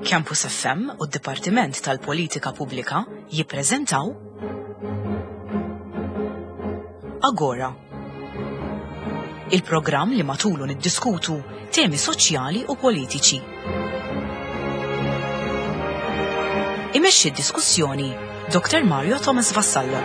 Campus FM u d-Dipartiment tal-Politika Pubblika jippreżentaw Agora. Il-programm li matulu niddiskutu temi soċjali u politiċi. Imexxi d-diskussjoni Dr. Mario Thomas Vassallo.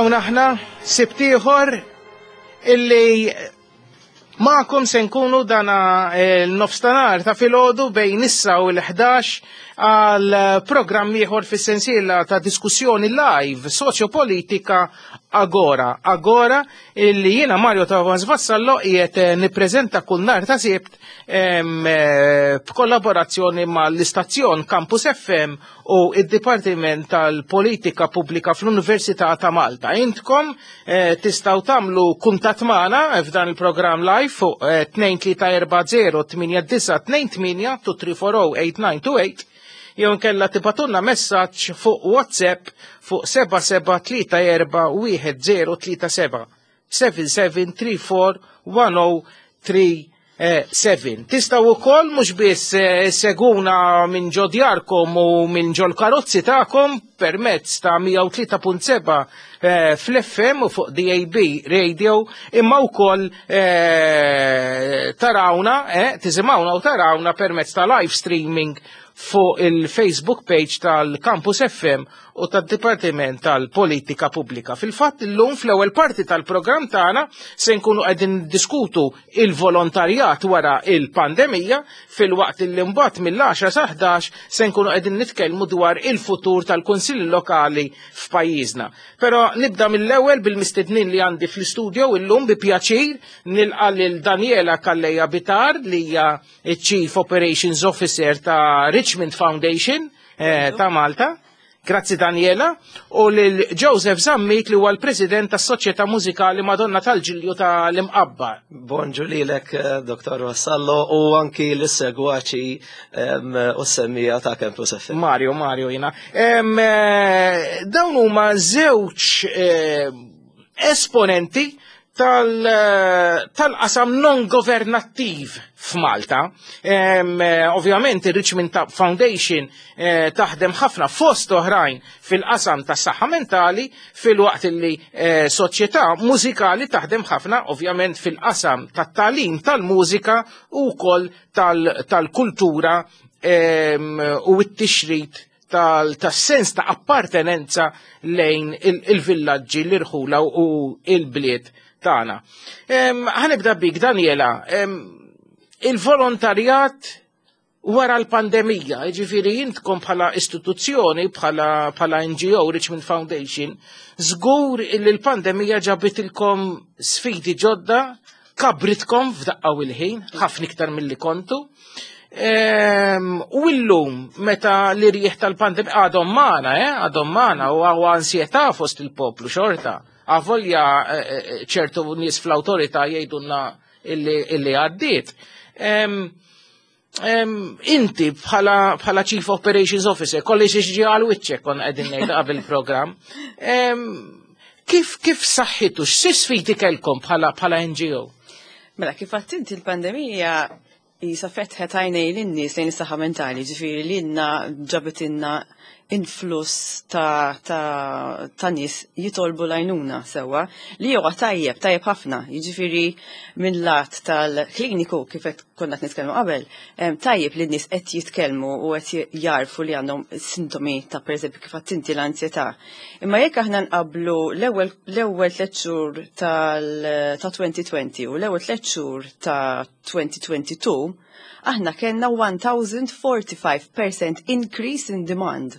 Hawn aħna sibt ieħor illi Magħkom se nkunu dana eh, l-nofstanar ta' filgħodu bejn issa u l-11 għal programm ieħor fis-sensiela ta' diskussjoni live soċjopolitika Agora. Agora illi jiena Mario Tavans Vassallo qiegħed eh, nippreżenta kull nhar ta' sibt eh, b'kollaborazzjoni mal-istazzjon Campus FM u id-Dipartiment tal-Politika Pubblika fl-Università ta' Malta. Intkom eh, tistgħu tagħmlu kuntatt magħna f'dan il-programm live fuq 2340 8928 2340 8928 jew nkella tibatunna messaġġ fuq WhatsApp fuq 77341037 7734 1037 7. Tistaw ukoll mhux biss eh, seguna minn ġo djarkom u minn ġol karozzi tagħkom permezz ta' 103.7 eh, fl-FM u fuq DAB Radio imma wkoll eh, tarawna, tisimgħuna u tarawna permezz ta' live streaming fuq il-Facebook page tal-Campus FM u tad-Dipartiment tal-Politika Pubblika. Fil-fatt illum fl-ewwel parti tal-programm tagħna se nkunu qegħdin diskutu il-volontarjat wara il-pandemija filwaqt li mbagħad mill-10 sa 11 se nkunu qegħdin nitkellmu dwar il-futur tal-Kunsilli Lokali f'pajjiżna. Però nibda mill-ewwel bil-mistednin li għandi fl-istudio illum bi pjaċir nilqa' lil Daniela Calleja Bitar li hija Chief Operations Officer ta' Richmond Foundation eh, ta' Malta. Grazzi Daniela u lil Joseph Zammit li huwa l-President tas-Soċjetà Mużikali Madonna tal-Ġilju tal-Imqabba. Bonġu lilek eh, Dr. Vassallo u anki l-segwaċi u s-semmija ta' Campus FM. Mario, Mario jina. Eh, dawn huma żewġ eh, esponenti tal-qasam non governattiv f'Malta. Eh, ovvjament il-Richmond Foundation eh, taħdem ħafna fost oħrajn fil-qasam tas saħħa mentali fil-waqt li eh, soċjetà mużikali taħdem ħafna ovvjament fil-qasam tat-talim tal-mużika u wkoll tal-kultura u t-tixrid tas-sens ta' appartenenza lejn il-villaġġi, l-irħula u il-bliet tagħna. Ħanibda bik Daniela, il-volontarjat wara l-pandemija, ġifiri jintkom bħala istituzzjoni, bħala, bħala NGO, Richmond Foundation, żgur li l-pandemija ġabitilkom sfidi ġodda, kabritkom f'daqqa u l-ħin, ħafna iktar mill-li kontu. Ehm, u illum, meta l-irjieħ tal-pandemija għadhom magħna, eh, għadhom magħna u għaw ansjetà fost il-poplu xorta. Avolja eh, eh, ċertu nies fl-awtorità jgħidulna illi għaddiet. Ehm, ehm, inti bħala Chief Operations Officer, kolli xi għal wiċċek kon qegħdin ngħid qabel programm. Kif kif saħħitu, x'si sfidi kellkom bħala NGO? Mela kif għattinti l-pandemija Isa fetħet għajnej lin-nies lejn is-saħħa mentali, ġifieri lilna ġabitilna influss ta', ta, ta nies jitolbu l-għajnuna sewwa li huwa tajjeb, tajjeb ħafna. Jiġifieri minn lat tal-kliniku kif qed konna qed nitkellmu qabel, tajjeb li n-nies qed jitkellmu u qed jarfu li għandhom sintomi ta' pereżempju kif għedt inti l-ansjetà. Imma jekk aħna nqabblu l-ewwel l-ewwel tliet xhur tal ta' 2020 u l-ewwel tliet xhur ta' 2022, aħna kellna 1045% increase in demand.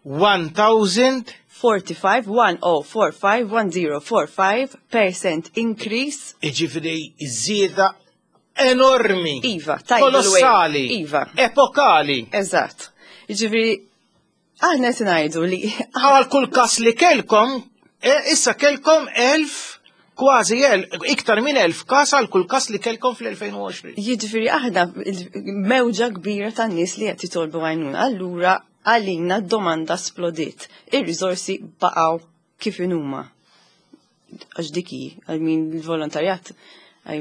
1000 45, 1045, 1045 percent increase. Iġifiri żieda enormi. Iva, tidal wave. Kolossali. Iva. Epokali. Eżatt. Jiġifieri aħna qed ngħidu li Għal kull kas li kelkom, issa kelkom 1000, kważi iktar minn 1000 kas għal kull kas li kelkom fl-2020. Jiġifieri aħna mewġa kbira tan nies li qed jitolbu għajnuna. Allura għalina d-domanda splodiet. Ir-riżorsi baqgħu kif inhuma. Għax dik hi, I mean il-volontarjat I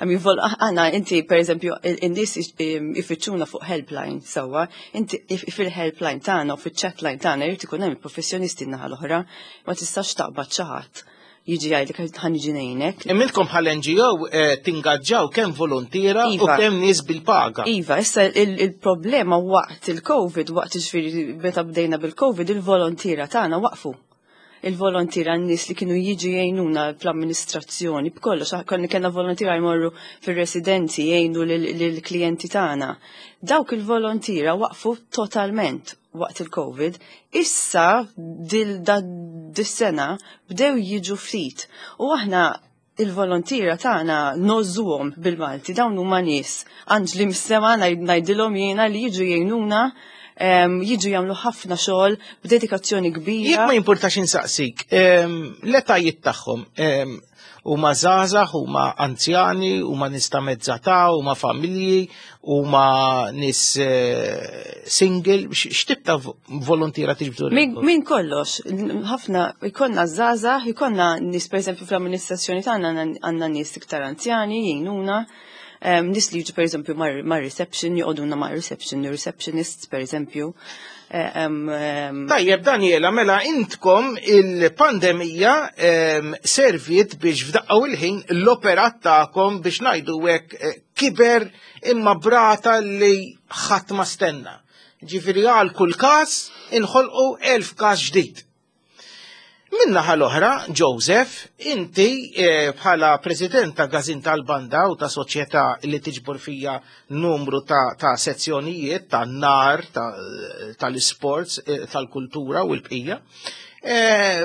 mean, aħna inti per eżempju in-nies ifittxuna fuq helpline sewwa, inti fil-helpline tagħna u fiċ-chatline tagħna jrid ikun hemm il-professjonisti n-naħa l-oħra, ma tistax taqbad xi ħadd jiġi jgħidlek ħa niġi ngħinek. Imma intkom bħal NGO tingaġġaw kemm volontiera u Iva. kemm nies bil-paga. Iva, issa il-problema waqt il-Covid, waqt ġifieri meta bdejna bil-Covid, il-volontiera tagħna waqfu. Il-volontiera n-nies li kienu jiġu jgħinuna fl-amministrazzjoni, b'kollox, konna kellna volontiera jmorru fir-residenzi jgħinu lill-klijenti tagħna. Dawk il-volontiera waqfu totalment waqt il-Covid. Issa dis-sena bdew jiġu ftit. U aħna il-volontiera tagħna ngħożżuhom bil-Malti, dawn huma nies. Anġli mis-sema ngħidilhom jiena li jiġu jgħinuna, jiġu jagħmlu ħafna xogħol b'dedikazzjoni kbira. Jekk ma jimpurtax insaqsik, l-etajiet tagħhom huma żgħażagħ, huma anzjani, huma nies ta' mezza età, huma familji, huma nies single, x'tip ta' volontiera tiġbdu lilkom? Min kollox, ħafna ikollna żgħażagħ, ikollna nies per eżempju fl-amministrazzjoni tagħna għandna nies iktar anzjani jgħinuna, nies li jiġu per eżempju mar reception, joqogħduna mar reception, receptionists per eżempju. Tajjeb, Daniela, mela intkom il-pandemija serviet biex f'daqqa u l-ħin l-operat tagħkom biex ngħidu hekk kiber imma b'rata li ħadd ma stenna. Ġifieri għal kull każ inħolqu 1000 każ ġdid. Min-naħa l-oħra, Joseph, inti bħala president ta' Gazin tal-Banda u ta' soċjetà li tiġbor fija numru ta' sezzjonijiet, ta' nar, tal-sports, tal-kultura u l-bqija.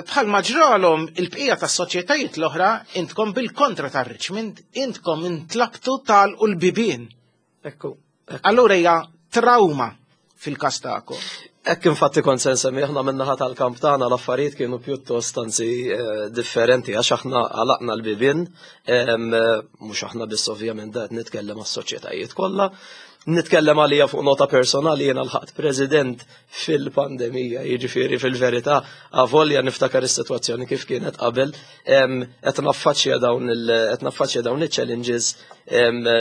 Bħal maġralhom il-bqija ta' soċjetajiet l-oħra, intkom bil-kontra ta' Richmond, intkom intlabtu tagħlqu l-bibien. Ekku. Allura hija trauma fil-każ tagħkom. Ekk infatti kont se nsemmi aħna min-naħa tal-kamp tagħna l-affarijiet kienu pjuttost anzi differenti għax aħna għalaqna l-bibien, mhux aħna biss ovvjament da qed nitkellem għas-soċjetajiet kollha. Nitkellem għalija fuq nota personali jiena lħaqt president fil-pandemija, jiġifieri fil-verità avolja niftakar is-sitwazzjoni kif kienet qabel, qed naffaċċja dawn il-challenges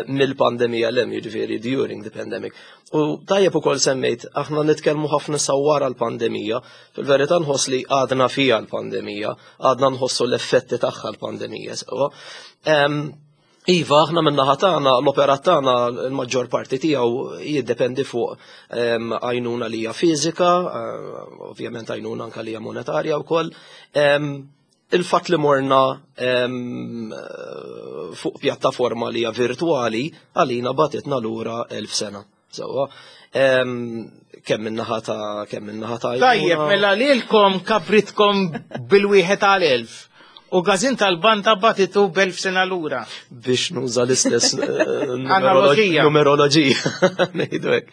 mill-pandemija l jiġifieri during the pandemic. U tajjeb ukoll semmejt, aħna nitkellmu ħafna sa wara l-pandemija, fil-verità nħoss li għadna fija l-pandemija, għadna nħossu l-effetti tagħha l-pandemija. Sewwa. Iva, aħna min-naħa tagħna, l-operat tagħna l-maġġor parti tiegħu jiddependi fuq għajnuna li hija fiżika, ovvjament għajnuna anke li hija monetarja wkoll. Il-fatt li morna fuq pjattaforma li hija virtuali għalina bagħtitna lura 1000 sena. Sewwa, kemm min-naħa ta' Tajjeb, għajnuna. mela lilkom kabritkom bil-wieħed għal 1000. U gazin tal-banda bagħtitu b'1000 sena lura. Biex nuża l-istess Analogija. numeroloġija. Ngħidu hekk.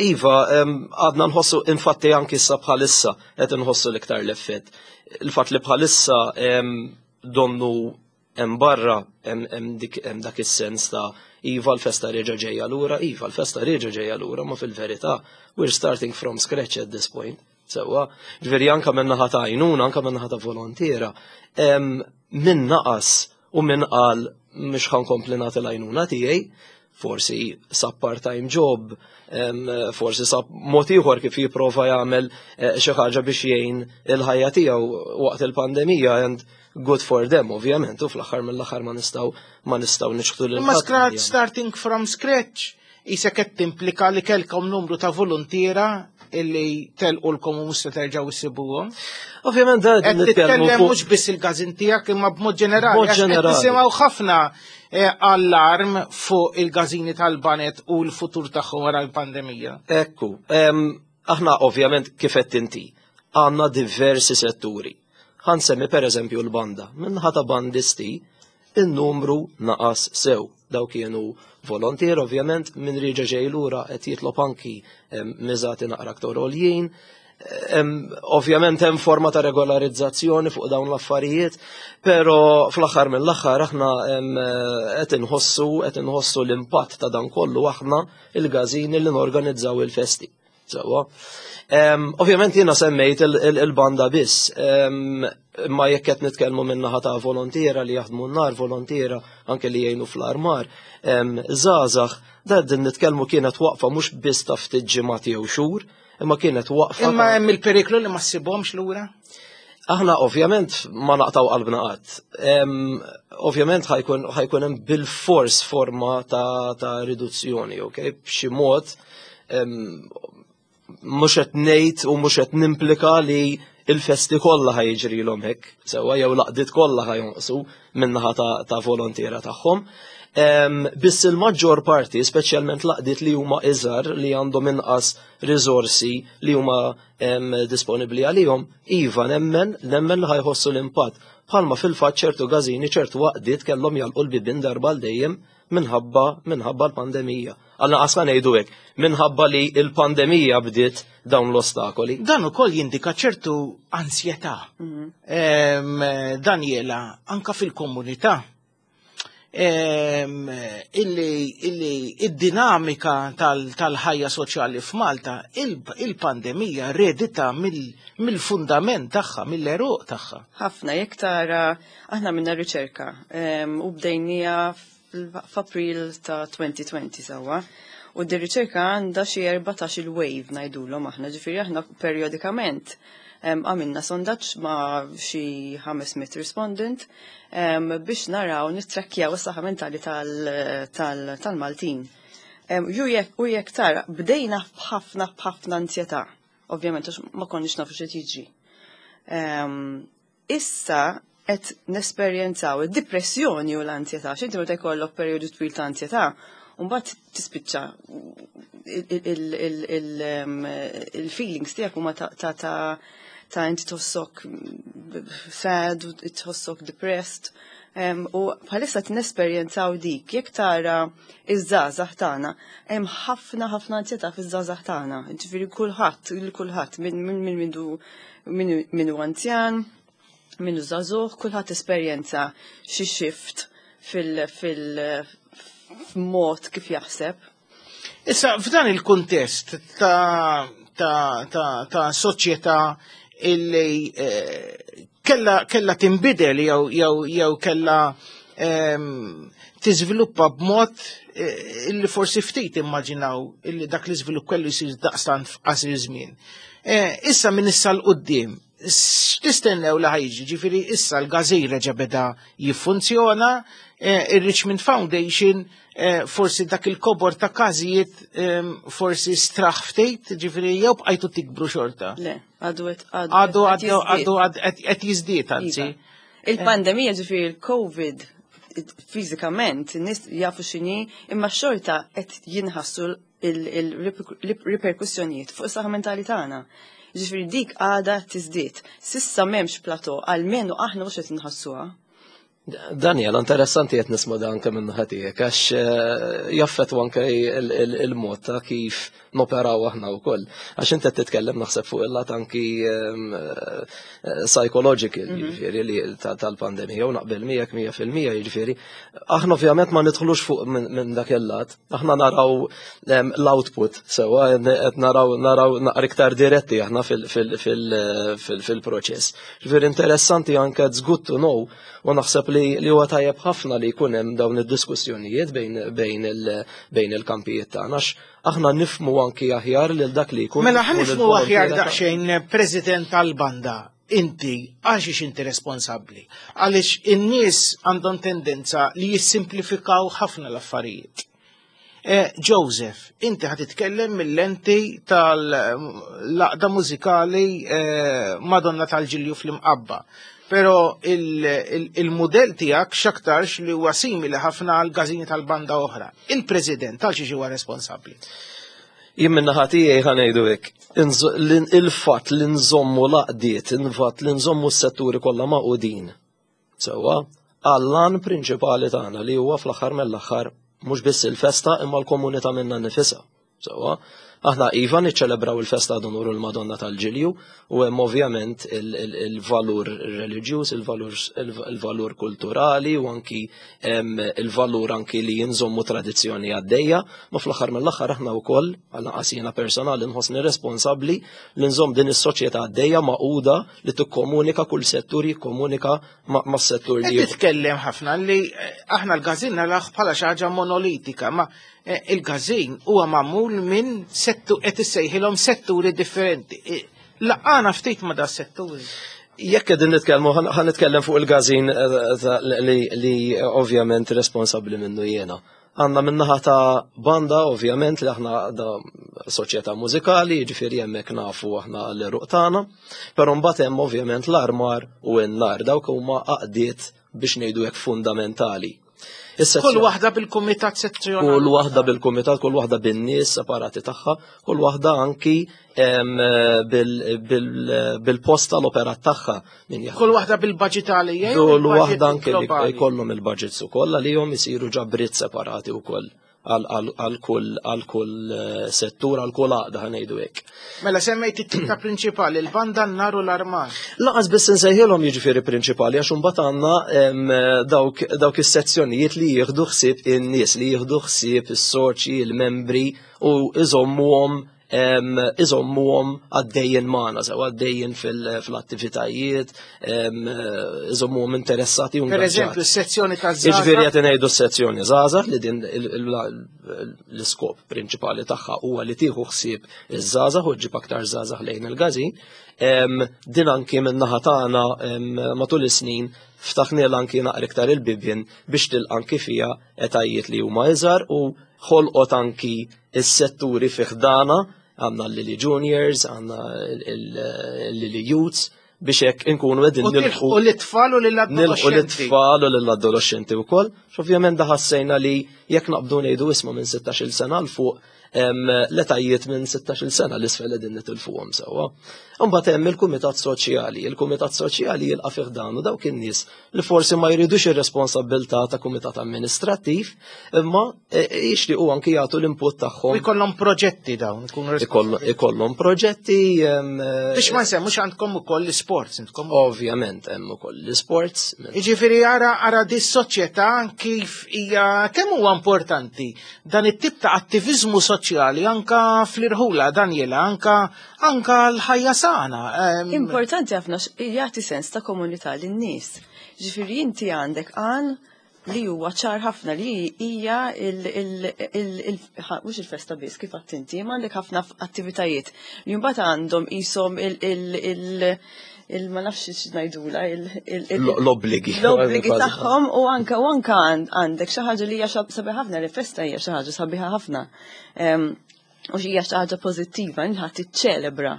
Iva, għadna nħossu infatti anki issa bħalissa qed inħossu l-iktar l-effett. Il-fatt li bħalissa donnu hemm barra hemm dak is-sens ta' iva l-festa reġa' ġejja lura, iva l-festa reġa' ġejja lura, ma fil-verità we're starting from scratch at this point. Sewwa, ġifieri anka min-naħa ta' għajnuna, anka min-naħa ta' volontiera, min naqas u min qal mhux ħa nkompli nagħti l-għajnuna tiegħi, forsi sab part-time job, forsi sab mod ieħor kif jipprova jagħmel xi ħaġa biex jgħin il-ħajja tiegħu waqt il-pandemija and good for them, ovvjament, u fl-aħħar mill-aħħar ma nistgħu niċħdu lil Imma ħadd li jagħmel. starting from scratch, qisek qed timplika li kelkom numru ta' volontiera illi telqulkom u mhux se terġgħu issibuhom. Ovvjament da Qed nitkellmu titkellem fuq mhux biss il-każin tiegħek imma b'mod ġenerali. B'mod Għax qed ġenerali. nisimgħu ħafna allarm fuq il-każini tal-baned u l-futur tagħhom wara l-pandemija. Ekku, Aħna ovvjament kif qed inti għandna diversi setturi. Ħa nsemmi per eżempju l-banda. Min-naħa ta' bandisti, in-numru naqas sew. Daw kienu volontier, ovvjament, min reġa' ġej lura qed jitlob anki miżati naqra aktar għoljin. Ovvjament hemm forma ta' regolarizzazzjoni fuq dawn l-affarijiet, pero fl-aħħar mill-aħħar aħna qed inħossu l-impatt ta' dan kollu aħna il-gazini li norganizzaw il-festi. Sewwa. Ovvjament jiena semmejt il-banda biss, imma jekk qed nitkellmu min-naħa ta' volontiera li jaħdmu n-nar, volontiera anke li jgħinu fl-armar, żgħażagħ, da din nitkellmu kienet waqfa mhux biss ta' ftit ġimgħat jew xhur, imma kienet waqfa. Imma hemm il-periklu li ma ssibhomx lura? Aħna ovvjament ma naqtaw qalbna qatt. Ovvjament ħa jkun hemm bil-fors forma ta' riduzzjoni, ok? B'xi mod mhux qed ngħid u mhux qed nimplika li il-festi kollha ħa jiġrilhom hekk, sewwa jew l-għaqdiet kollha ħa jonqsu min-naħa ta' volontiera tagħhom. Biss il-maġġor parti, speċjalment l-għaqdiet li huma iżgħar li għandhom inqas riżorsi li huma disponibbli għalihom, iva nemmen li ħa jħossu l-impatt. Bħalma fil-fatt ċertu gazini, ċertu għaqdiet kellhom jagħlqu l-bibien darba għal dejjem minħabba l-pandemija. Għalna qasna ngħidu hekk, minħabba li l-pandemija bdiet dawn l-ostakoli. Dan ukoll jindika ċertu ansjetà. Daniela, anka fil-komunità. Illi id-dinamika tal-ħajja soċjali f'Malta, il-pandemija redita mill-fundament tagħha, mill-għeruq tagħha. Ħafna, jekk tara, aħna minna riċerka u bdejnija f'April ta' 2020 sewwa. U di riċerka għandha xi 14 il-wave ngħidulhom aħna, ġifieri aħna periodikament għamilna sondaġġ ma' xi 500 respondent biex naraw nittrakkjaw is-saħħa mentali tal-Maltin. U jekk tara, bdejna b'ħafna b'ħafna ansjetà, ovvjament għax ma konniex nafu xi jiġri. Issa qed nesperjenzaw id-depressjoni u l-ansjetà. X'inti meta jkollok perjodu twil ta' ansjetà, mbagħad tispiċċa il-feelings tiegħek huma ta' inti tħossok sad, u tħossok depressed. U bħalissa nesperjenzaw dik, jekk tara iż-żgħażagħ tagħna, hemm ħafna ħafna ansjetà fiż-żgħażagħ tagħna. Ġifieri kulħadd, il kulħadd min hu anzjan, min hu żagħżugħ, kulħadd esperjenza xi shift fil fil f'mod kif jaħseb. Issa, f'dan il-kuntest ta' soċjetà illi kella tinbidel jew kella tiżviluppa b'mod illi forsi ftit immaġinaw illi dak l-iżvilupp kellu jsir daqstant f'qasir żmien. Issa minn issa 'l quddiem, x'tistennew li ħa jiġi? Ġifieri issa l-gazin reġa' beda jiffunzjona, il-Richmond Foundation forsi dak il-kobor ta' każijiet forsi straħ ftit, ġifieri jew bqajtu tikbru xorta. Le, għadu qed Għadu qed għadu jiżdied. Għadu qed jiżdied anzi. Iva. Il-pandemija, ġifieri il-Covid, fiżikament, in-nies jafu x'inhi, imma xorta qed jinħassu il-riperkussjonijiet fuq is-saħħa mentali tagħna. Ġifieri dik għada tiżdied. S'issa m'hemmx plateau, almenu aħna mhux qed inħassuha. Daniel, interessanti qed nisma' dan anke minn naħa tiegħek għax jaffettwa anke il-mod ta' kif noperaw aħna wkoll. Għax inti qed titkellem naħseb fuq il-lat anki psychological, jiġifieri li tal-pandemija u naqbel miegħek 100%, jiġifieri. Aħna ovvjament ma nidħlux fuq minn dak il-lat, aħna naraw l-output sewwa, qed naraw naqra iktar diretti aħna fil-proċess. Ġifieri interessanti anke, it's good to know, u naħseb li huwa tajjeb ħafna li jkun hemm dawn id-diskussjonijiet bejn il-kampijiet tagħna għax aħna nifmu anki aħjar lil dak li jkun. Mela ħa u nifmu aħjar lill-volontiera. Daqsxejn, President tal-banda, inti għax inti responsabbli? Għaliex in-nies għandhom tendenza li jissimplifikaw ħafna l-affarijiet. Joseph, inti ħa titkellem mill-lenti tal-għaqda mużikali Madonna tal-Ġilju fl-Imqabba. Pero il-modell tiegħek xaktarx li huwa simili ħafna għal gazini tal-banda oħra. Il-President għal xiex huwa responsabbli? Jien minn naħa tiegħi ħa ngħidu hekk, il-fatt li nżommu l-għaqdiet, il-fatt li nżommu s-setturi kollha magħqudin. Sewwa, għall-għan prinċipali tagħna li huwa fl-aħħar mill-aħħar mhux biss il-festa imma l-komunità minna nifisha. Sewwa, aħna iva niċċelebraw il-festa ad unur il-Madonna tal-Ġilju u hemm ovvjament il-valur reliġjuż, il-valur kulturali u anki il-valur anki li jinżommu tradizzjoni għaddejja, ma fl-aħħar mill-aħħar aħna wkoll, għal jiena personali nħossni responsabbli li nżomm din is-soċjetà għaddejja magħquda li tikkomunika kull settur jikkomunika mas-settur li. Titkellem ħafna li aħna l-gazin naraħ bħala xi ħaġa monolitika, ma il-gazin huwa magħmul minn settu qed issejħilhom setturi differenti. Laqana ftit ma da setturi. Jekk qegħdin nitkellmu, ħa nitkellem fuq il-gazin li ovvjament responsabbli minnu jiena. Għandna minnaħa ta' banda, ovvjament, li aħna da soċjetà mużikali, ġifieri hemmhekk nafu aħna l-eruq tagħna, però mbagħad hemm ovvjament l-armar u n-nar, dawk huma għaqdiet biex ngħidu hekk fundamentali. Kull waħda bil-kumitat sezzjonali. Kull waħda bil-kumitat, kull waħda bin-nies separati tagħha, kull waħda anki bil-posta l-operat tagħha. Kull waħda bil-budget għalija. Kull waħda anki li jkollhom il-budgets ukoll għalihom isiru ġabriet separati wkoll għal kull settur, għal kull għaqda ħanejdu hekk. Mela semmejt it-tita prinċipali, il-banda n-nar u l-armar. Laqas biss insejħilhom jiġifieri prinċipali għax imbagħad għandna dawk is-sezzjonijiet li jieħdu ħsieb in-nies, li jieħdu ħsieb is-soċji, il-membri u iżommuhom għaddejjin magħna, sew għaddejjin fil-attivitajiet, iżommuhom interessati u Per eżempju, s-sezzjoni ta' żgħażagħ. Jiġifieri qed ngħidu s-sezzjoni żgħażagħ li din l-iskop prinċipali tagħha huwa li tieħu ħsieb iż-żgħażagħ u ġġib aktar żgħażagħ lejn il-gazin. Din anki min-naħa tagħna matul is-snin ftaħniel anki naqra iktar il-bibien biex tilqa' anki fiha etajiet li huma iżgħar u ħolqot anki is-setturi fi ħdana, għandna l-Lily Juniors, għandna l-Lily Youths, biex hekk inkunu qegħdin nilħu. U l-itfal u lill-adolescenti. Nilħu l-itfal u lill-adolescenti wkoll. Ovvjament da ħassejna li jekk naqbdu ngħidu isma' minn 16-il sena l fuq l-etajiet minn 16-il sena l-isfel qegħdin nitilfuhom sewwa. Imbagħad hemm il-kumitat soċjali. Il-kumitat soċjali jilqa' fih dan u dawk in-nies li forsi ma jridux ir-responsabilità ta' kumitat amministrattiv, imma jixtiequ anki jagħtu l-input tagħhom. U jkollhom proġetti dawn, ikunu responsabbli. Ikollhom proġetti. Biex ma nsemmux għandkom ukoll l-isports, intkom. Ovvjament hemm ukoll l-isports. Jiġifieri ara di s-soċjetà kif hija kemm huwa importanti dan it-tip ta' attiviżmu soċjali anka fl-irħula, Daniela, anka l-ħajja sana. Importanti ħafna jagħti sens ta' komunità lin-nies. Ġifieri inti għandek għan li huwa ċar ħafna li hija mhux il-festa biss kif għedt inti, ma għandek ħafna attivitajiet li mbagħad għandhom qishom ma nafx x'ngħidula, L-obbligi. l-obbligi tagħhom u anka għandek xi ħaġa li hija sabiħa ħafna, li festa hija xi ħaġa sabiħa ħafna. U hija xi ħaġa pożittiva, inħadd tiċċelebra.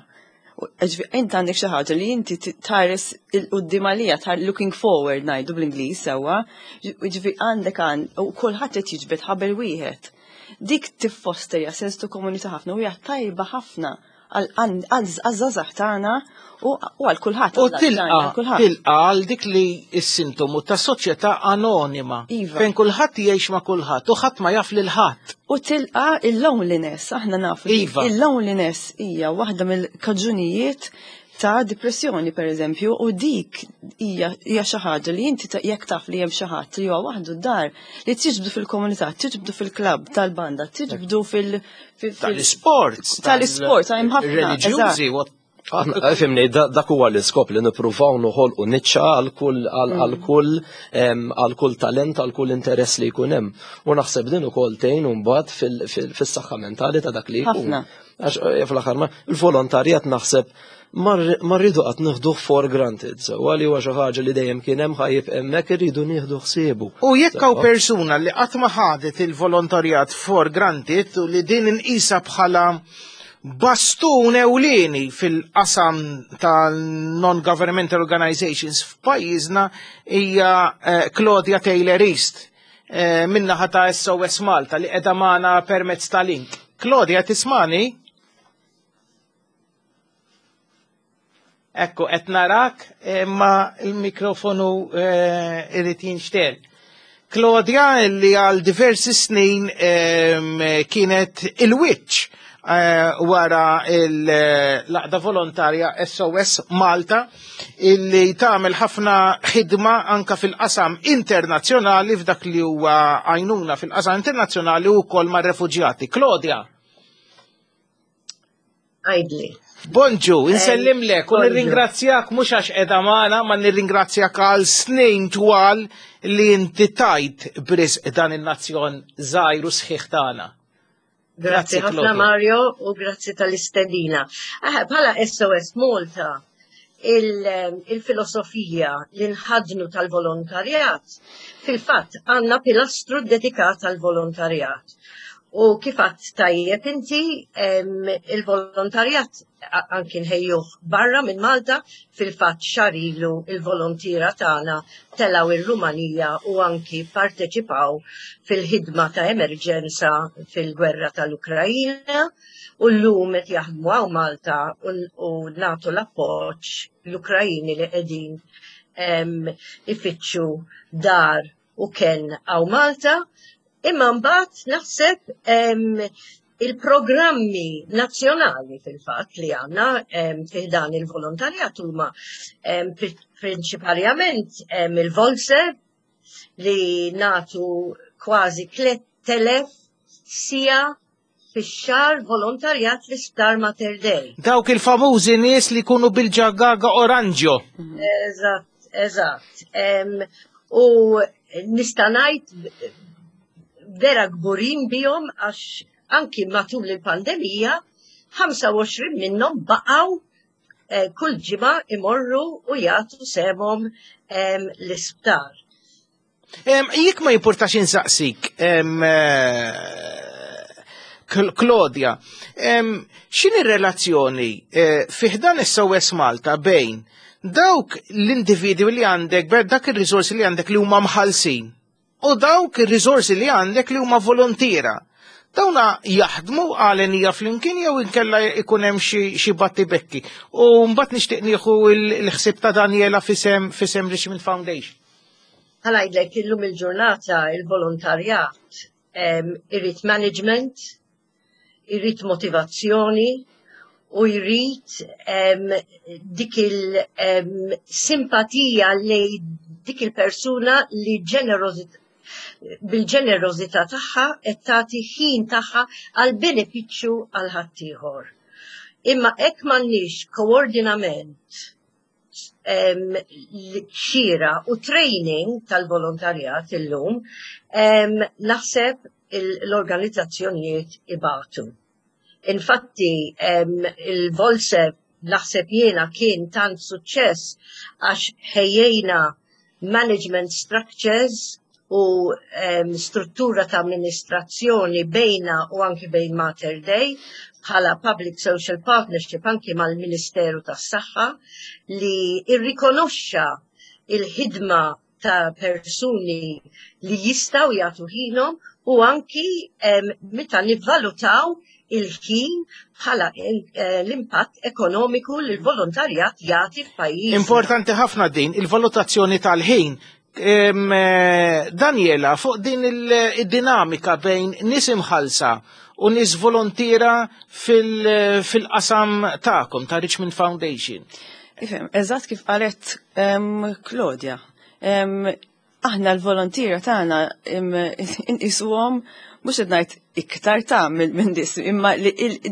Int għandek xi ħaġa li inti tħares il-qudiem għalija, looking forward ngħidu bl-Ingliż sewwa, ġifieri għandek għan u kulħadd qed jiġbed ħabel wieħed. Dik tiffosterja sens ta' komunità ħafna u hija tajba ħafna għal-żgħażagħ tagħna u għal kulħadd. U għal għal kulħadd. tilqa għal dik li s-sintomu ta' soċjetà anonima. Fejn kulħadd jgħix ma' kulħadd u ħadd ma jaf lil ħadd. U tilqa il-loneliness, aħna nafu li il-loneliness hija waħda mill-kaġunijiet ta' depressjoni per eżempju, u dik hija xi ħaġa li inti jekk taf li hemm xi ħadd li huwa waħdu d-dar, li tiġbdu fil-komunità, tiġbdu fil-klabb tal-banda, tiġbdu Tal-isports, tal-isports, hemm ħafna, reliġjużi, eżatt. what Aħna, fimni, dak huwa l-iskop li nippruvaw noħolqu niċċa għal kull talent, għal kull interess li jkun hemm. U naħseb din ukoll tgħin mbagħad fis-saħħa mentali ta' dak li jkun. Ħafna. Għax fl-aħħar ma il-volontarjat naħseb ma rridu qatt nieħduh for granted, so għali huwa xi ħaġa li dejjem kien hemm ħajib hemmhekk irridu nieħdu ħsiebu. U jekk hawn persuna li qatt ma ħadet il-volontarjat for granted u li din inqisha bħala bastun ewlieni fil-qasam tal-non-governmental organizations f'pajjiżna hija Claudia Taylor East minnaħa ta' SOS Malta li qiegħda magħna permezz ta' link. Claudia, tismani? Ekku, qed narak imma il-mikrofonu eh, irid jinxtel. Claudia li għal diversi snin kienet il-wiċċ eh, wara l-laqda volontarja SOS Malta illi tagħmel ħafna ħidma anka fil-qasam internazzjonali f'dak li huwa għajnuna fil-qasam internazzjonali u wkoll mar-refuġjati. Claudia. Għajdli. Bonġu, insellimlek u nirringrazzjak mhux għax qiegħda magħna, ma nirringrazzjak għal snin twal li inti tajt brisq dan in-nazzjon żgħir u sħiħ tagħna. Grazzi ħafna Mario u grazzi tal-istedina. Bħala SOS Malta, il-filosofija li nħadnu tal-volontarjat, fil-fatt għandna pilastru dedikat għal-volontarjat. U kif għadt tajjeb inti, il-volontarjat anki nħejjuh barra minn Malta, fil-fatt xahar ilu il-volontiera tagħna telgħu ir-Rumanija u anki parteċipaw fil-ħidma ta' emerġenza fil-gwerra tal-Ukrajina u llum qed jaħdmu hawn Malta u nagħtu l-appoġġ l-Ukrajini li qegħdin ifittxu dar u kenn hawn Malta, imma mbagħad naħseb il-programmi nazzjonali fil-fatt li għandna fih dan il-volontarjat huma prinċipalment il-Volse li natu kważi 3000 sija fix-xahar volontarjat l-Isptar Mater Dei. Dawk il-famużi nies li jkunu bil-ġagaga oranġjo. Eżatt, eżatt. U nista' ngħid vera kburin bihom għax anki matul il-pandemija 25 minnhom baqgħu eh, kull ġimgħa imorru u jagħtu semhom l-isptar. Jekk ma jipportax insaqsik, eh, Claudia, x'inhi relazzjoni eh, fiħdan SOS Malta bejn dawk l-individwi li għandek, dak ir-riżorsi li għandek li huma mħallsin u dawk ir-riżorsi li għandek li huma volontira. Dawna jaħdmu għalenija flimkien jew inkella ikun hemm xi battibekki. U mbagħad nixtieq nieħu l-ħsieb ta' Daniela fisem fisem Richmond Foundation. Ħa ngħidlek illum il-ġurnata il-volontarjat irid management, irid motivazzjoni u jrid dik il-simpatija li dik il-persuna li bil-ġenerożità tagħha qed tagħti ħin tagħha għal benefiċċju għal ħaddieħor. Imma hekk m'għandniex koordinament xira u training tal-volontarjat illum, naħseb l-organizzazzjonijiet ibatu. Infatti, il-Volse naħseb jiena kien tant suċċess għax ħejjejna management structures u struttura ta' amministrazzjoni bejna u anki bejn Mater Dei bħala Public Social Partnership anki mal-Ministeru tas-Saħħa li irrikonoxxa il-ħidma ta' persuni li jistaw jagħtu ħinhom u anki meta nivvalutaw il-ħin bħala eh, l-impatt ekonomiku li l-volontarjat jagħti f'pajjiż. Importanti ħafna din il-valutazzjoni tal-ħin Eh, Daniela, fuq din il-dinamika bejn nis imħalsa u nis volontira fil-qasam ta'kom ta' Richmond Foundation. Ifhem, eżatt kif qalet Claudia. Aħna l-volontira tagħna inqisuhom mhux qed ngħid iktar ta' minn nies, imma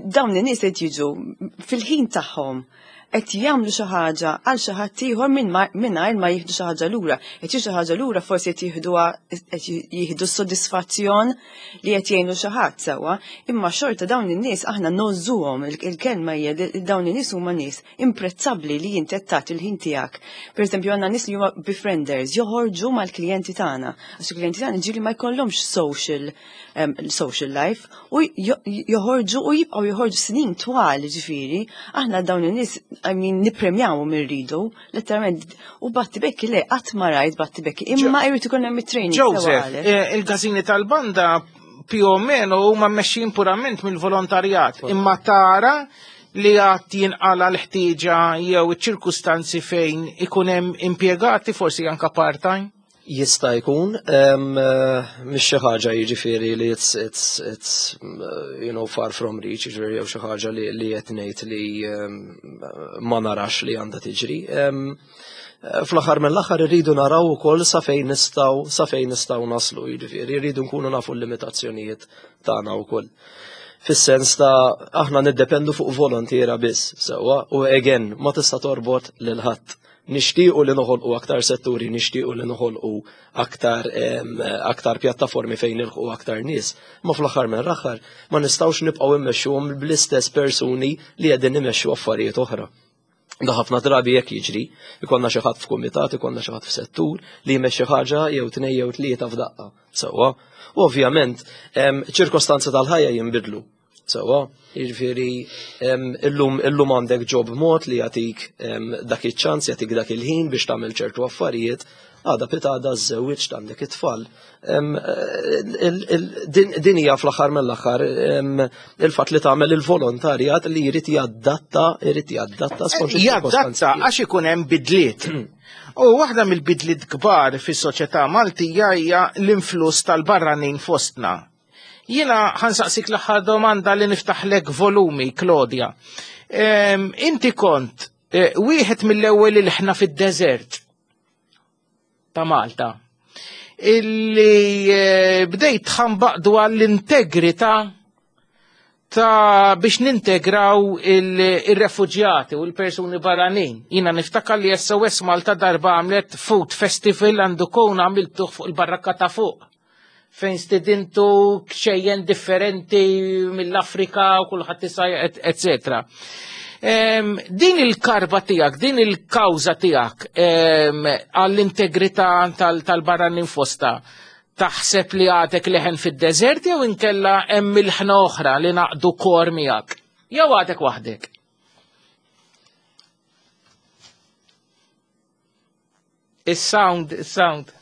dawn in-nies qed jiġu fil-ħin tagħhom qed jagħmlu xi ħaġa għal xi ħadd ieħor mingħajr ma jieħdu xi ħaġa lura. Qed xi ħaġa lura forsi qed jieħduha qed jieħdu s-sodisfazzjon li qed jgħinu xi ħadd sewwa, imma xorta dawn in-nies aħna nożuhom il-kelma hija dawn in-nies huma nies imprezzabbli li inti qed tagħti l-ħin tiegħek. Pereżempju għandna nies li huma befrienders, joħorġu mal-klijenti tagħna. Għax il-klijenti tagħna ġieli ma jkollhomx social social life u joħorġu u jibqgħu joħorġu snin twal ġifieri, aħna dawn in-nies I mean nippremjawhom irridu, letteralment u battibekki le qatt ma rajt battibekki, imma jrid ikun hemm it-training. Joseph, eh, il-każini tal-banda più o meno huma mmexxin purament mill-volontarjat, imma tara li għad jinqala l-ħtieġa jew iċ-ċirkustanzi fejn ikun hemm impjegati forsi anka part-time? Jista' jkun, mhix xi ħaġa jiġifieri li it's, it's, it's you know, far from reach, jiġifieri jew xi ħaġa li, li qed ngħid li ma narax li għandha tiġri. Fl-aħħar mill-aħħar irridu naraw ukoll sa fejn nistgħu sa fejn nistgħu naslu, jiġifieri rridu nkunu nafu l-limitazzjonijiet tagħna wkoll. Fis-sens ta' aħna niddependu fuq volontiera biss, sewwa, u again ma tista' torbot lil ħadd. Nixtiequ li noħolqu aktar setturi, nixtiequ li noħolqu aktar, aktar pjattaformi fejn nilħqu aktar nies. Ma fl-aħħar minn aħħar ma nistgħux nibqgħu immexxuhom bl-istess persuni li qegħdin imexxu affarijiet oħra. Da ħafna drabi jekk jiġri, ikollna xi ħadd f'kumitat, ikollna xi ħadd f'settur li jmexxi ħaġa jew tnej jew tlieta f'daqqa. Sewwa. U ovvjament, ċirkostanzi tal-ħajja jinbidlu. Sewwa, jiġifieri illum illum għandek job mod li jagħtik dak iċ-ċans, jagħtik dak il-ħin biex tagħmel ċertu affarijiet, għada pitada żżewwiġt għandek it-tfal. Din hija fl-aħħar mill-aħħar il-fatt li tagħmel il-volontarjat li jrid jadatta, jrid jadatta skont Jadatta għax ikun hemm bidliet. U waħda mill-bidliet kbar fis-soċjetà Maltija hija l-influss tal-barranin fostna. Jiena ħansaqsik l-aħħar domanda li niftaħlek volumi, Claudia. Inti kont eh, wieħed mill-ewwel il-ħna fid-deżert ta' Malta illi eh, bdejt tħambaq dwar l-integrità ta' biex nintegraw il-refuġjati u l-persuni barranin. Jina niftakar li SOS Malta darba għamlet Food Festival għandu kun għamiltuh fuq il-barrakka ta' fuq fejn stidintu kxejjen differenti mill-Afrika u kulħadd isaj, etc. Din il-karba tiegħek, din il-kawża tiegħek għall-integrità tal-barranin fosta, taħseb li għadek leħen fid-deżert jew inkella hemm ilħna oħra li naqdu kor miegħek? Jew għadek waħdek? Is-sound, is-sound.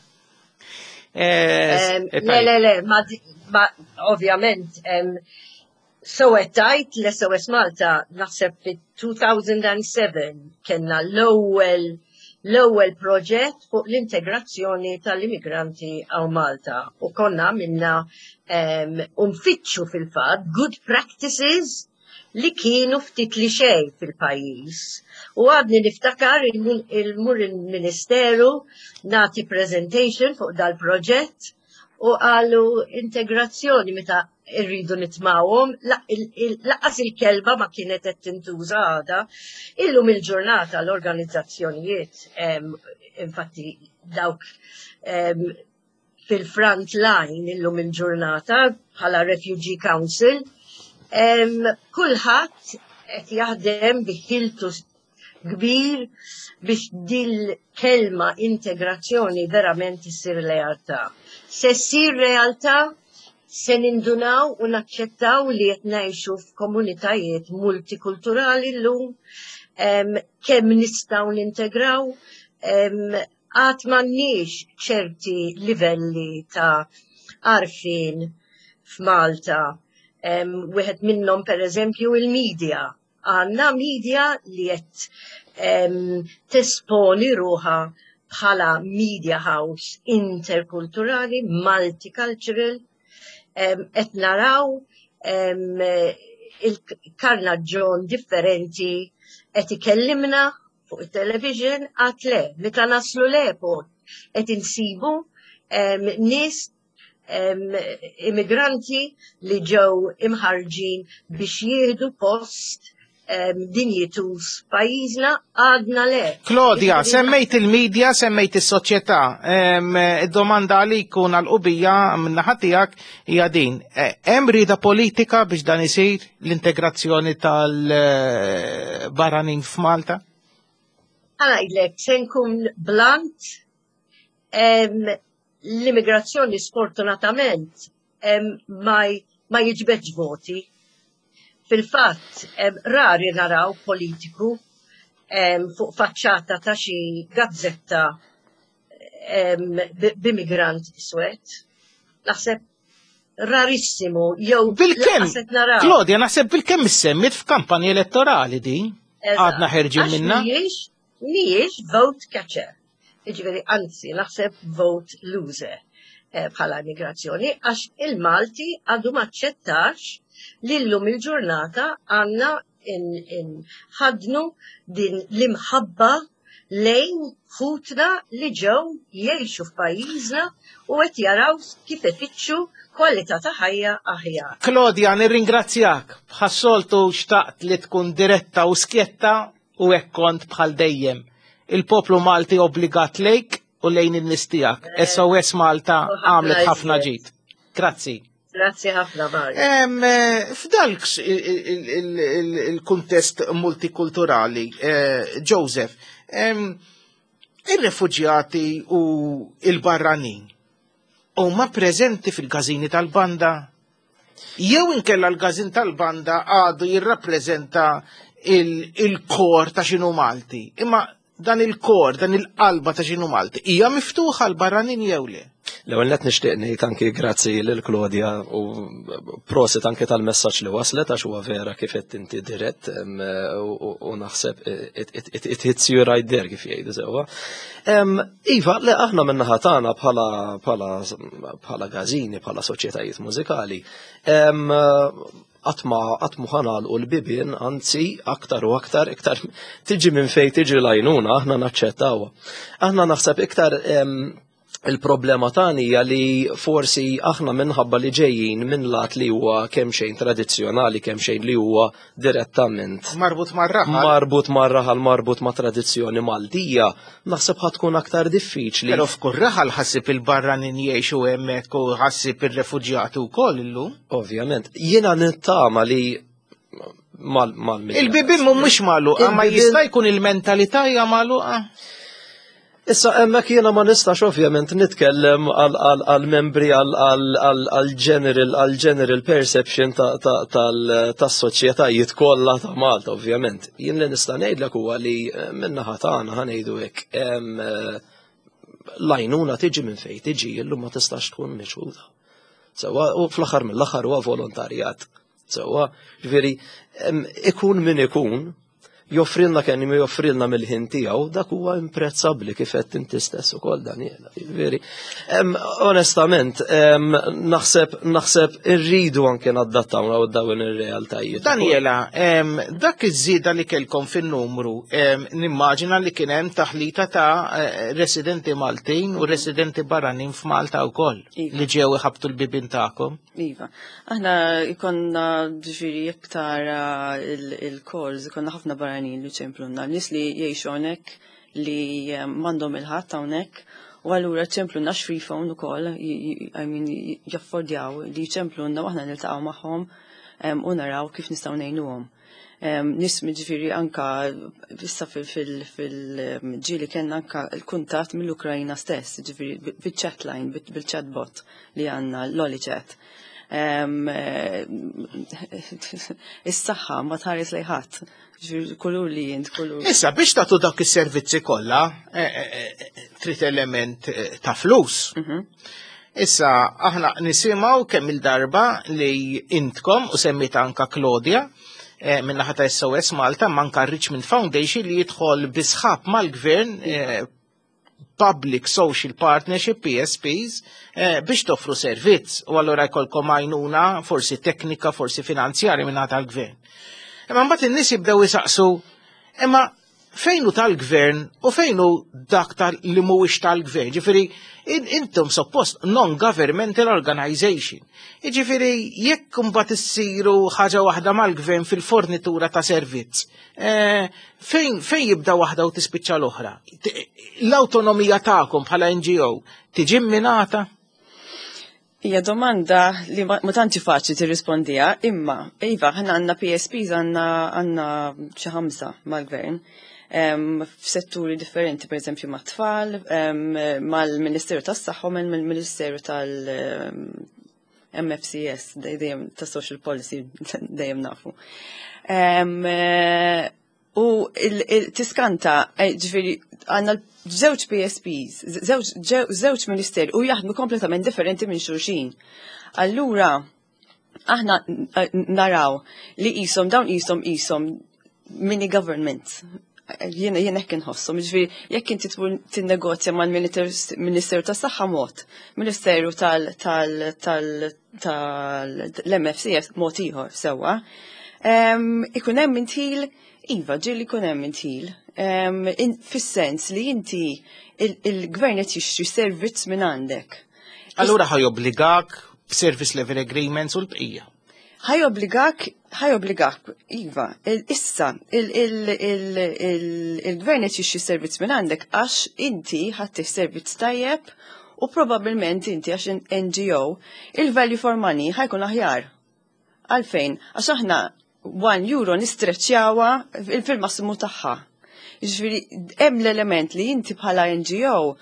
Eh, eh, le, le, le, ma ovvjament, so tajt l-SOS Malta naħseb fi 2007 kena l-ewwel l-ewwel proġett fuq l-integrazzjoni tal-immigranti għaw Malta u konna minna um, fitxu fil-fatt good practices li kienu ftit li xejn fil-pajjiż. U għadni niftakar il-mur il-Ministeru nagħti presentation fuq dal-proġett u qalu integrazzjoni meta irridu nitmawhom, laqqas il-kelba ma kienet qed tintuża għada. Illum il-ġurnata l-organizzazzjonijiet infatti dawk fil-front line illum il-ġurnata bħala Refugee Council. Kulħadd qed jaħdem biħiltu kbir biex dil-kelma integrazzjoni verament issir realtà. Se ssir realtà se nindunaw u naċċettaw li qed ngħixu f'komunitajiet multikulturali llum, kemm nistgħu nintegraw, Għad m'għandniex ċerti livelli ta' għarfien f'Malta. Wieħed minnhom pereżempju il-media. Għandna media li qed tesponi ruħha bħala media house interkulturali, multicultural, qed naraw il-karnaġġon differenti qed ikellimna fuq it-television għad le, meta naslu l-airport qed insibu nies immigranti li ġew imħarġin biex jieħdu post dinjitus pajjiżna għadna le. Claudia, semmejt il-medja, semmejt is-soċjetà. Id-domanda għalik u għal-qubija min-naħa tiegħek hija din. E, hemm rieda politika biex dan isir l-integrazzjoni tal-barranin f'Malta? Għanajdlek, se nkun blunt, l-immigrazzjoni sfortunatament ma jiġbedx voti. Fil-fatt, rari naraw politiku fuq faċċata ta' xi gazzetta b'immigrant iswed. Naħseb Rarissimu jew Bilkemm, Claudia, naħseb bilkemm issemmit f'kampanja elettorali din. Għadna ħerġin minna. Mhijiex vote catcher. Jiġifieri anzi naħseb vote loser eh, bħala immigrazzjoni għax il-Malti għadu maċċettax li llum il-ġurnata għandna ħadnu din l-imħabba lejn ħutna li ġew jgħixu f'pajjiżna u qed jaraw kif ifittxu kwalità ta' ħajja aħjar. Claudia, nirringrazzjak. Bħas-soltu xtaqt li tkun diretta u skjetta u hekk kont bħal dejjem. Il-poplu Malti obbligat lejk u lejn in-nies tiegħek. SOS Malta għamlet ħafna ġid. Grazzi. Grazzi ħafna, Mario. F'dalk il-kuntest multikulturali, Joseph, ir-refuġjati u il-barranin huma preżenti fil-każini tal-banda? Jew inkella l-każin tal-banda għadu jirrappreżenta il-kor ta' xinu Malti. Imma dan il-kor, dan il-qalba ta' xinu Malti, hija miftuħa l-barranin jew le? L-ewwel nett nixtieq ngħid anki grazzi lil Claudia u prosit anki tal-messaġġ li waslet għax huwa vera kif qed inti dirett u naħseb it hits you right there kif jgħidu sewwa. Iva, le aħna min-naħa tagħna bħala bħala bħala gażini, bħala soċjetajiet mużikali, qatt ma qatt mu ħanalqu l-bibien, anzi aktar u aktar iktar tiġi minn fejn tiġi l-għajnuna aħna naċċettawha. Aħna naħseb iktar il-problema tagħna hija li forsi aħna minħabba li ġejjin minn lat li huwa kemm xejn tradizzjonali, kemm xejn li huwa direttament marbut mar-raħal. Marbut mar-raħal, marbut ma' tradizzjoni Maltija, naħseb ħa tkun aktar diffiċli. Però f'kull raħal ħassib il-barranin jgħixu hemmhekk u ħassib ir-refuġjati wkoll illum. Ovvjament. Jiena nittama li mal mal Il-bibien mhumiex magħluqa, ma jista' jkun il-mentalità hija magħluqa. Issa hemmhekk jiena ma nistax ovvjament nitkellem għal-membri għal-general għal-general perception tas-soċjetajiet kollha ta' Malta ovvjament. Jien li nista' ngħidlek huwa li min-naħa tagħna ħa ngħidu hekk l-għajnuna tiġi minn fejn tiġi illum ma tistax tkun miċħuda. Sewwa u fl-aħħar mill-aħħar huwa volontarjat. Sewwa, ġifieri ikun min ikun, joffrilna kemm joffrilna mill-ħin tiegħu, dak huwa imprezzabbli kif qed inti stess ukoll Daniela. Ġifieri, onestament, naħseb naħseb irridu anke nadattaw dawn ir-realtajiet. Daniela, dak iż-żieda li kellkom fin-numru, nimmaġina li kien hemm taħlita ta' residenti Maltin u residenti barranin f'Malta wkoll Iva. li ġew iħabtu l-bibien tagħkom. Iva. Aħna ikonna ġifieri jekk tara il-calls, ikonna ħafna barranin li ċemplunna, nies li jgħixu hawnhekk li m'għandhom il-ħadd hawnhekk u allura ċemplunna free phone ukoll, I mean, jaffordjaw li ċemplunna u aħna niltaqgħu magħhom u naraw kif nistgħu ngħinuhom. Nies ġifieri anka issa fil-ġili kellna anka l-kuntatt mill-Ukrajna stess, ġifieri bil-chat line, bil-chatbot li għandna l-Oli Chat. Is-saħħa ma tħares lejn ħadd. Ġifieri kulur li jint, kulur. Issa biex tagħtu dak is-servizzi kollha, trid element ta' flus. Issa aħna nisimgħu kemm il-darba li intkom u semmit anka Claudia minnaħa ta' SOS Malta manka Richmond Foundation li jidħol bi sħab mal-gvern Public Social Partnership PSPs biex toffru servizz u allura jkollkom għajnuna forsi teknika, forsi finanzjarja minnaħa tal-gvern. Imma mbagħad in-nies jibdew isaqsu imma fejn hu tal-gvern u fejn hu dak tal li mhuwiex tal-gvern. Ġifieri intom suppost non-governmental organization. Jiġifieri jekk imbagħad issiru ħaġa waħda mal-gvern fil-fornitura ta' servizz, fejn jibda waħda u tispiċċa l-oħra? L-awtonomija tagħkom bħala NGO tiġi minata? Hija domanda li ma tantx faċli tirrispondiha, imma iva aħna għandna PSPs għandna xi 5 mal-gvern. F'setturi differenti, per eżempju mat-tfal, mal-Ministeru tas-Saħħa u mal-Ministeru tal-MFCS, dejjem ta' Social Policy, dejjem nafu. U tiskanta, ġifieri, għandna żewġ PSPs, żewġ ministeri u jaħdmu kompletament differenti minn xulxin. Allura, aħna naraw li qishom dawn qishom qishom mini government. Jiena jiena hekk inħosshom, jiġifieri jekk inti tmur tinnegozja mal-Ministeru tas-Saħħa mod, Ministeru tal-MFCS mod ieħor sewwa. Ikun hemm intħil, iva, ġieli jkun hemm intħil. Fis-sens li inti il-gvern qed jixtri servizz minn għandek. Allura ħa jobbligak b'service level agreements u l-bqija. Ħa jobbligak, ħa jobbligak, iva, issa, il-gvern qed jixtri servizz minn għandek għax inti ħadd servizz tajjeb u probabbilment inti għax NGO il-value for money ħa jkun aħjar. Għalfejn, għax aħna 1 euro nistreċjawha fil-massimu tagħha. Ġifieri hemm l-element li inti bħala NGO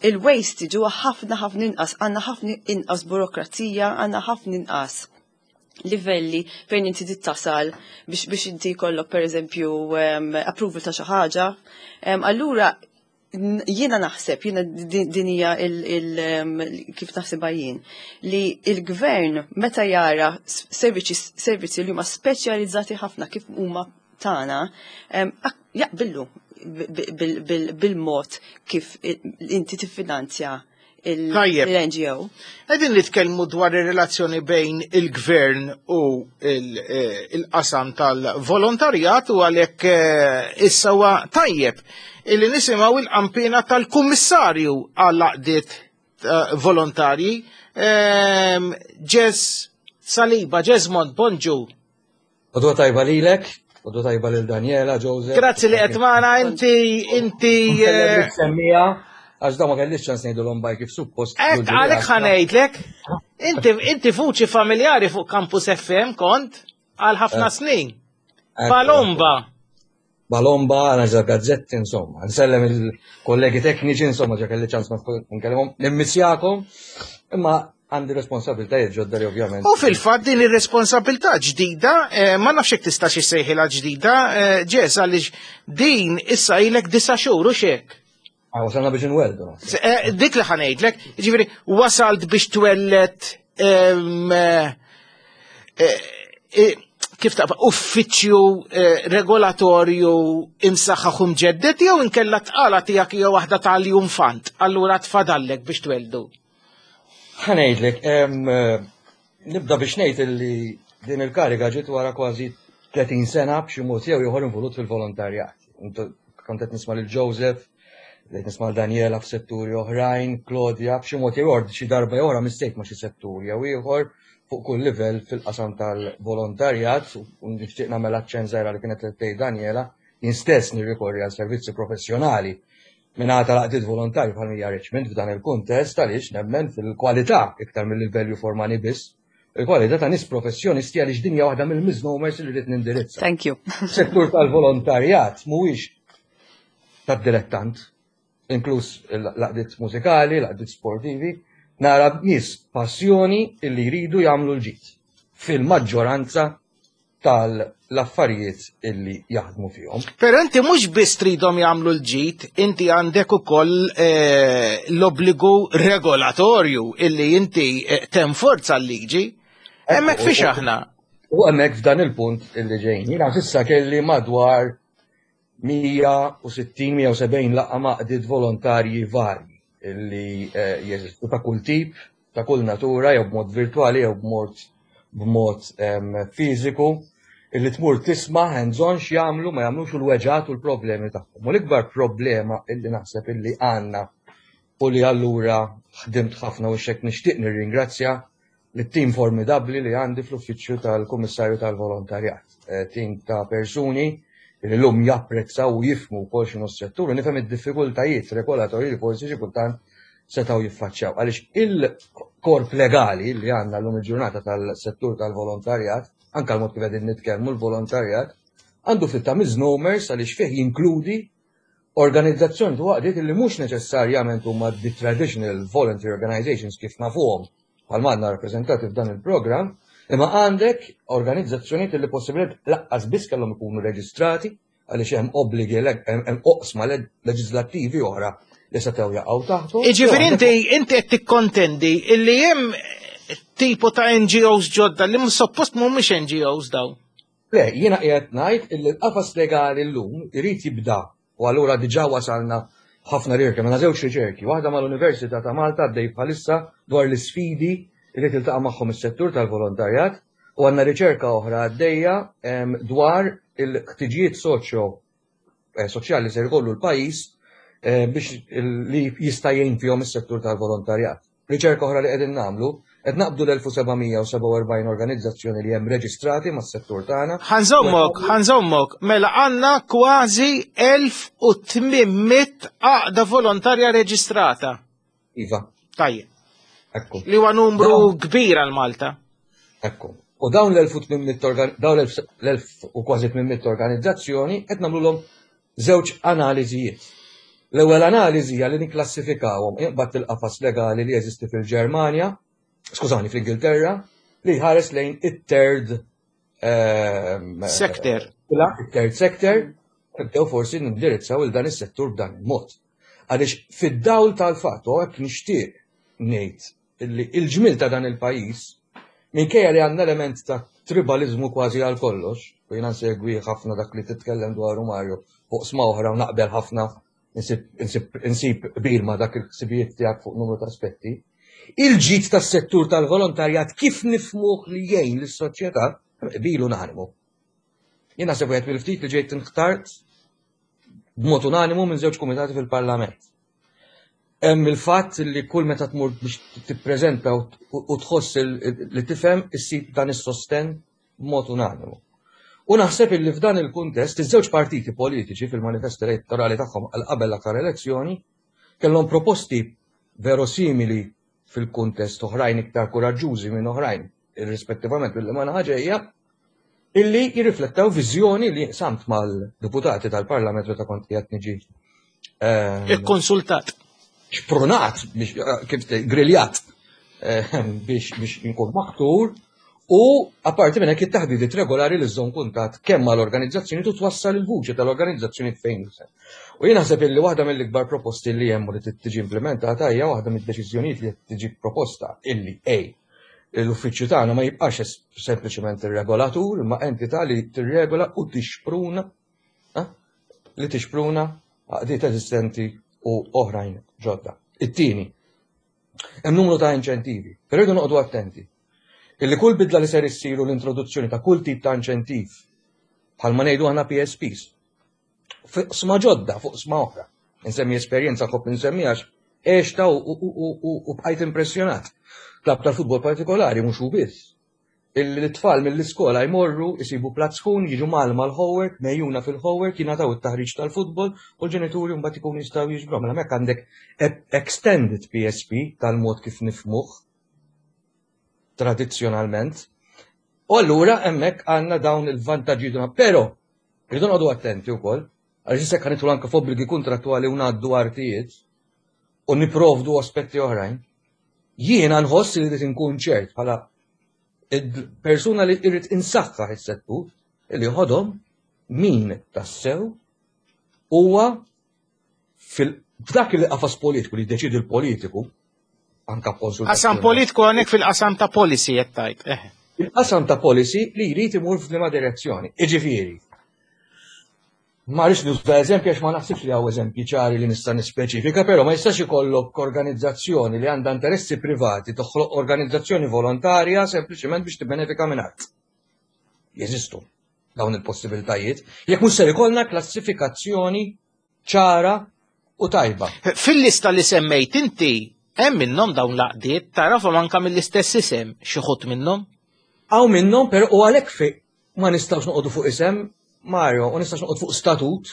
il-waste ġuwa ħafna ħafna inqas, għandna ħafna inqas burokrazija, għandna ħafna inqas livelli fejn inti tittasal biex inti jkollok per eżempju approval ta' xi ħaġa. Allura jiena naħseb, jiena din hija kif naħsibha jien, li il-gvern meta jara servizzi li huma speċjalizzati ħafna kif huma tagħna, jaqbillu bil-mod kif inti tiffinanzja Tajjeb. il-NGO. Qegħdin nitkellmu dwar ir-relazzjoni bejn il-gvern u il-qasam tal-volontarjat u għalhekk issa huwa tajjeb illi nisimgħu il-qampina tal-kummissarju għall-għaqdiet volontarji Ġes Saliba, Jesmond, bonġu. Għodwa tajba lilek, għodwa tajba lil Daniela, Joseph. Grazzi li qed magħna inti Semmija, għax da ma kellix ċans ngħidulhom bye kif suppost. Hekk għalek ħa ngħidlek, inti vuċi familjari fuq Campus FM kont għal ħafna snin. Balomba. Balomba, għana ġa gazzetti, insomma. Nsellem il-kollegi tekniċi, insomma, ġa kelli ċans ma nkellimhom. Nimmissjakom, imma għandi responsabiltajiet ġodda li ovvjament. U fil-fatt din ir-responsabilità ġdida, ma nafx jekk tistax issejħilha ġdida, Ġes, għaliex din issa ilek 9 xhur u xek. Ah, wasalna biex nwelldu. Dik li ħa ngħidlek, ġifieri wasalt biex twellet kif taqba uffiċċju regolatorju imsaħħaħ u mġeddet jew inkella tqala tiegħek jew waħda tal-infant, allura tfadallek biex tweldu. Ħa ngħidlek, nibda biex ngħid illi din il-kariga ġiet wara kważi 30 sena b'xi mod jew ieħor involut fil-volontarjat. Kont qed nisma' lil Joseph, qed nisma' lil Daniela f'setturi oħrajn, Claudia, b'xi mod jew ieħor xi darba jew oħra mistejk ma' xi settur jew ieħor fuq kull livell fil-qasam tal-volontarjat u nixtieq nagħmel aċċenn żgħira li kienet qed tgħid Daniela, jien stess nirrikorri għal servizzi professjonali minn tal-għaqdiet volontarji bħal Mija Richmond f'dan il-kuntest għaliex nemmen fil-kwalità iktar mill-value for money biss. Il-kwalità ta' nies professjonisti għaliex din hija waħda mill-misnomers li rrid nindirizza. Thank you. Settur tal-volontarjat mhuwiex tad-dilettant, inkluż l-għaqdiet mużikali, l-għaqdiet sportivi, nara nies passjoni illi jridu jagħmlu l-ġid fil-maġġoranza tal-affarijiet illi jaħdmu fihom. Pero inti mhux biss tridhom jagħmlu l-ġid, inti għandek ukoll l-obbligu regolatorju illi inti tenforza l-liġi. Hemmhekk fiex aħna. U hemmhekk f'dan il-punt illi ġejjin. Jiena s'issa kelli madwar 160-170 laqgħa ma' għaqdiet volontarji varji illi jeżistu ta' kull tip, ta' kull natura, jew b'mod virtuali, jew b'mod fiżiku, illi tmur tisma' hands-on x'jagħmlu, ma jagħmlux u l-weġgħat u l-problemi tagħhom. U l-ikbar problema illi naħseb illi għandna u li allura ħdimt ħafna u xek nixtieq nirringrazzja l-tim formidabli li għandi fl-uffiċċju tal-Kummissarju tal-Volontarjat. Tim ta' persuni li l-lum japprezzaw u jifhmu wkoll x'inhu s-settur u nifhem id-diffikultajiet regolatorji li forsi xi kultant setgħu jiffaċċjaw. Għaliex il-korp legali li għandna llum il-ġurnata tal-settur tal-volontarjat, anka l-mod kif qegħdin nitkellmu l-volontarjat, għandu ftit ta' misnomers għaliex fih jinkludi organizzazzjoni u għaqdiet li mhux neċessarjament huma the traditional voluntary organizations kif nafuhom bħal għandna rappreżentati f'dan il-programm, imma għandek organizzazzjonijiet li possibilment lanqas biss kellhom ikunu reġistrati għaliex hemm obbligi hemm oqsma leġislattivi oħra li setgħu jaqgħu taħtu. Iġifieri inti qed tikkontendi illi hemm tipo ta' NGOs ġodda li suppost mhumiex NGOs daw. Le, jiena qiegħed ngħid illi l-qafas legali llum irid jibda u allura diġà wasalna ħafna riċerki, mela żewġ riċerki, waħda mal-Università ta' Malta għaddej bħalissa dwar l-isfidi li tiltaqa' magħhom is-settur tal-volontarjat u għandna riċerka oħra għaddejja dwar il-ħtiġijiet soċjo eh, soċjali ser ikollu l-pajjiż eh, biex li jista' jgħin fihom is-settur tal-volontarjat. Riċerka oħra li qegħdin nagħmlu, qed naqbdu l-1747 organizzazzjoni li hemm reġistrati mas-settur tagħna. Ħanżommok, ħanżommok, mela għandna kważi 1800 għaqda volontarja reġistrata. Iva. Tajjeb. Ekku. Li huwa numru kbir għal Malta. Ekku. U dawn l-1800 dawn l-1000 u kważi 800 organizzazzjoni qed nagħmluhom żewġ analiżijiet. L-ewwel analiżi hija li nikklassifikawhom iqbad il-qafas legali li jeżisti fil-Ġermanja, skużani, fl-Ingilterra, li jħares lejn it-third ehm, sector. It-third sector, nibdew forsi nindirizzaw il dan is-settur b'dan il-mod. Għaliex fid-dawl tal-fatt u hekk nixtieq ngħid illi il-ġmil ta' dan il-pajjiż, minkejja li għandna element ta' tribalizmu kważi għal kollox, u jiena nsegwi ħafna dak li titkellem dwaru Mario fuq sma oħra u naqbel ħafna insib qbil ma' dak il-ħsibijiet tiegħek fuq numru ta' aspetti. Il-ġid tas-settur tal-volontarjat kif nifmuh li jgħin lis-soċjetà qbil unanimu. Jien naħseb wieħed mill-ftit li ġejt inħtart b'mod unanimu minn żewġ kumitati fil-Parlament. Hemm il-fatt li kull meta tmur biex tippreżenta u tħoss li tifhem issib dan is-sostenn b'mod unanimu. U naħseb illi f'dan il-kuntest iż-żewġ partiti politiċi fil-manifest elettorali tagħhom għal qabel l-aktar elezzjoni kellhom proposti verosimili fil-kuntest oħrajn iktar kuraġġużi minn oħrajn, irrispettivament mill ma naħa ġejja, illi jirriflettaw viżjoni li samt mal-deputati tal-Parlament meta kont qiegħed niġi ehm, Ikkonsultat. Xprunat biex eh, kif griljat ehm, biex biex inkun maħtur u apparti minn hekk it-taħdidiet regolari li żżomm kuntatt kemm mal-organizzazzjoni tu twassal il-vuċi tal-organizzazzjoni fejn U jien naħseb illi waħda mill-ikbar proposti li hemm u li tiġi implementata hija waħda mid-deċiżjonijiet li qed tiġi proposta illi A l-uffiċċju tagħna ma jibqax sempliċement ir-regolatur imma entità li tirregola u tixpruna eh, li tixpruna għaqdiet eżistenti u oħrajn ġodda. It-tieni, hemm numru ta' inċentivi, però rridu noqogħdu attenti. Illi kull bidla li ser issiru l-introduzzjoni ta' kull tip ta' inċentiv bħalma ngħidu aħna PSPs, fuq sma ġodda, fuq sma oħra. Insemmi esperjenza nħobb insemmi għax għexta u bqajt impressjonat. Klab tal-futbol partikolari mhux hu biss. Il-tfal mill-iskola jmorru, isibu platt sħun, jiġu mal mal-homework, mejjuna fil-homework, jingħataw it-taħriġ tal-futbol u l-ġenituri mbagħad ikunu jistgħu jiġbru. Mela hemmhekk għandek extended PSP tal-mod kif nifmuh tradizzjonalment. U allura hemmhekk għandna dawn il-vantaġġi. Però Irridu noqogħdu attenti wkoll, għaliex issa jekk nidħlu anke f'obbligi kuntrattwali u ngħaddu artijiet u niprovdu aspetti oħrajn, jiena nħoss li rrid inkun ċert bħala persuna li irrid insaħħaħ is-settur li ħodhom min tassew huwa f'dak il-qafas politiku li jiddeċidi l-politiku, anka konsultazzjoni. Qasam politiku għanek fil-qasam ta' policy qed tgħid. Eh. Il-qasam ta' policy li jrid imur f'liema direzzjoni. Iġifieri, ma rridx nuża eżempji għax ma naħsibx li hawn eżempji ċari li nista' nispeċifika, però ma jistax ikollok organizzazzjoni li għandha interessi privati toħloq organizzazzjoni volontarja sempliċement biex tibbenefika minn art. Jeżistu dawn il-possibiltajiet. Jekk mhux ser ikollna klassifikazzjoni ċara u tajba. Fil-lista li semmejt inti, hemm minnhom dawn l-għaqdiet, tarafhom anka mill-istess isem, xi ħut minnhom? Hawn minnhom, però u għalhekk fi ma nistgħux noqogħdu fuq isem, Mario, u nistgħux noqgħod fuq statut,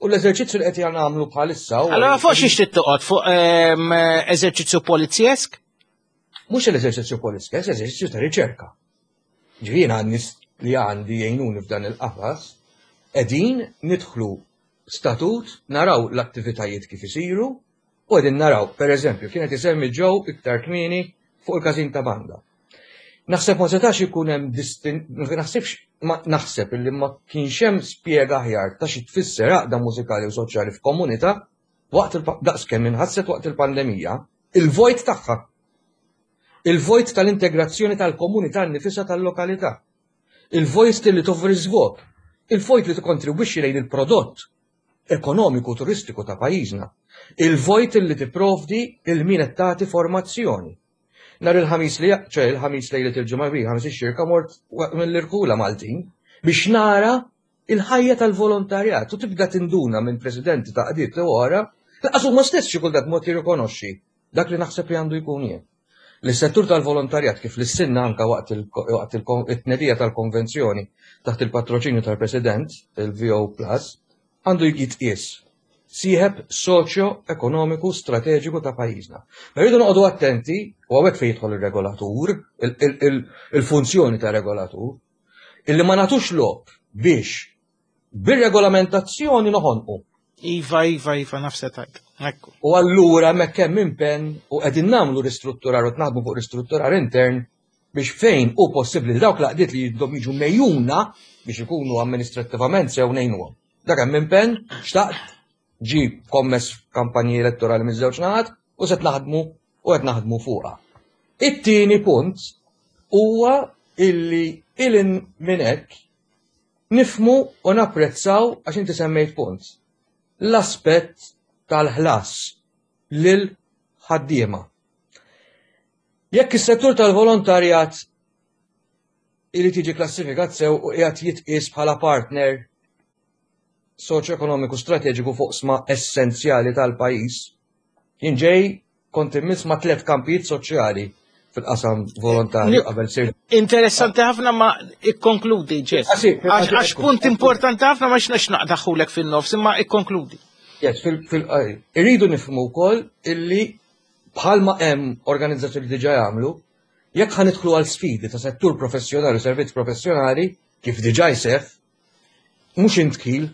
u l-eżerċizzju li qed nagħmlu bħalissa. Allora fuq xiex trid toqgħod fuq ehm, eżerċizzju polizjesk? Mhux l-eżerċizzju polizjesk, eżerċizzju ta' riċerka. Ġifieri għan-nies li għandi jgħinuni f'dan il-qafas, qegħdin nidħlu statut, naraw l-attivitajiet kif isiru, u qegħdin naraw, per eżempju, kienet isemmi ġew iktar kmieni fuq il-każin ta' banda. Naħseb ma setax ikun hemm distin, naħsibx ma naħseb illi ma kienx hemm spjega aħjar ta' xi tfisser għaqda mużikali u soċjali f'komunità waqt daqs kemm inħasset waqt il-pandemija, il-vojt tagħha. Il-vojt tal-integrazzjoni tal-komunità nnifisha tal-lokalità. Il-vojt li toffri żvog. Il-vojt li tikkontribwixxi lejn il-prodott ekonomiku turistiku ta' pajjiżna. Il-vojt li tipprovdi lil min qed tagħti formazzjoni. Nhar il-Ħamis li ċe il-Ħamis lejlet il-Ġimgħa kbira, Ħamis ix-Xirka mort mill-irħula Maltin biex nara il-ħajja tal-volontarjat u tibda tinduna minn presidenti ta' qdiet li wara, laqas huma stess xi kultant mod jirrikonoxxi dak li naħseb li għandu jkun jien. Li settur tal-volontarjat kif lissinna anka waqt it-tnedija tal-konvenzjoni taħt il-patroċinju tal-President, il-VO Plus, għandu jitqies sieħeb soċjo-ekonomiku strateġiku ta' pajjiżna. Ma rridu noqogħdu attenti, u hawnhekk fejn jidħol ir-regolatur, il-funzjoni ta' regolatur, illi ma nagħtux lok biex bir-regolamentazzjoni noħonqu. Iva, iva, iva, nafse tajt. Ekku. U allura hemmhekk hemm impenn u qegħdin nagħmlu ristrutturar u naħdmu fuq ristrutturar intern biex fejn hu possibbli li dawk l-għaqdiet li jidhom jiġu mejjuna biex ikunu amministrattivament sew ngħinuhom. Dak hemm impenn, xtaqt, ġi kommess kampanji elettorali miż-żewġ naħat u se naħdmu u qed naħdmu fuqha. It-tieni punt huwa illi ilin minn hekk nifmu u napprezzaw għax inti semmejt punt. L-aspett tal-ħlas lil ħaddiema. Jekk is-settur tal-volontarjat irid jiġi klassifikat sew u qiegħed jitqies bħala partner soċjoekonomiku strateġiku fuq sma essenzjali tal-pajjiż, jien ġej kont immiss ma' tliet kampijiet soċjali fil-qasam volontarju qabel sir. Interessanti ħafna ma ikkonkludi, Ġess. Għax punt importanti ħafna ma xnax naqdaħulek fin-nofs, imma ikkonkludi. Yes, fil irridu nifhmu wkoll illi bħalma hemm organizzazzjoni diġà jagħmlu, jekk ħa nidħlu għal sfidi ta' settur professjonali u servizz professjonali, kif diġà jseħħ, mhux intħil,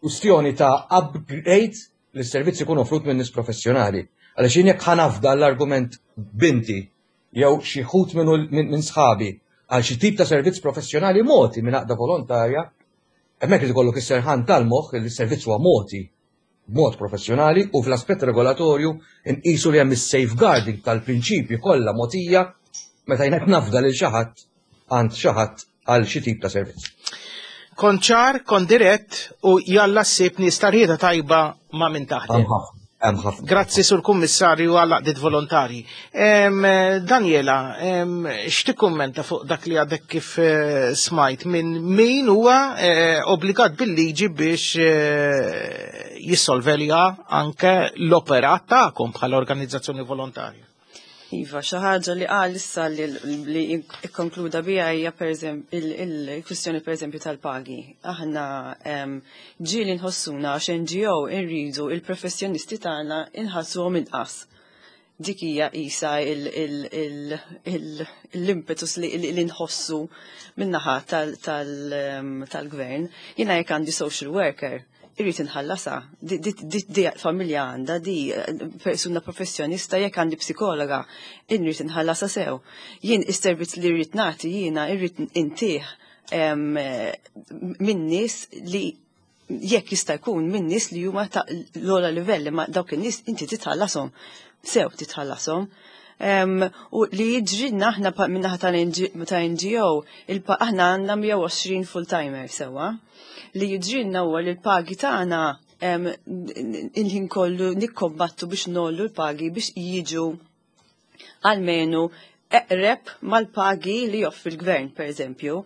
kwistjoni ta' upgrade li s-servizz ikun offrut minn nies professjonali. Għaliex jien jekk ħa nafda l-argument binti jew xi ħut minn sħabi għal xi tip ta' servizz professjonali mogħti minn għaqda volontarja, hemmhekk irid ikollok is-serħan tal-moħħ li s-servizz huwa mogħti b'mod professjonali u fl-aspett regolatorju nqisu li hemm is-safeguarding tal-prinċipji kollha mogħtija meta jien qed nafda lil xi ħadd għand xi ħadd għal xi tip ta' servizz. Kont ċar, kont dirett u jalla ssib nies ta' rieda tajba ma' min taħdem. Hemm ħafna. Grazzi sur kummissarju għal għaqdiet volontarji. Daniela, x'tikkummenta fuq dak li għadek kif eh, smajt minn min huwa eh, obbligat bil-liġi biex eh, jissolvelja anke l-operat tagħkom bħala organizzazzjoni volontarja? Iva, xi ħaġa li qal issa li ikkonkluda biha hija il-kwistjoni pereżempju tal-pagi. Aħna ġieli nħossuna għax NGO irridu il-professjonisti tagħna inħassuhom inqas. Dik hija qisha l-impetus li nħossu min-naħa tal-gvern. Jiena jekk għandi social worker, irrid inħallasha. Di familja għandha, di persuna professjonista jekk għandi psikologa, irrid inħallasha sew. Jien is-servizz li rrid nagħti jiena irrid intih minn nies li jekk jista' jkun minn nies li huma ta' l-ogħla livell imma dawk in-nies inti titħallashom. Sew titħallashom. U li jiġrilna aħna min-naħa ta' NGO, aħna għandna 120 full-timer sewwa. Li jiġrilna huwa li l-pagi tagħna il-ħin kollu nikkombattu biex nollu l-pagi biex jiġu almenu eqreb mal-pagi li joffri l-gvern, per eżempju.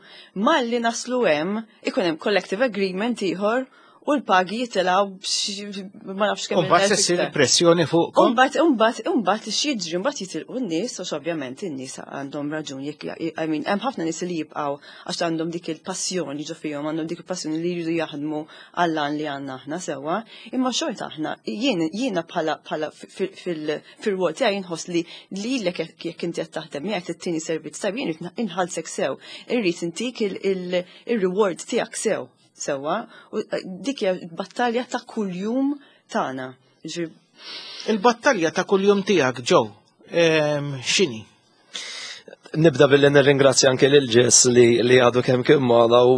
Malli naslu hemm ikun hemm collective agreement ieħor u l-pagi jitilgħu ma nafx kemm. Umbagħad se ssir pressjoni fuq. Umbagħad umbagħad umbagħad x'jiġri mbagħad jitilqu n-nies għax ovvjament in-nies għandhom raġun jekk I mean hemm ħafna nies li jibqgħu għax għandhom dik il-passjoni ġo fihom, għandhom dik il-passjoni li jridu jaħdmu għall-għan li għandna aħna sewwa, imma xorta aħna jiena bħala bħala fil-rwol tiegħi inħoss li lilek jekk inti qed taħdem miegħek tittini servizz tajjeb jien inħallsek sew, irrid intik il-reward tiegħek sew sewwa, u dik hija battalja ta' kuljum tagħna. Il-battalja ta' kuljum tiegħek Joe, x'inhi? Nibda billi nirringrazzja anke lil Ġess li, li għadu kemm kien magħna u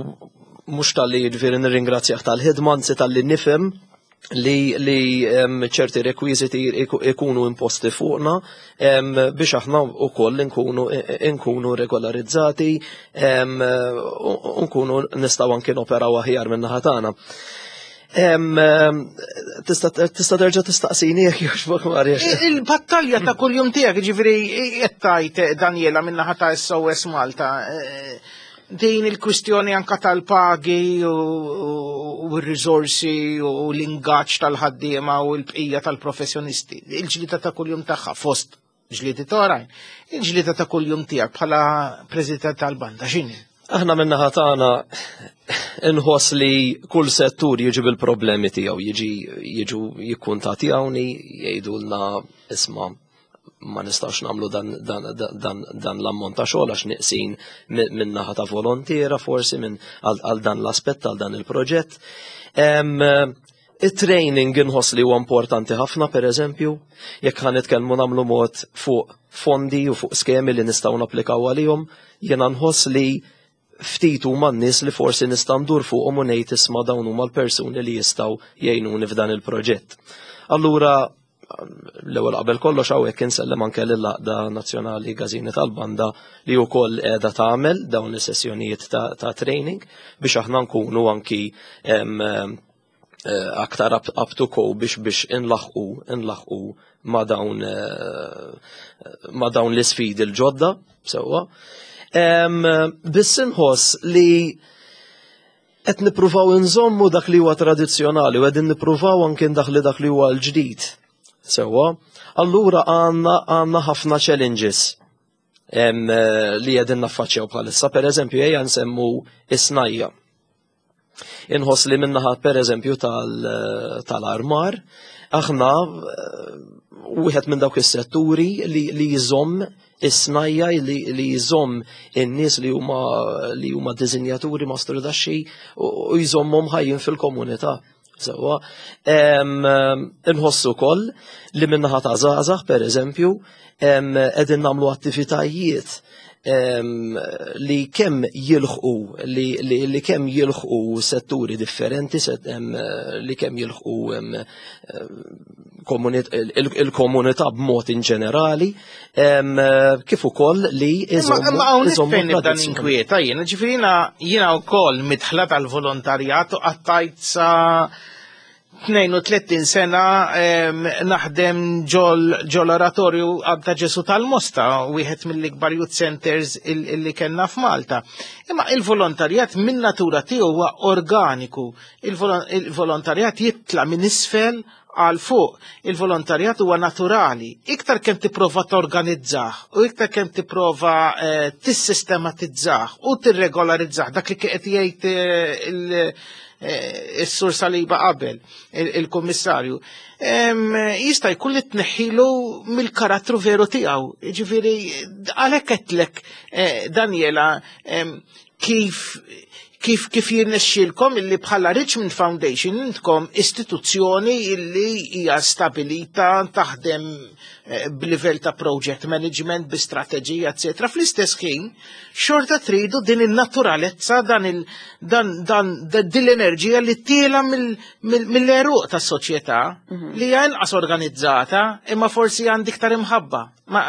mhux tal-li jiġifieri nirringrazzjah tal-ħidma, anzi tal-li nifhem. li ċerti rekwiżiti ikunu imposti fuqna biex aħna wkoll nkunu regolarizzati u nkunu nistgħu anki noperaw aħjar min-naħa tagħna. Tista' terġa' tistaqsini jekk jogħġbok Mario. Il-battalja ta' kuljum tiegħek, ġifieri qed tgħid Daniela min-naħa ta' SOS Malta, din il-kwistjoni anka tal-pagi u r-riżorsi u l-ingaġġ tal-ħaddiema u l-bqija tal-professjonisti. Il-ġlida ta' kuljum tagħha fost ġlidiet oħrajn. Il-ġlida ta' kuljum tiegħek bħala president tal-banda x'inhi? Aħna min-naħa tagħna inħoss li kull settur jiġi bil-problemi tiegħu, jiġi jiġu jikkuntatjawni, jgħidulna isma' ma nistax nagħmlu dan, dan, dan, dan l-ammont ta' xogħol għax neqsin minn naħa ta' volontiera forsi minn għal dan l-aspett għal dan il-proġett. Il-training inħoss li huwa importanti ħafna, per eżempju, jekk ħa nitkellmu nagħmlu mod fuq fondi u fuq skemi li nistgħu napplikaw għalihom, jiena nħoss li ftit huma n-nies li forsi nista' ndur fuqhom u ngħid isma' dawn huma l-persuni li jistgħu jgħinuni f'dan il-proġett. Allura l-ewwel qabel kollox hawnhekk insellem anke lill-Għaqda Nazzjonali Każini tal-Banda li wkoll qiegħda tagħmel dawn is-sessjonijiet ta' training biex aħna nkunu anki aktar up to go biex inlaħqu ma' dawn l-isfidi l-ġodda sewwa. Biss inħoss li qed nippruvaw inżommu dak li huwa tradizzjonali u qegħdin nippruvaw anke ndaħli dak li huwa l-ġdid. Sewwa, allura għandna ħafna challenges li qegħdin naffaċċjaw bħalissa. Per eżempju, ejja nsemmu is-snajja. Inħoss li min-naħa per eżempju tal-armar, aħna wieħed minn dawk is-setturi li jżomm is-snajja, li jżomm in-nies li huma dizinjaturi mastrudaxxi u jżommhom ħajjin fil-komunità. Sewwa, inħossu wkoll li min-naħa ta' żgħażagħ, per eżempju, qegħdin nagħmlu attivitajiet li kemm jilħqu li kemm jilħqu setturi differenti, li kemm jilħqu il-komunità b'mod in ġenerali, kif ukoll li iżommu. Ma hawnhekk fejn nibda ninkwieta jiena, ġifieri jiena wkoll midħla tal-volontarjat u qattajt sa 32 sena naħdem ġol oratorju ta' Ġesu tal-Mosta, wieħed mill-ikbar youth centers illi kellna f'Malta. Imma il-volontarjat minn natura tiegħu huwa organiku. Il-volontarjat jitla minn isfel għal fuq. Il-volontarjat huwa naturali. Iktar kemm tipprova torganizzah u iktar kemm tipprova tissistematizzah u tirregolarizzah dak li qed jgħid is-sur Saliba qabel, il-kummissarju. Jista' jkun li tneħħilu mill-karattru veru tiegħu. Ġifieri għalhekk qedlek Daniela kif jirnexxilkom illi bħala Richmond Foundation intkom istituzzjoni illi hija stabilita taħdem b'livell ta' project management, bi strateġija, eccetera. Fl-istess ħin, xorta tridu din il-naturalezza, dan il dan dan din l-enerġija li tiela mill-għeruq tas-soċjetà li hija inqas organizzata imma forsi għandi iktar imħabba. Ma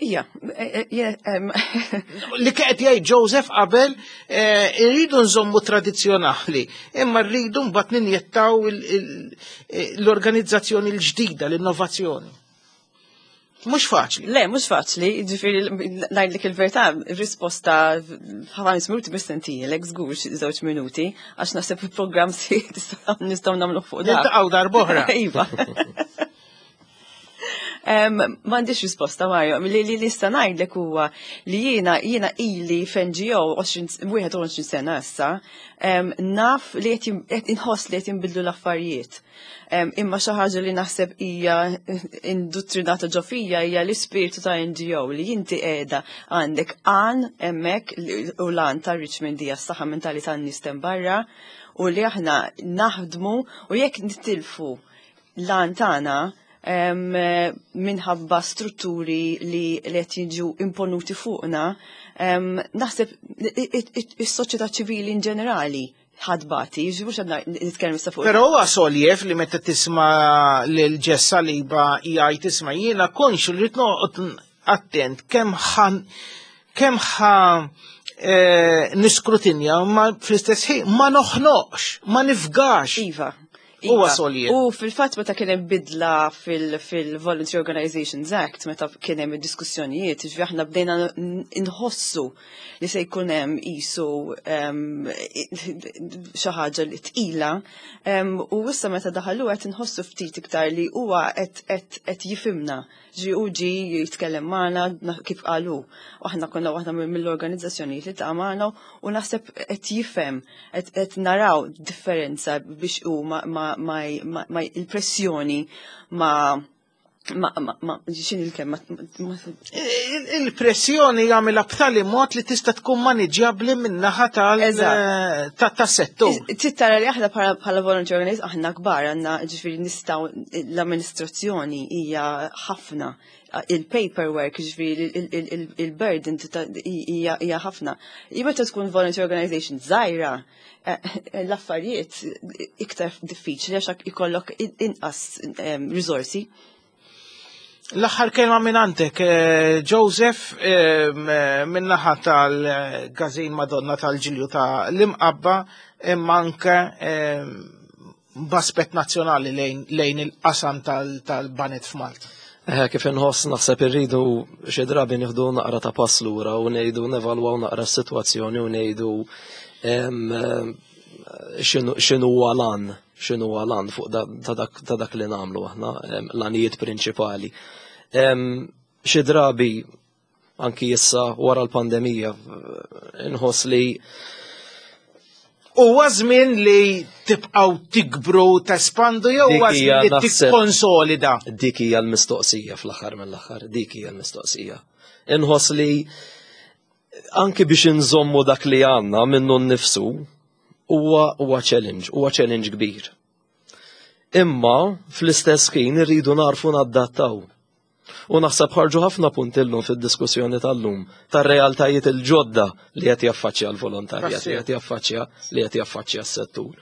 Ija, li qed jgħid Joseph qabel irridu nżommu tradizzjonali, imma rridu mbagħad ninjettaw l-organizzazzjoni l-ġdida, l-innovazzjoni. Mhux faċli. Le, mhux faċli, ġifieri ngħidlek il-verità, risposta 5 minuti mistentijlek, żgur xi 2 minuti, għax naħseb il-programm si nistgħu nagħmlu fuq dak. Niltaqgħu darb'oħra. Iva. M'għandix risposta, Mario, li nista' ngħidlek huwa li jiena ili f'NGO 21 sena issa, naf li qed inħoss li qed jinbidlu l-affarijiet. Imma xi ħaġa li naħseb hija induttrinata ġo fija hija l-ispirtu ta' NGO li inti qiegħda għandek għan hemmhekk u l-għan ta' Richmond hija s-saħħa mentali tan-nies barra u li aħna naħdmu u jekk nitilfu l-għan tagħna minħabba strutturi li qed jiġu imponuti fuqna, naħseb is-soċjetà ċivili in ġenerali ħadbati, ġifieri mhux qed nitkellem issa fuq. Però huwa soljev li meta tisma' lil Jess Saliba jgħid isma' jiena konxu li noqgħod attent kemm ħan kemm ħa eh, niskrutinja ma fl-istess ħin ma noħnoqx, ma nifgax. Iva. Huwa Iva. soljev. U fil-fatt meta kien hemm bidla fil-Voluntary Organizations Act, meta kien hemm id-diskussjonijiet, ġifieri aħna bdejna nħossu li se jkun hemm qisu xi ħaġa li tqila, u issa meta daħalu qed inħossu ftit iktar li huwa qed jifhimna. Ġi u ġi jitkellem magħna kif qalu. U aħna konna waħda mill-organizzazzjonijiet li ta' magħna u naħseb qed jifhem, qed naraw differenza biex hu ma, ma, ma, ma il-pressjoni ma ma, ma, ma, xin il-kelma? Il-pressjoni jagħmilha b'tali mod li tista' tkun maniġġjabbli min-naħa tas-settur. Tittara li aħna bħala volunteer organization aħna kbar għandna ġifieri nistgħu l-amministrazzjoni hija ħafna il-paperwork, ġifieri il-burden hija ħafna. Meta tkun volunteer organization żgħira, eh, l-affarijiet iktar diffiċli għax ikollok inqas risorsi. L-aħħar kelma minn għandek, eh, Joseph, eh, min-naħa tal-Gazin Madonna tal-Ġilju ta' l-Imqabba, imma anke b'aspett nazzjonali lejn il-qasam tal-banet f'Malta. Eh, kif inħoss naħseb irridu xi drabi nieħdu naqra ta' pass lura u ngħidu nevalwaw naqra s-sitwazzjoni u ngħidu x'inhu huwa lan, x'inhu huwa lan fuq ta' dak li nagħmlu aħna, l-għanijiet prinċipali. Xi drabi anki issa wara l-pandemija inħoss li Huwa żmien li tibqgħu tikbru tespandu jew huwa żmien li tikkonsolida? Dik hija l-mistoqsija fl-aħħar mill-aħħar, dik hija l-mistoqsija. Inħoss li anki biex inżommu dak li għandna minnu nnifsu huwa huwa challenge, huwa challenge kbir. Imma fl-istess ħin irridu narfu naddattaw. U naħseb ħarġu ħafna punti llum fid-diskussjoni tal-lum tar-realtajiet il-ġodda li qed jaffaċċja l-volontarjat, li qed jaffaċċja li qed jaffaċċja s-settur.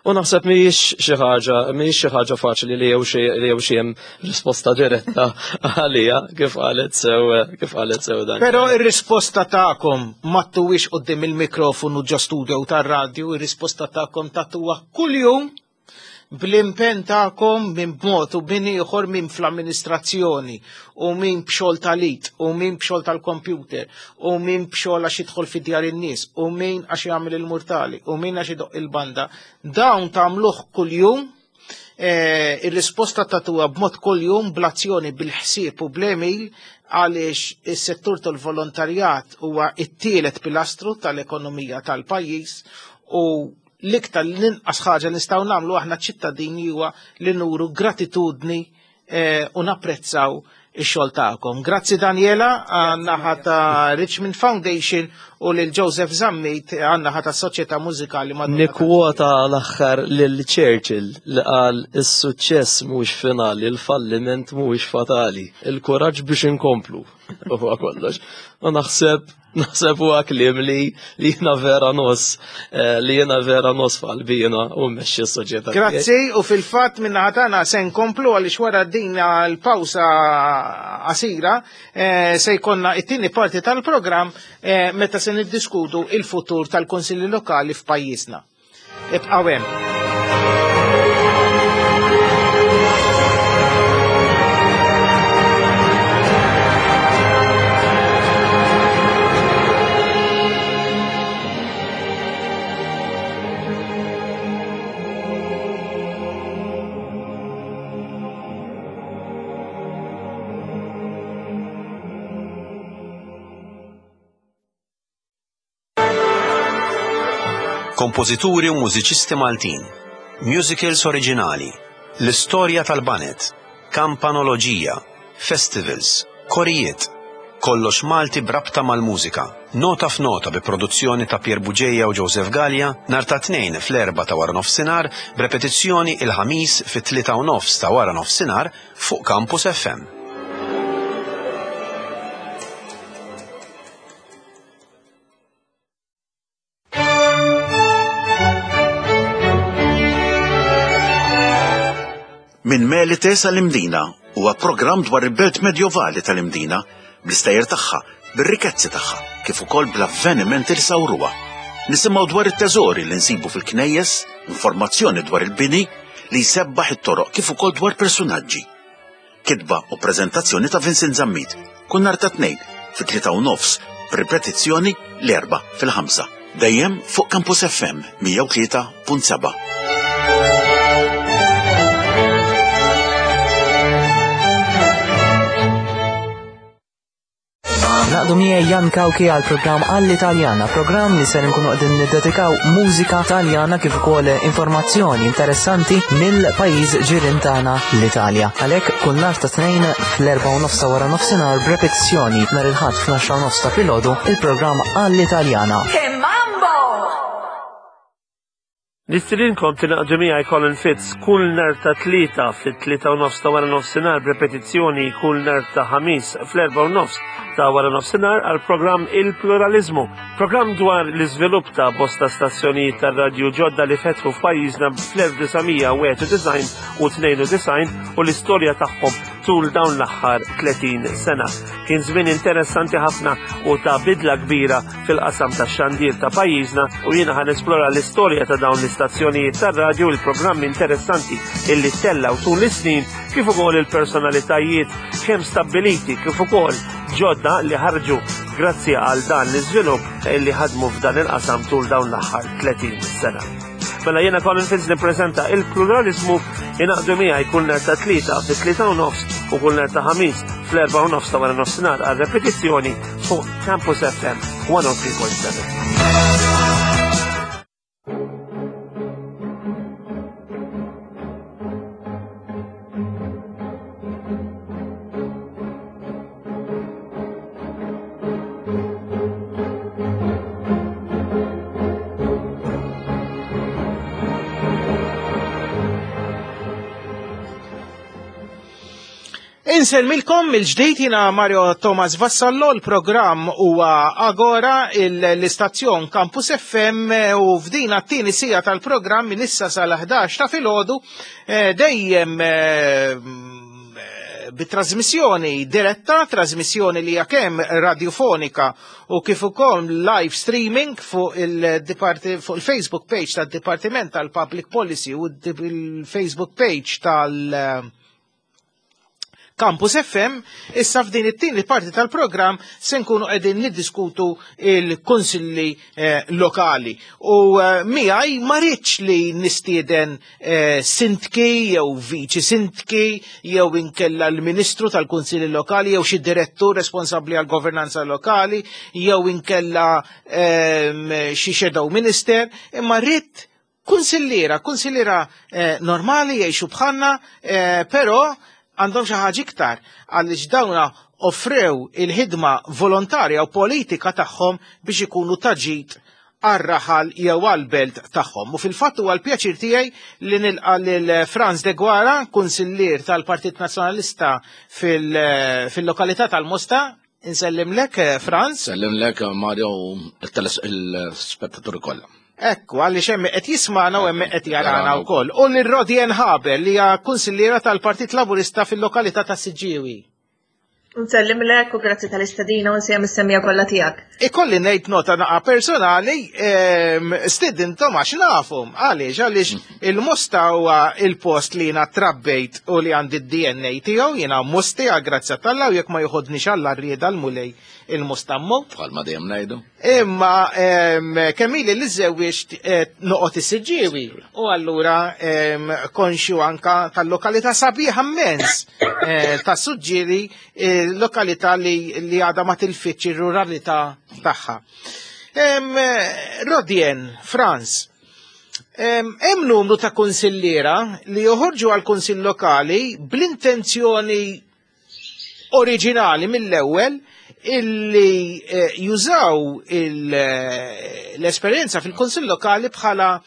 U naħseb mhijiex xi ħaġa, mhijiex xi ħaġa faċli li jew xi li jew xi hemm risposta diretta għalija kif qalet sew kif qalet sew dan. Però ir-risposta tagħkom ma tuwix quddiem il-mikrofonu ġo studio tar-radju, ir-risposta tagħkom tagħtuha kuljum bl-impenn tagħkom minn b'mod u minn ieħor minn fl-amministrazzjoni u minn b'xogħol tal-it u minn b'xogħol tal-kompjuter u minn b'xogħol għax jidħol fi djar in-nies u min għax jagħmel il-murtali u min għax idoq il-banda. Dawn tagħmluh kuljum eh, ir-risposta tagħtuha b'mod kuljum bl-azzjoni bil-ħsieb u bl-emil għaliex is-settur tal-volontarjat huwa t-tielet pilastru tal-ekonomija tal-pajjiż u L-iktar l-inqas ħaġa li nistgħu nagħmlu aħna ċittadini huwa li nuru gratitudni eh, u napprezzaw ix-xogħol tagħkom. Grazzi Daniela għan-naħa ta' Richmond Foundation u lil Joseph Zammit għan-naħa ta' Soċjetà Mużikali Madonna. Nikkwota l-aħħar lil Churchill li qal is-suċċess mhuwiex finali, il-falliment mhuwiex fatali, il-kuraġġ biex inkomplu. Huwa kollox. U naħseb Naħseb huwa kliem li li jiena vera nos, eh, li jiena vera nos f'qalbina u mmexxi s-soċjetà. Grazzi u fil-fatt minn tagħna se nkomplu għaliex wara din l-pawsa qasira eh, se jkollna it-tieni parti tal-programm eh, meta se niddiskutu il-futur tal-Kunsilli Lokali f'pajjiżna. Ibqgħu hemm. Kompożituri u mużiċisti Maltin, musicals oriġinali, l-istorja tal-baned, kampanoloġija, festivals, korijiet, kollox Malti b'rabta mal-mużika. Nota f'Nota bi produzzjoni ta' Pierre Bugeja u Joseph Galea nhar ta' Tnejn fl-erbgħa ta' waranofsinhar b'repetizzjoni il-Ħamis fit-tlieta u nofs ta' waranofsinhar fuq Campus FM. Minn Melite sal-Imdina huwa programm dwar il-belt medjovali tal-Imdina, bl-istejjer tagħha, bir-rikezzi tagħha, kif ukoll bl-avvenimenti li sawruha. Nisimgħu dwar it-teżori li nsibu fil-knejjes, informazzjoni dwar il-bini li jsebbaħ it-toroq kif ukoll dwar persunaġġi. Kitba u preżentazzjoni ta' Vincent Zammit, kull nhar ta' Tnejn fit-3 u nofs, b'ripetizzjoni l-Erbgħa fil-5. Dejjem fuq Campus FM 103.7. Naqdu miegħi Jan Kawki għal programm għall-Italjana, programm li ser nkunu qegħdin niddedikaw mużika Taljana kif ukoll informazzjoni interessanti mill-pajjiż ġirien tagħna l-Italja. Għalhekk kull nhar ta' Tnejn fl-4:30 wara nofsinhar b'repetizzjoni nhar il-Ħadd fl-10:30 ta' filgħodu il-programm għall-Italjana. Che mambo! Nistedinkom tingħaqdu miegħi Colin Fitz kull nhar ta' Tlieta fit-3:30 ta' wara nofsinhar b'repetizzjoni kull nhar ta' Ħamis fl-4:30 ta' wara nofsinhar għal programm Il-Pluralizmu. Programm dwar l-iżvilupp ta' bosta stazzjonijiet tar-radju ġodda li fetħu f'pajjiżna fl-1991 u 92 u l-istorja tagħhom tul dawn l-aħħar 30 sena. Kien żmien interessanti ħafna u ta' bidla kbira fil-qasam tax-xandir ta' pajjiżna u jiena ħa nesplora l-istorja ta' dawn l-istazzjonijiet tar-radju, il-programmi interessanti illi tellgħu tul is-snin kif ukoll il-personalitajiet kemm stabbiliti kif ukoll ġodda li ħarġu grazzi għal dan l-iżvilupp illi ħadmu f'dan il-qasam tul dawn l-aħħar 30 sena. Mela jiena Colin Fitz nippreżenta il-pluralizmu ingħaqdu miegħi kull nhar ta' Tlieta fit-3:30 u kull nhar ta' Ħamis fl-4:30 ta' wara nofsinhar għal repetizzjoni fuq Campus FM 103.7. Insellmilkom mill-ġdid jiena Mario Thomas Vassallo, l-programm huwa Agora l-istazzjon Campus FM u f'din t-tieni siegħa tal-programm minn issa sal-11 ta' filgħodu dejjem bit-trasmissjoni diretta, trasmissjoni li hija kemm radiofonika u kif ukoll live streaming fuq il-Facebook page tad-Dipartiment tal-Public Policy u il-Facebook page tal- Campus FM, issa f'din it-tieni parti tal-programm se nkunu qegħdin niddiskutu il-kunsilli lokali. U miegħi ma rridx li nistieden sindki jew viċi sindki jew inkella l-Ministru tal-Kunsilli Lokali jew xi direttur responsabbli għal governanza lokali jew inkella xi shadow minister, imma rrid kunsilliera normali jgħixu bħalna, però għandhom xi ħaġa iktar għaliex dawna offrew il-ħidma volontarja u politika tagħhom biex ikunu ta' ġid għar-raħal jew għal-belt tagħhom. U fil-fatt huwa l-pjaċir tiegħi li nilqa' lil Franz Deguara, kunsillier tal-Partit Nazzjonalista fil-lokalità tal-Mosta. Insellimlek, Franz. Sellimlek, Mario, il-spettaturi kollha. Ekku, għaliex hemm qed jismana u hemm qed jarana wkoll. U lil Rodien Haber li hija kunsilliera tal-Partit Laburista fil-lokalità ta' Siġġiewi. Nsellimlek u grazzi tal-istedina u nsellem is-semmiegħa kollha tiegħek. Ikolli ngħid nota naqa personali, stidintom għax nafhom. Għaliex, għaliex il-Mosta huwa il-post li jiena trabbejt u li għandi d-DNA tiegħu, jiena Mosti għal grazzja t'Alla u jekk ma joħodniex Alla rrieda l-Mulej il-Mosta mmut. Bħalma dejjem ngħidu. Imma kemm ili li żewwiġt noqgħod is-Siġġiewi u allura konxju anka tal-lokalità sabiħa immens ta' Suġġieri, lokalità li għadha ma tilfitx ir-ruralità tagħha. Rodien, Franz, hemm numru ta' kunsilliera li joħorġu għal kunsill lokali bl-intenzjoni oriġinali mill-ewwel illi jużaw l-esperjenza fil-Kunsill Lokali bħala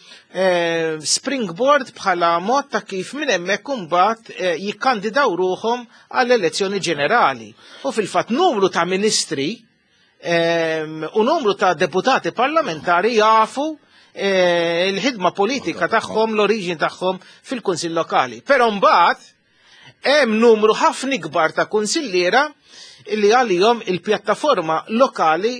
springboard, bħala mod ta' kif minn hemmhekk imbagħad jikkandidaw ruħhom għall-elezzjoni ġenerali. U fil-fatt numru ta' ministri u numru ta' deputati parlamentari jafu eh, il-ħidma politika tagħhom, l-oriġini tagħhom fil-Kunsill Lokali. Però mbagħad hemm numru ħafna ikbar ta' kunsilliera illi għalihom il-pjattaforma lokali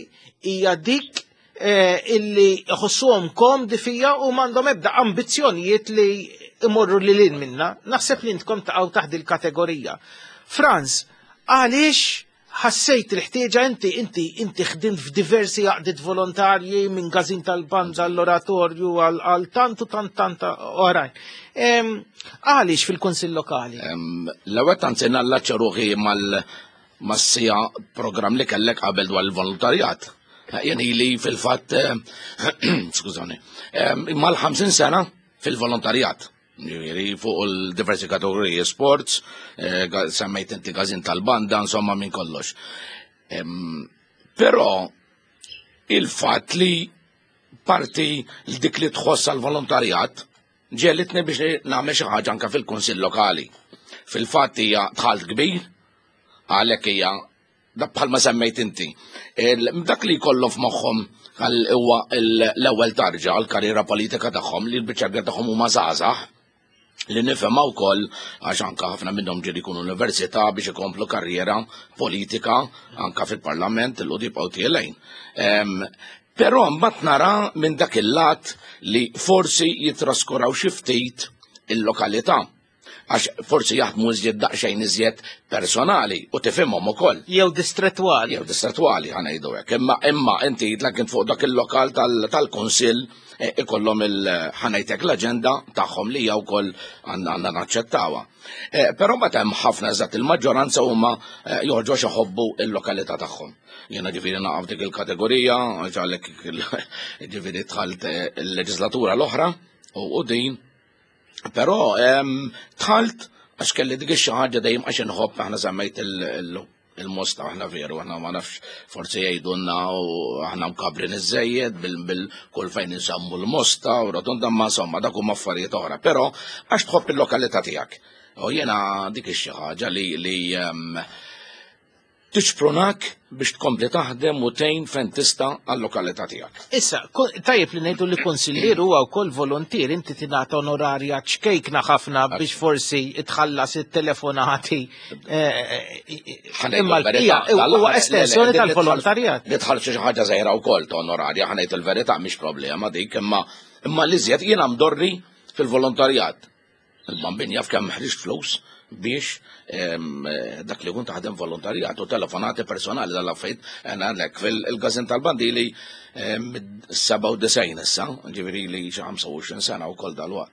hija dik eh, illi jħossuhom komdi fija u m'għandhom ebda ambizzjonijiet li imorru lil hinn minna. Naħseb li intkom taqgħu taħt il-kategorija. Franz, għaliex ħassejt il-ħtieġa inti inti inti ħdimt f'diversi għaqdiet volontarji minn gazin tal-banda l-oratorju għal tant u tant tant oħrajn. Għaliex fil-Kunsill Lokali? L-ewwel tant se nallaċċa ruħi mal mas-sija programm li kellek qabel dwar il-volontarjat. Jien ili fil-fatt, skużani, mal-50 sena fil-volontarjat. Ġifieri fuq il-diversi kategoriji sports, eh, semmejt inti gazin tal-banda, insomma minn kollox. Però il-fatt li parti dik li tħoss għal-volontarjat ġelitni biex nagħmel xi ħaġa anke fil-Kunsill Lokali. Fil-fatt hija dħalt kbir, għalhekk hija dak bħalma semmejt inti. Dak li jkollhom f'moħħhom għal huwa l-ewwel tarġa għal karriera politika tagħhom li l-biċċa tagħhom huma żgħażagħ li nifhimha wkoll għax anka ħafna minnhom ġieli jkunu università biex ikomplu karriera politika anka fil-parlament il jibqgħu tielgħin. Però mbagħad nara minn dak il-lat li forsi jitraskuraw xi ftit il-lokalità għax forsi jaħdmu iżjed daqsxejn iżjed personali u tifhimhom ukoll. Jew distrettwali. Jew distrettwali ħa ngħidu hekk. Imma imma inti jidlek kien fuq dak il-lokal tal-kunsill eh, ikollhom il ħa ngħidlek l-aġenda tagħhom li hija wkoll għandna naċċettawha. Eh, però mbagħad hemm ħafna eżatt il-maġġoranza huma eh, joħorġu għax iħobbu il-lokalità tagħhom. Jiena ġifieri naqaf dik il-kategorija, għalhekk ġifieri dħalt il-leġislatura l-oħra u din Però dħalt għax kelli dik xi ħaġa dejjem għax inħobb aħna semmejt il-mosta aħna veru, aħna ma nafx forsi jgħidulna u aħna mkabrin iżejjed bil-kull fejn insemmu l-mosta u rotonda ma insomma dak huma affarijiet oħra, però għax tħobb il-lokalità tiegħek. U jiena dik xi ħaġa li tixprunak biex tkompli taħdem u tgħin fejn tista' għal-lokalità tiegħek. Issa, tajjeb li ngħidu li kunsillier huwa wkoll volontier, inti tingħata onorarja ċkejkna ħafna biex forsi tħallas it-telefonati. Eh, eh, eh, imma l-bqija huwa estensjoni tal-volontarjat. Li tħallsu xi ħaġa żgħira wkoll ta' onorarja, ħanejt il-verità mhix problema dik, imma imma l-iżjed jiena mdorri fil-volontarjat. Il-bambin jaf kemm ħriġt flus biex dak li kun taħdem volontarjat u telefonati personali dal-affarijiet għandek fil-gazin tal-bandili 97 issa, ġifieri li xi 25 sena wkoll dal-waqt.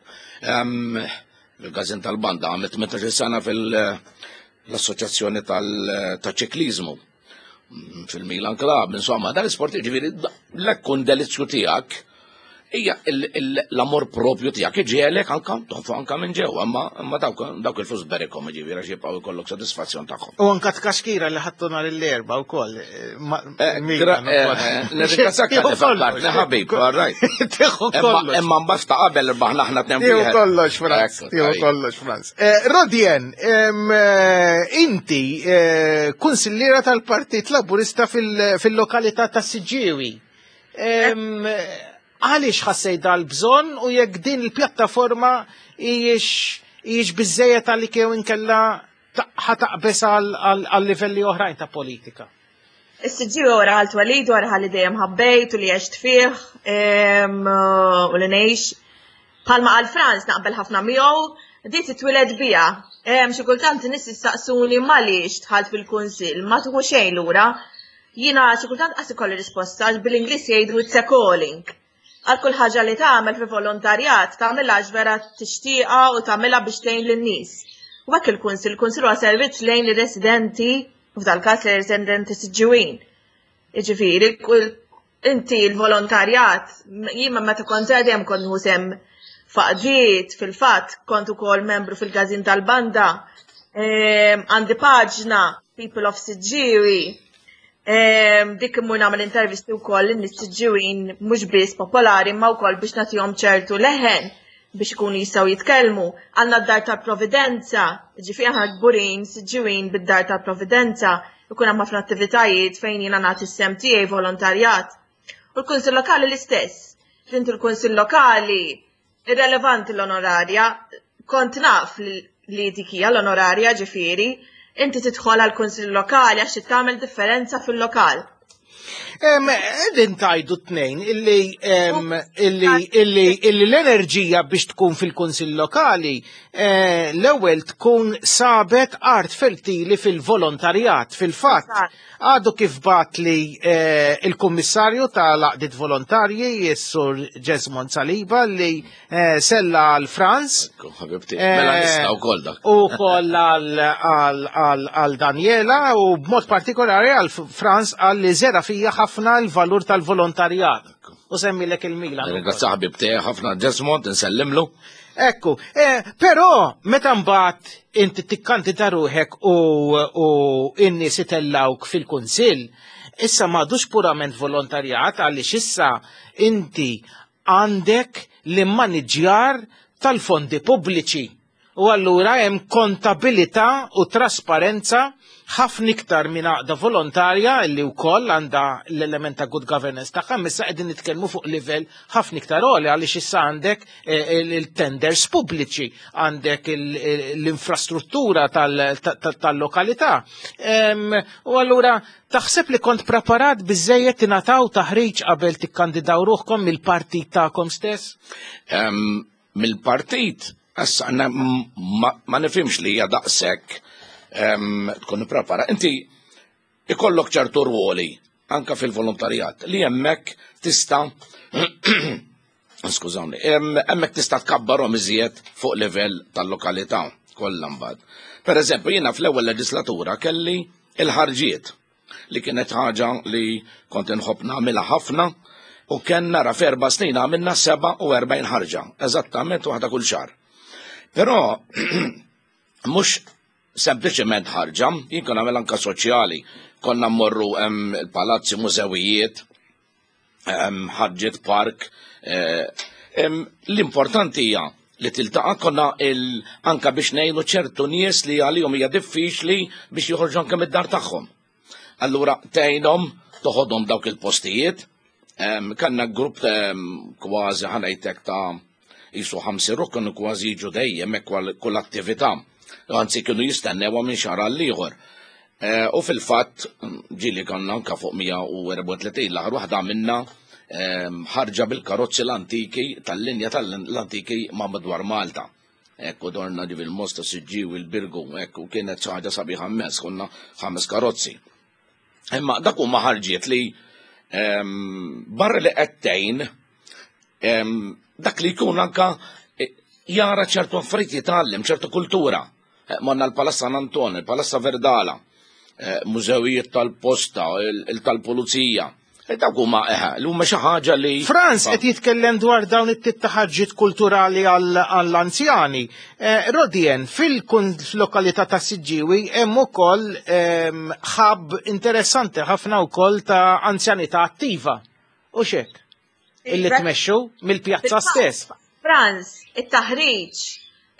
Il-gazin tal-banda għamilt 18 sena fil-assoċjazzjoni tal-ċiklizmu fil-Milan Club, insomma, dan l-isport ġifieri l-ekkun delizzju tiegħek hija l-amor propju tiegħek iġielek anka tonfu anka minn ġewwa, imma imma dawk il-flus berikhom ġifieri għax jibqgħu jkollok sodisfazzjon tagħhom. U anka tkaxkira li ħadtu nhar l-erba' wkoll. Eh, eh, eh, Nirringrazzjak tal fakkartni ħabib, all right. Tieħu kollox. Imma mbagħad ta' qabel irbaħna aħna tnejn Tieħu kollox, Franz. Tieħu kollox, Franz. Rodien, inti kunsilliera tal-Partit Laburista fil-lokalità ta' Siġġiewi. Għaliex ħassejt dal-bżonn u jekk din il-pjattaforma hijiex biżejjed għalik jew inkella ħataqbes għal livelli oħrajn ta' politika? Is-siġġiewi huwa raħal twelid, huwa raħal li dejjem ħabbejt u li għext fih u li ngħix. Bħalma qal Franz naqbel ħafna miegħu, di titwiled biha. Xi kultant nies jistaqsuni m'għaliex dħalt fil-kunsill, ma tieħu xejn lura. Jiena xi kultant qas ikolli risposta għax bil-Ingliż jgħidu it's a calling. Għal kull ħaġa li tagħmel fi volontarjat tagħmilha għax vera tixtieqha u tagħmilha biex tgħin lin-nies. U hekk il-kunsill, il-kunsill huwa servizz lejn ir-residenti, u f'dal-każ lejn ir-residenti Siġġiwin. Jiġifieri, inti l-volontarjat, jien meta kont żgħir dejjem kont nieħu sehem f'għaqdiet, fil-fatt kont ukoll membru fil-każin tal-banda, ehm, għandi paġna People of Siġġiewi, ehm, dik immur nagħmel intervisti wkoll lin-nies Siġġiewin mhux biss popolari imma wkoll biex nagħtihom ċertu leħen biex ikunu jistgħu jitkellmu. Għandna d-Dar tal-Providenza, ġifieri aħna kburin Siġġiewin bid-Dar tal-Providenza, ikun hemm ħafna attivitajiet fejn jiena nagħti s-sehem tiegħi volontarjat. U l-Kunsill Lokali l-istess. Inti l-Kunsill Lokali irrelevanti l-onorarja, kont naf li dik hija l-onorarja ġifieri, inti tidħol għal kunsill lokali għax tagħmel differenza fil-lokal. Din tajdu t-tnejn illi illi illi illi l-enerġija biex tkun fil-kunsill lokali eh, l-ewwel tkun sabet art fertili fil-volontarjat fil-fatt. Għadu kif bat li eh, il-kummissarju tal-għaqdiet volontarji, s-sur Jesmond Saliba, li eh, sella għal Franz. Ħabibti, mela eh, nista' wkoll dak. U koll għal Daniela u b'mod partikolari għal Franz għal li zera fija ħafna l-valur tal-volontarjat. U semmilek il-Milan. Ringrazzja ħabibti ħafna Jesmond, nsellimlu. Ekku, eh, però meta mbagħad inti tikkandida ruħek u, u in-nies itellawk fil-kunsill, issa m'għadux purament volontarjat għaliex issa inti għandek l-immaniġjar tal-fondi pubbliċi. U allura hemm kontabilità u trasparenza ħafna iktar minn għaqda volontarja li wkoll għandha l-element ta' good governance tagħha, issa qegħdin nitkellmu fuq livell ħafna iktar għoli għaliex issa għandek eh, il-tenders pubbliċi, għandek l-infrastruttura tal-lokalità. U allura taħseb li kont preparat biżejjed tingħataw taħriġ qabel tikkandidaw ruħkom mill-partit tagħkom stess? Mill-partit Issa ma nifhimx li hija daqshekk tkun ipprepara. Inti ikollok ċertu rwoli anka fil-volontarjat li hemmhekk tista' skużawni, hemmhekk tista' tkabbarhom iżjed fuq livell tal-lokalità kollha mbagħad. Per eżempju, jiena fl-ewwel leġislatura kelli il-ħarġiet li kienet ħaġa li kont inħobb nagħmilha ħafna u kien nara f'erba' snin għamilna 47 ħarġa, eżattament waħda kull xahar. Però mhux sempliċement ħarġa, jien kien nagħmel anka soċjali, konna mmorru hemm il-palazzi, mużewijiet, ħarġiet park. Eh, l-importanti hija li tiltaqa' konna anka biex ngħinu ċertu nies li għalihom hija diffiċli biex joħorġu anke mid-dar tagħhom. Allura tgħinhom toħodhom dawk il-postijiet, kanna grupp kważi ħanajtek ta' jisu ħamsi ruħ kienu kważi jiġu dejjem hekk kull attività. Anzi kienu jistennewha minn xahar għal ieħor. Eh, u fil-fatt ġieli konna anka fuq 134 l-aħħar waħda minna ehm, ħarġa bil-karozzi l-antiki tal-linja tal-antiki ma' madwar Malta. Ekku dorna ġivi l-Mosta Siġġiwi l-Birgu, ekku kienet xi ħaġa sabiħa immens, konna ħames karozzi. Imma dak huma ħarġiet li ehm, barra li qed tgħin ehm, dak li jkun anka eh, jara ċertu affarijiet jitgħallem, ċertu kultura. Eh, morna l-Palazz San Anton, il-Palazza Verdala, eh, mużewijiet tal-posta, il-tal-pulizija. Eh, dawk huma eħe, li huma xi ħaġa li. Franz qed jitkellem dwar dawn it-tip ta' ħarġiet kulturali għall-anzjani. Rodien, fil-lokalità ta' Siġġiwi hemm ukoll ehm, ħab interessanti ħafna wkoll ta' anzjanità attiva. U xek? Illi tmexxu mill-pjazza stess. Franz, it-taħriġ,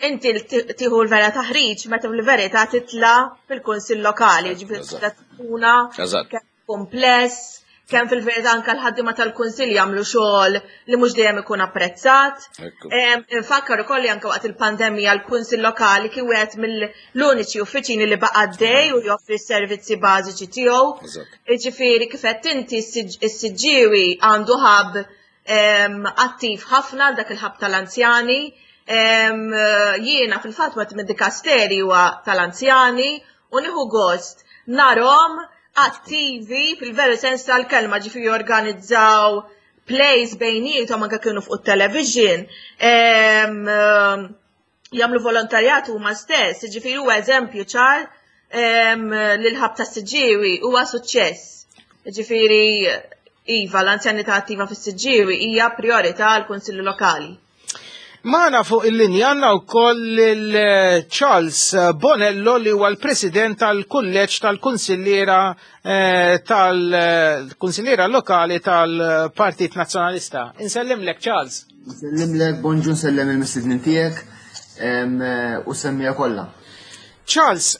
inti tieħu l-vera taħriġ meta l-verità titla fil-kunsill lokali, ġifieri tkuna kumpless, kemm fil-verità anke l-ħaddiema tal-kunsill jagħmlu xogħol li mhux dejjem ikun apprezzat. Infakkar ukoll li anke waqt il-pandemija l-kunsill lokali kien wieħed mill-uniċi uffiċini li baqa' dej u joffri s-servizzi bażiċi tiegħu. Jiġifieri kif qed inti s-Siġġiewi għandu ħab attiv ħafna dak il-ħab tal-anzjani. Jiena fil-fatt wieħed mid-dikasteri huwa tal-anzjani u nieħu gost narhom attivi fil-veru sens tal-kelma ġifieri jorganizzaw plays bejniethom anke kienu fuq it-television jagħmlu volontarjat huma stess, jiġifieri huwa eżempju ċar li l-ħab ta' Siġġiewi huwa suċċess. Jiġifieri iva l-anzjanità attiva fis-Siġġiewi hija priorità għall kunsilli Lokali. Magħna fuq il-linja għandna wkoll il-Charles Bonello li huwa l-President tal-Kulleġġ tal-Kunsilliera eh, tal-Kunsilliera Lokali tal-Partit Nazzjonalista. Insellimlek Charles. Nsellimlek, bonġu nsellem il-mistednin tiegħek u semmija kollha. Charles,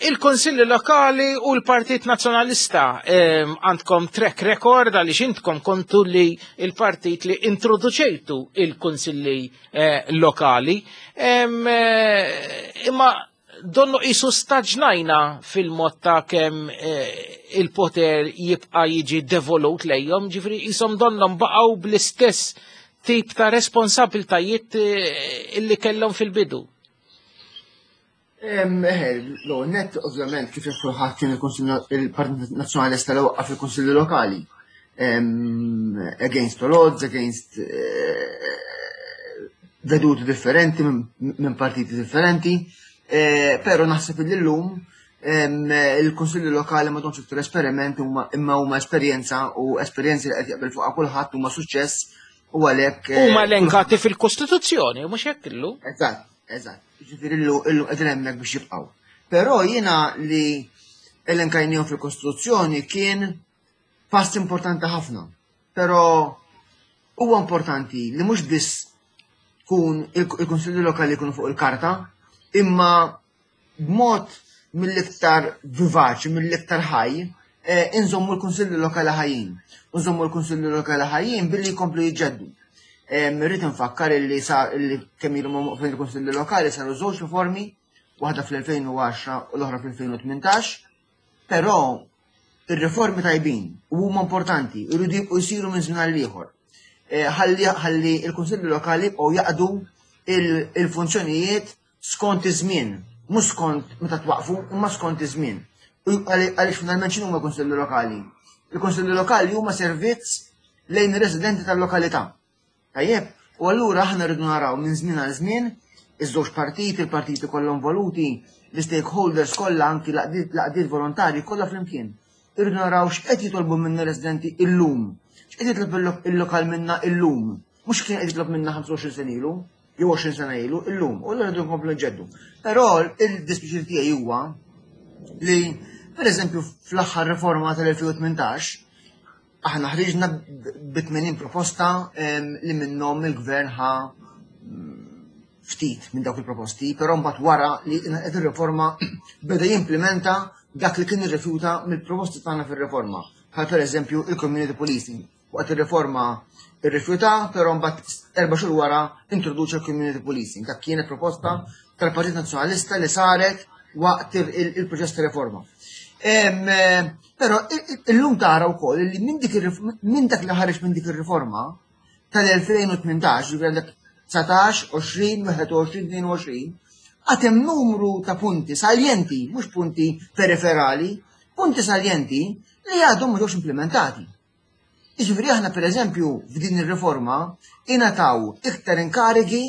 il-Konsilli Lokali u l-Partit Nazzjonalista għandkom track record għaliex intkom kontu li il-partit li introduċejtu il-Konsilli eh, Lokali. Eh, imma donnu qisu staġnajna fil-mod ta' kemm eh, il-poter jibqa' jiġi devolut lejhom, ġifri qishom donnom baqgħu bl-istess tip ta' responsabiltajiet illi kellhom fil-bidu. Eħe, l net ovvjament kif jaf kulħadd kien il-Partit Nazzjonalista li waqqaf il-Kunsilli Lokali. Against all odds, against eh, veduti differenti minn partiti differenti, eh, pero naħseb li llum il-Kunsilli Lokali ma domx iktar esperiment imma huma esperjenza u esperjenzi li qed jaqbel fuqha kulħadd huma suċċess u għalhekk. Eh, huma elenkati fil-Kostituzzjoni, mhux hekk illu. Eżatt, eżatt. Ġifieri illu illu qegħdin hemmhekk biex jibqgħu. Però jiena li elenkajnihom fil-Kostituzzjoni kien pass importanti ħafna. Però huwa importanti li mhux biss tkun il-Kunsilli Lokali jkunu fuq il-karta, imma b'mod mill-iktar vivaċi, mill-iktar ħaj, eh, inżommu l-Kunsilli Lokali ħajjin. Nżommu l-Kunsilli Lokali ħajjin billi jkomplu jiġġeddu. Rrid infakkar illi sa illi kemm ilhom waqfin il-Kunsilli Lokali saru żewġ riformi, waħda fl-2010 u l-oħra fl-2018, però ir-riformi tajbin u huma importanti, jridu jibqgħu jsiru minn żmien għal ieħor. Eh, ħalli il-Kunsilli Lokali jibqgħu jaqdu il-funzjonijiet skont iż-żmien, mhux skont meta twaqfu, imma skont iż-żmien. Għaliex finalment x'inhu huma l-kunsilli lokali? Il-kunsilli lokali huma servizz lejn ir-residenti tal-lokalità. Tajjeb, u allura aħna rridu naraw minn żmien għal żmien iż-żewġ partiti, il-partiti kollha involuti, l-stakeholders kollha anki l-għaqdiet volontarji kollha flimkien. Irridu naraw x'qed jitolbu minna residenti illum, x'qed jitlob il-lokal minna illum, mhux kien qed jitlob minna 25 sena ilu. jew 20 sena ilu, illum, u l rridu nkomplu nġeddu. Però il-dispjaċir tiegħi huwa li, per eżempju, fl-aħħar riforma tal-2018, aħna ħriġna bi 80 proposta li minnhom il-gvern ħa mm, ftit minn dawk il-proposti, però mbagħad wara li qed ir-riforma beda jimplementa dak li kien irrifjuta mill-proposti tagħna fir-riforma, bħal pereżempju il-community policing. Waqt ir-riforma irrifjuta, però mbagħad erba' xhur wara introduċa l-community policing. Dak kienet proposta tal-Partit Nazzjonalista li saret waqt il-proċess ta' riforma. Eh, però illum tara wkoll li minn dak li ħareġ minn dik ir-riforma tal-2018, ġifieri għandek 19, 20, 21, 22, għad hemm numru ta' punti saljenti, mhux punti periferali, punti saljenti li għadhom ma ġewx implementati. Jiġifieri aħna pereżempju f'din ir-riforma ingħataw iktar inkarigi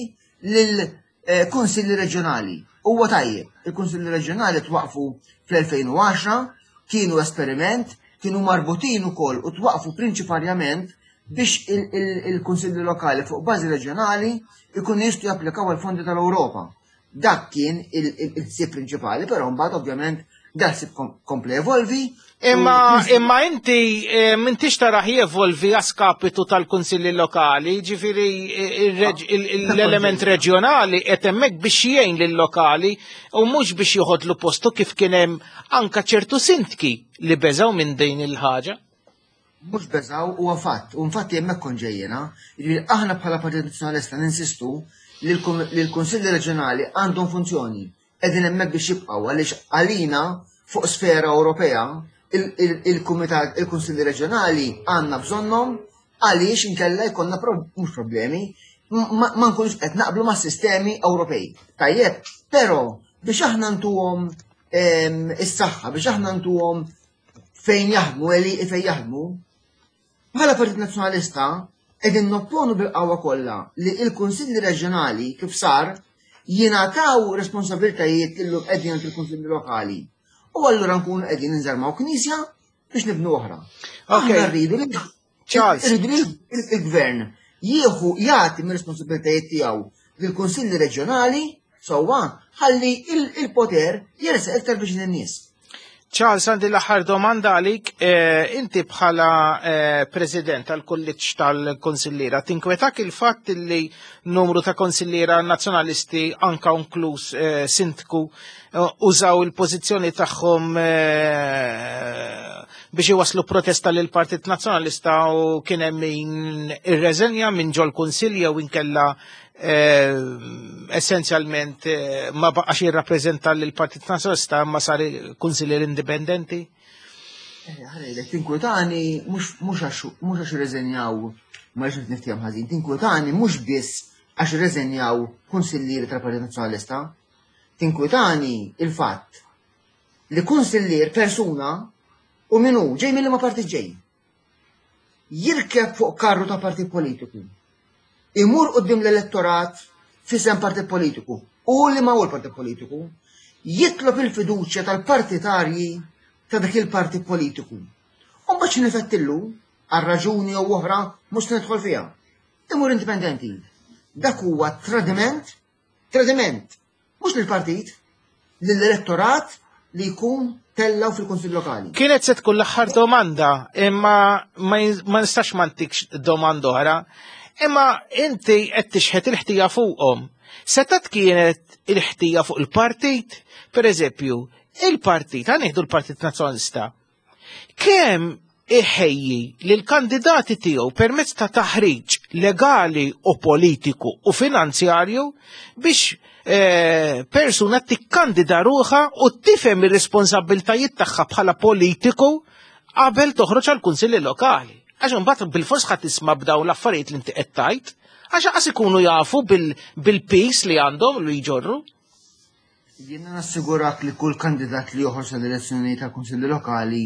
lil eh, kunsilli reġjonali. Huwa tajjeb, il-kunsilli reġjonali twaqfu fl-2010, kienu esperiment, kienu marbutin ukoll u twaqfu prinċiparjament biex il-kunsilli lokali fuq bażi reġjonali ikunu jistgħu japplikaw għal fondi tal-Ewropa. Dak kien il-ħsieb prinċipali, però mbagħad ovvjament dak ħsieb kompla evolvi. Imma imma inti eh, m'intix taraħ jevolvi għaskapitu tal-kunsilli lokali, ġifieri eh, ah, l-element reġjonali qed hemmhekk biex jgħin lill-lokali u mhux biex joħodlu postu kif kien hemm anka ċertu sintki li beżgħu minn din il-ħaġa. Mhux beżgħu huwa fatt, u infatti hemmhekk kont ġej jiena, jiġifieri aħna bħala Partit Nazzjonalista ninsistu li l-Kunsilli Reġjonali għandhom funzjoni, qegħdin hemmhekk biex jibqgħu għaliex għalina fuq sfera Ewropea il-Kumitat il-Kunsilli Reġjonali għandna bżonnhom għaliex inkella jkollna mhux problemi ma nkunux qed naqblu mas-sistemi Ewropej. Tajjeb, però biex aħna ntuhom ehm, is-saħħa, biex aħna ntuhom fejn jaħdmu, għeli fejn jaħdmu, bħala Partit Nazzjonalista qegħdin nopponu bil-qawwa kollha li l-Kunsilli Reġjonali kif sar jingħataw responsabilitajiet li llum qegħdin għand il-Kunsilli Lokali. U allura nkunu qegħdin inżarmaw knisja biex nibnu oħra. Aħna rridu li Charles. Irridu li il-gvern jieħu jagħti mir-responsabilitajiet tiegħu lill-kunsilli reġjonali sewwa ħalli il-poter jersaq iktar biex in-nies. Charles, għandi l-aħħar domanda għalik. Eh, inti bħala eh, president tal-kulliġġ tal-konsilliera, tinkwetak il-fatt li numru ta' konsilliera nazzjonalisti anka inkluż eh, sindku użaw il-pożizzjoni tagħhom biex iwaslu protesta lil Partit Nazzjonalista u kien hemm min irreżenja minn ġol kunsill jew inkella Eh, essenzjalment eh, ma baqax jirrappreżenta lill-Partit Nazzjonalista ma sar kunsillier indipendenti? Eh, ħanejlek, tinkwetani mhux għax irreżenjaw ma rridx niftehom ħażin, tinkwetani mhux biss għax irreżenjaw kunsillieri tal-Partit Nazzjonalista, tinkwetani il-fatt li kunsillier persuna u min hu ġej mill ma partit ġej. Jirkeb fuq karru ta' partit politiku. Imur quddiem l-elettorat f'isem partit politiku u li ma hu l-partit politiku, jitlob il-fiduċja tal-partitarji ta' dak il-partit politiku. U mbagħad xi nifettillu għal raġuni jew oħra mhux se nidħol fiha. Imur indipendenti. Dak huwa tradiment, tradiment Mhux lill-partit, lill-elettorat li jkun tellgħu fil-Kunsill Lokali. Kienet se tkun l-aħħar domanda, imma ma nistax ma ntikx domanda oħra. Imma inti qed tixħet il-ħtija fuqhom. Setat kienet il-ħtija fuq il-partit, per eżempju, il-partit, għan l-Partit Nazzjonalista, Kemm iħejji lill-kandidati tiegħu permezz ta' taħriġ legali u politiku u finanzjarju biex eh, persuna tikkandida ruħha u tifhem ir-responsabbiltajiet tagħha bħala politiku qabel toħroġ għal kunsilli lokali. Għax imbagħad bil-fors ħadd tisma' b'dawn l-affarijiet li inti qed tgħid, għax qas ikunu jafu bil-peace li għandhom li jġorru. Jiena nassigurak li kull kandidat li joħroġ għall-elezzjoni tal-Kunsilli Lokali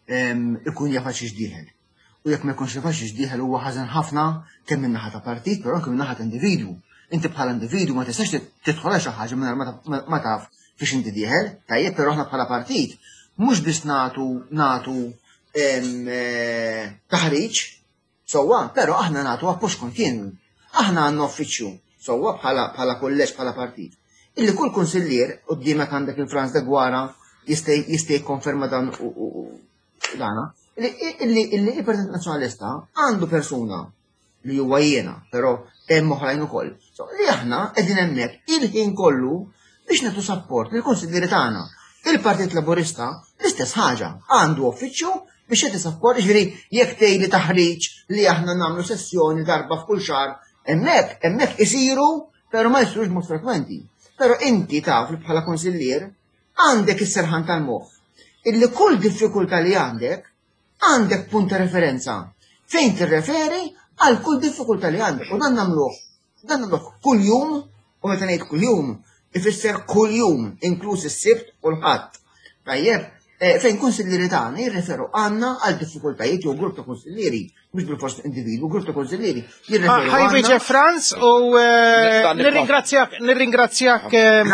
ikun jaf għal dieħel. U jekk ma jkunx jaf għal dieħel huwa ħażen ħafna kemm min-naħa ta' partit, però anke min-naħa ta' individwu. Inti bħala individwu ma tistax tidħol għal xi ħaġa mingħajr ma taf fiex inti dieħel, tajjeb, però aħna bħala partit mhux biss nagħtu nagħtu eh, taħriġ Sewwa, però aħna nagħtu appoġġ kontinwu. Aħna għandna uffiċċju, sewwa bħala bħala kulleġġ bħala partit. Illi kull kunsillier quddiemek għandek il-Franz Deguara jista' jista' jikkonferma dan u dana, illi illi il-Partit Nazzjonalista għandu persuna li huwa jiena, però hemm oħrajn ukoll. So, li aħna qegħdin hemmhekk il-ħin kollu biex nagħtu sapport lill-kunsillieri tagħna. Il-Partit Laburista l-istess ħaġa, għandu uffiċċju biex jagħti sapport, jiġifieri jekk tgħidli taħriġ li aħna nagħmlu sessjoni darba f'kull xahar, hemmhekk hemmhekk isiru però ma jsirux b'mod frekwenti. Però inti taf li bħala konsillier għandek is-serħan tal-moħħ illi kull diffikultà li għandek għandek punt ta' referenza fejn tirreferi għal kull diffikultà li għandek u dan nagħmluh Dan nagħmluh kuljum u meta ngħid kuljum ifisser kuljum inkluż is-Sibt u l-Ħadd. Tajjeb, eh, fejn kunsillieri tagħna jirreferu għandna għal diffikultajiet jew grupp ta' kunsillieri, mhux bil-fors individwu, grupp ta' kunsillieri jirreferu. Ah, Ħaj Franz u eh, nirringrazzjak, nirringrazzjak. Eh,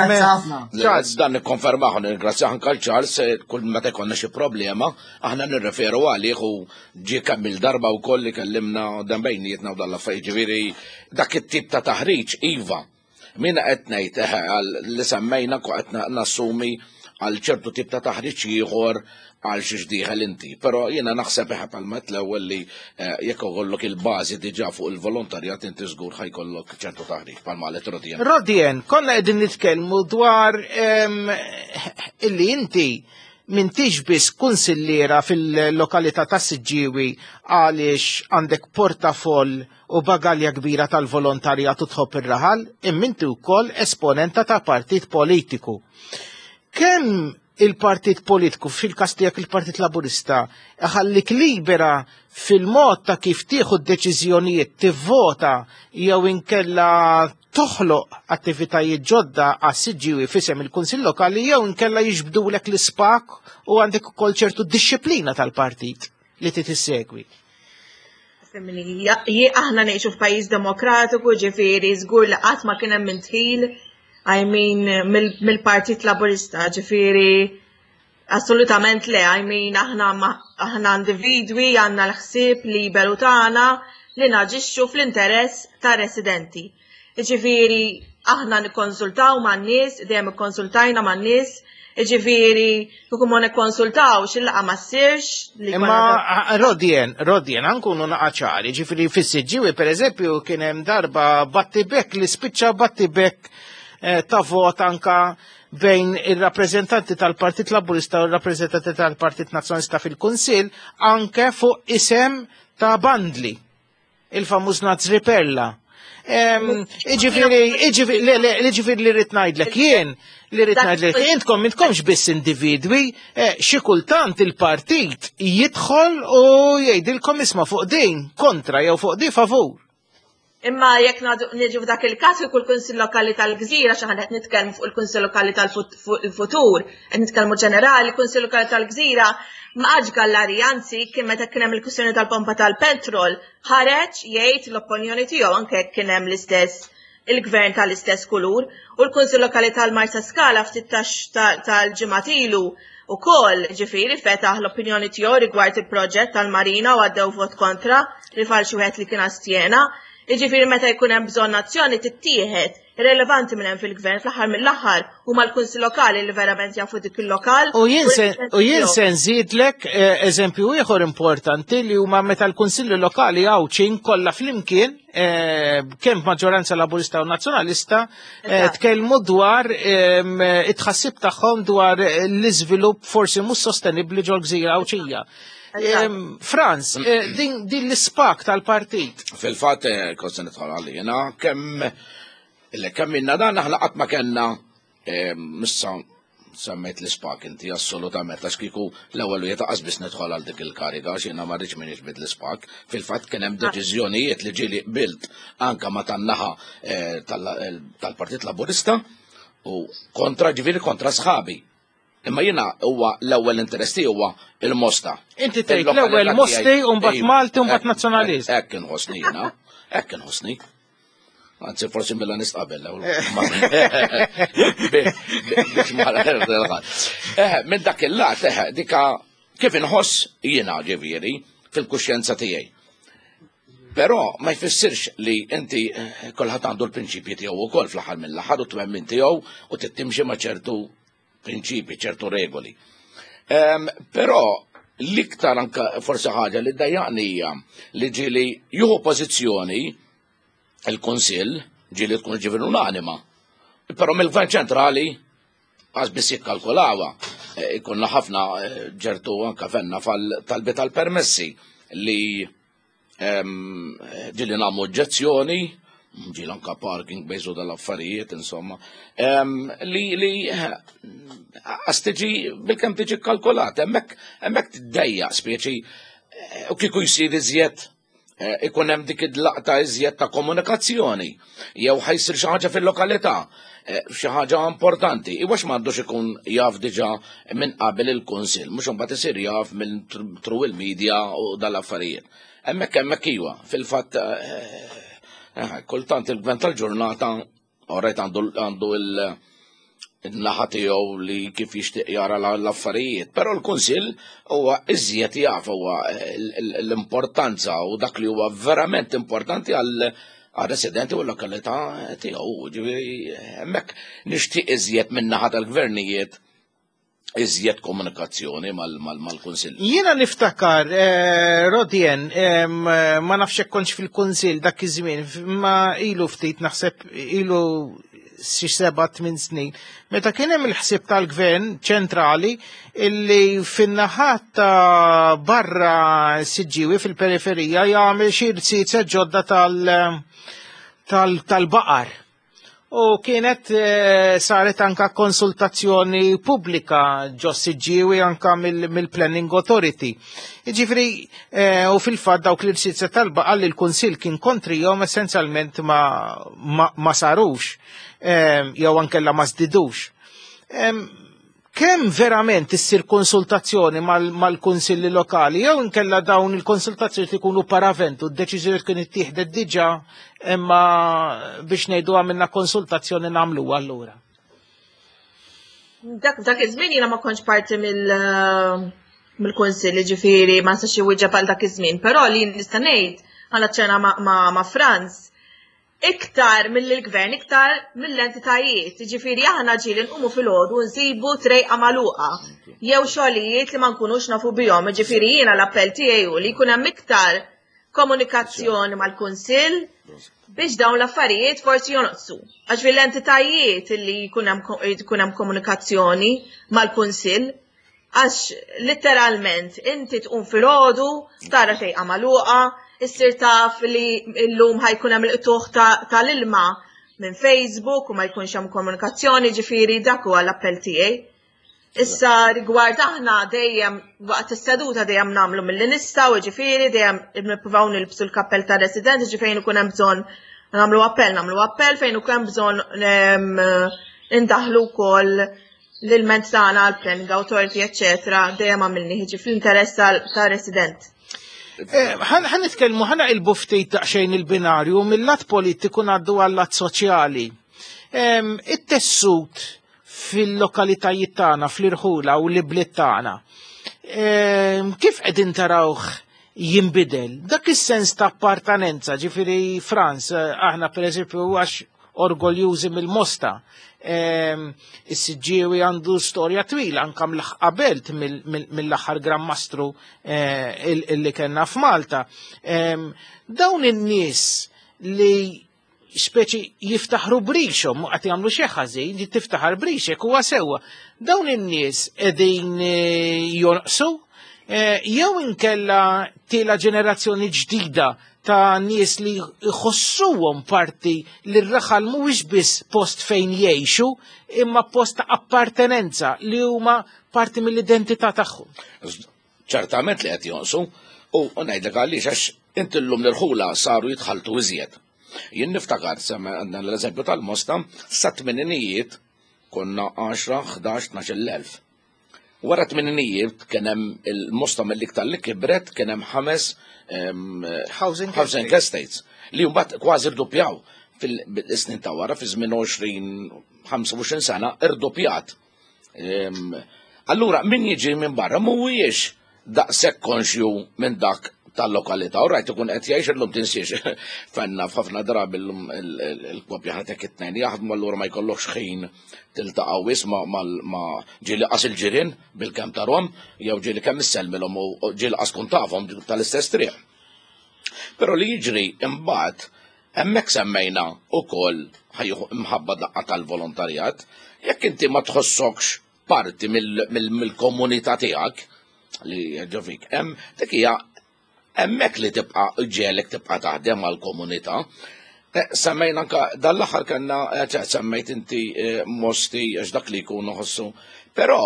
Charles, dan nikkonfermaħ, nirringrazzjak anke Charles kull meta jkollna xi problema, aħna nirreferu għalih u Ġie kemm il-darba wkoll li kellimna dan bejnietna u dan l-affarijiet, ġifieri dak it-tip ta' taħriġ iva. Min qed ngħid eħe li semmejna qed nassumi għal ċertu tip ta' taħriġ ieħor għal xiex dieħel inti. Però jiena naħseb eħe palma l-ewwel li eh, jekk ikollok il-bażi diġà fuq il-volontarjat inti żgur ħajkollok ċertu taħriġ palma qalet Rodien. Rodien, konna qegħdin nitkellmu dwar ehm, illi inti M'intix biss kunsilliera fil-lokalità tas-Siġġiewi għaliex għandek portafoll u bagalja kbira tal-volontarjat u tħobb ir-raħal, imma inti wkoll esponenta ta' partit politiku. Kemm il-partit politiku, fil-każ tiegħek il-Partit Laburista, iħallik libera fil-mod ta' kif tieħu d-deċiżjonijiet, tivvota jew inkella toħloq attivitajiet ġodda għas-Siġġiewi f'isem il-Kunsill Lokali jew inkella jiġbdulek l-ispak u għandek ukoll ċertu dixxiplina tal-partit li trid issegwi. Aħna ngħixu f'pajjiż demokratiku, ġifieri żgur li qatt ma kien hemm intħil I mean mill-Partit Laburista, ġifieri Assolutament le, I mean aħna aħna individwi għandna l-ħsieb liberu tagħna li naġixxu fl-interess tar-residenti. Jiġifieri aħna nikkonsultaw man-nies, dejjem ikkonsultajna man-nies, Jiġifieri kieku ma nikkonsultawx il-laqgħa ma ssirx. Imma Rodien, Rodien, nkunu naqa' ċari, ġifieri fis-Siġġiewi pereżempju kien hemm darba battibek li spiċċa battibek eh, ta' vot anka bejn ir-rappreżentanti tal-Partit Laburista u r-rappreżentanti tal-Partit Nazzjonalista fil-Kunsill anke fuq isem ta' Bandli, il-famuż Nazri Perla. Iġifieri, iġifieri li rrid ngħidlek jien, li rrid ngħidlek intkom intkomx biss individwi, eh, xi kultant il-partit jidħol u jgħidilkom isma' fuq din kontra jew fuq din favur. Imma jekk niġu f'dak il-każ kieku l-Kunsill Lokali tal-Gżira xi ħadd qed nitkellmu fuq il-Kunsill Lokali tal-futur, qed nitkellmu ġenerali, il-Kunsill Lokali tal-Gżira ma qagħadx gallarija, anzi kien meta kien hemm il-kwistjoni tal-pompa tal-petrol, ħareġ jgħid l-opinjoni tiegħu anke jekk kien hemm l-istess il-gvern tal-istess kulur. U l-Kunsill Lokali tal-Marsa Skala ftit tal-ġimgħat ilu ukoll ġifieri fetaħ l-opinjoni tiegħu rigward il-proġett tal-Marina u għaddew vot kontra li fal xi wieħed li kien astjena. Jiġifieri meta jkun hemm bżonn azzjoni tittieħed, irrelevanti minn hemm fil-gvern fl-aħħar mill-aħħar huma l-kunsill lokali li verament jafu dik il-lokal. U jien se nżidlek eh, eżempju ieħor importanti li huma meta l-kunsilli lokali Għawdxin kollha flimkien eh, kemm maġġoranza laburista u nazzjonalista eh, tkellmu dwar ehm, it-tħassib tagħhom dwar l-iżvilupp forsi mhux sostenibbli ġol-gżira Għawdxija. Franz, eh, din l-ispak tal-partit. Fil-fatt, eh, kont se nidħol għalina, kemm kemm minna dan aħna qatt ma kellna missa semmejt l-ispak inti assolutament għax kieku l-ewwel wieħed qas biss nidħol għal dik il-kariga għax jiena ma rridx min jiġbid l-ispak. Fil-fatt kien hemm ah. deċiżjonijiet li ġieli qbilt anka ma tan-naħa eh, tal-Partit Laburista u kontra ġifieri kontra sħabi. Imma jiena huwa l-ewwel interess tiegħi huwa il-Mosta. Inti tgħid l-ewwel Mosti u mbagħad Malti u mbagħad Nazzjonalist. Hekk inħossni jiena, hekk inħossni. Anzi, forsi Milanist qabel. Biex ma eh, minn dak il-lat, eh, dika kif inħoss jiena ġifieri fil-kuxjenza tiegħi. Però ma jfissirx li inti eh, kulħadd għandu l-prinċipji tiegħu wkoll fl-aħħar mill-aħħar u twemmin tiegħu u tittimxi ma' ċertu prinċipi, ċertu regoli. Ehm, però l-iktar anka forsi ħaġa li dajjaqni hija li ġieli juhu pożizzjoni il-Kunsill ġieli tkun ġifieri unanima. Però mill-Gvern ċentrali għax biss jikkalkulawa. E, ikonna ħafna e, ġertu anka fenna talbi tal-permessi li ġili nagħmlu oġġezzjoni, ġili anka parking bejżu dal-affarijiet, insomma, li li għas tiġi bil-kem tiġi kalkulat, hemmhekk hemmhekk tiddejja speċi eh, u kieku jsir iżjed eh, ikun hemm dik id-laqta iżjed ta' komunikazzjoni jew ħajsir xi ħaġa fil-lokalità. Eh, xi ħaġa importanti. Iwax m'għandux ikun jaf diġà minn qabel il-Kunsill, mhux imbagħad isir jaf minn tru il-media u dal-affarijiet. Hemmhekk hemmhekk iwa, fil-fatt eh, eh, kultant il-gvern tal-ġurnata orrejt għandu il- naħa tiegħu li kif jixtieq jara l-affarijiet, però l-Kunsill huwa iżjed jaf huwa l-importanza u dak li huwa verament importanti għal għar-residenti u l-lokalità tiegħu. Ġifieri hemmhekk nixtieq iżjed min-naħa tal-gvernijiet iżjed komunikazzjoni mal-Kunsill. Jiena niftakar, eh, Rodien, ma nafx hekk kontx fil-Kunsill dak iż-żmien, ma ilu ftit naħseb ilu xi seba' tmien snin, meta kien hemm il-ħsieb tal-gvern ċentrali illi fin-naħat ta' barra Siġġiewi fil-periferija jagħmel xi rziezet ġodda tal-baqar. U kienet eh, saret anka konsultazzjoni pubblika ġo Siġġiewi anka mill-Planning Authority. Jiġifieri eh, u fil-fatt dawk l-irsiezet tal-baqar li l-Kunsill kien kontrihom essenzjalment ma, ma, ma sarux eh, jew ankella ma żdidux. Kemm verament issir konsultazzjoni mal-kunsilli lokali jew inkella dawn il-konsultazzjoni ikunu paraventu, d-deċiżjoni tkun ittieħdet diġà imma biex ngħidu għamilna konsultazzjoni nagħmluha allura. Dak dak iż-żmien jiena ma kontx parti mill mill-kunsill, ġifieri ma nistax iwieġeb għal dak iż-żmien, però li nista' ngħid għal ċena ma' Franz. Iktar mill-gvern, iktar mill-entitajiet. Ġifieri aħna ġieli nqumu filgħodu nsibu trejqa magħluqa jew xogħlijiet li ma nkunux nafu bihom. Ġifieri jiena l-appell tiegħi hu li jkun hemm iktar komunikazzjoni mal-Kunsill biex dawn l-affarijiet forsi jonqsu. Għax fil-entitajiet li jkun hemm komunikazzjoni mal-Kunsill Għax litteralment inti tqum filgħodu, tara tejqa magħluqa, issir taf li llum ħajkun hemm il-qtuħ tal-ilma minn Facebook u ma jkunx hemm komunikazzjoni, ġifieri dak huwa l-appell tiegħi. Issa rigward aħna dejjem waqt is-seduta dejjem nagħmlu milli nistgħu, ġifieri dejjem nippruvaw nilbsu l-kappell tar-resident, ġifieri fejn ikun hemm bżonn nagħmlu appell, nagħmlu appell fejn ikun hemm bżonn indaħlu wkoll l-ilment tagħna għal planning authority, eċċetera, dejjem għamilni ħiġi fl-interess tal-resident. Eh, ħan nitkellmu ħana il-buftit daqsxejn il-binarju mill-lat politiku ngħaddu għal-lat soċjali. It-tessut fil-lokalitajiet tagħna, fl-irħula u l-ibliet tagħna. Kif qegħdin tarawh jinbidel? Dak is-sens ta' appartenenza, ġifieri Franz, eh, aħna pereżempju għax orgoljużi mill-Mosta. Ehm, is-Siġġiewi għandu storja twila anka qabelt mill-aħħar Gran Mastru eh, illi kellna f'Malta. Ehm, dawn in-nies li speċi jiftaħru brixhom, qed jagħmlu xi ħażin, li tiftaħar brixek huwa sewwa. Dawn in-nies qegħdin eh, jonqsu eh, jew inkella tiela ġenerazzjoni ġdida ta' nies li jħossuhom parti li r-raħal mhuwiex biss post fejn jgħixu, imma post ta' appartenenza li huma parti mill-identità tagħhom. Ċertament li qed jonqsu u ngħidlek għaliex għax inti llum l-irħula saru jitħaltu iżjed. Jien niftakar semma għandna l-eżempju tal-Mosta sa tmeninijiet konna 10, 11, 12 elf. Wara tmeninijiet kien hemm il-Mosta mill-iktar li kibret kien hemm ħames housing, housing estates li mbagħad kważi rdoppjaw fil-snin ta' wara fi żmien 20 25 sena irdoppjat. Allura min jiġi minn barra mhuwiex daqshekk konxju minn dak tal-lokalità. U rajt ikun qed jgħix illum tinsiex. Fenna f'ħafna drabi llum il-koppja ħatek it-tnejn jaħdmu allura ma jkollokx ħin tiltaqa' wis ma ġieli qas il-ġirien bil-kemm tarhom jew ġieli kemm issellmilhom u ġieli qas tkun tafhom tal-istess triq. Però li jiġri imbagħad hemmhekk semmejna wkoll ħajju imħabba daqqa tal-volontarjat, jekk inti ma tħossokx parti mill-komunità tiegħek li ġo fik, hemm dik hija hemmhekk li tibqa' ġelek tibqa' taħdem għall-komunità. Eh, semmejna anka dal-aħħar kellna eh, semmejt inti eh, mosti għax dak li jkun ħossu. Però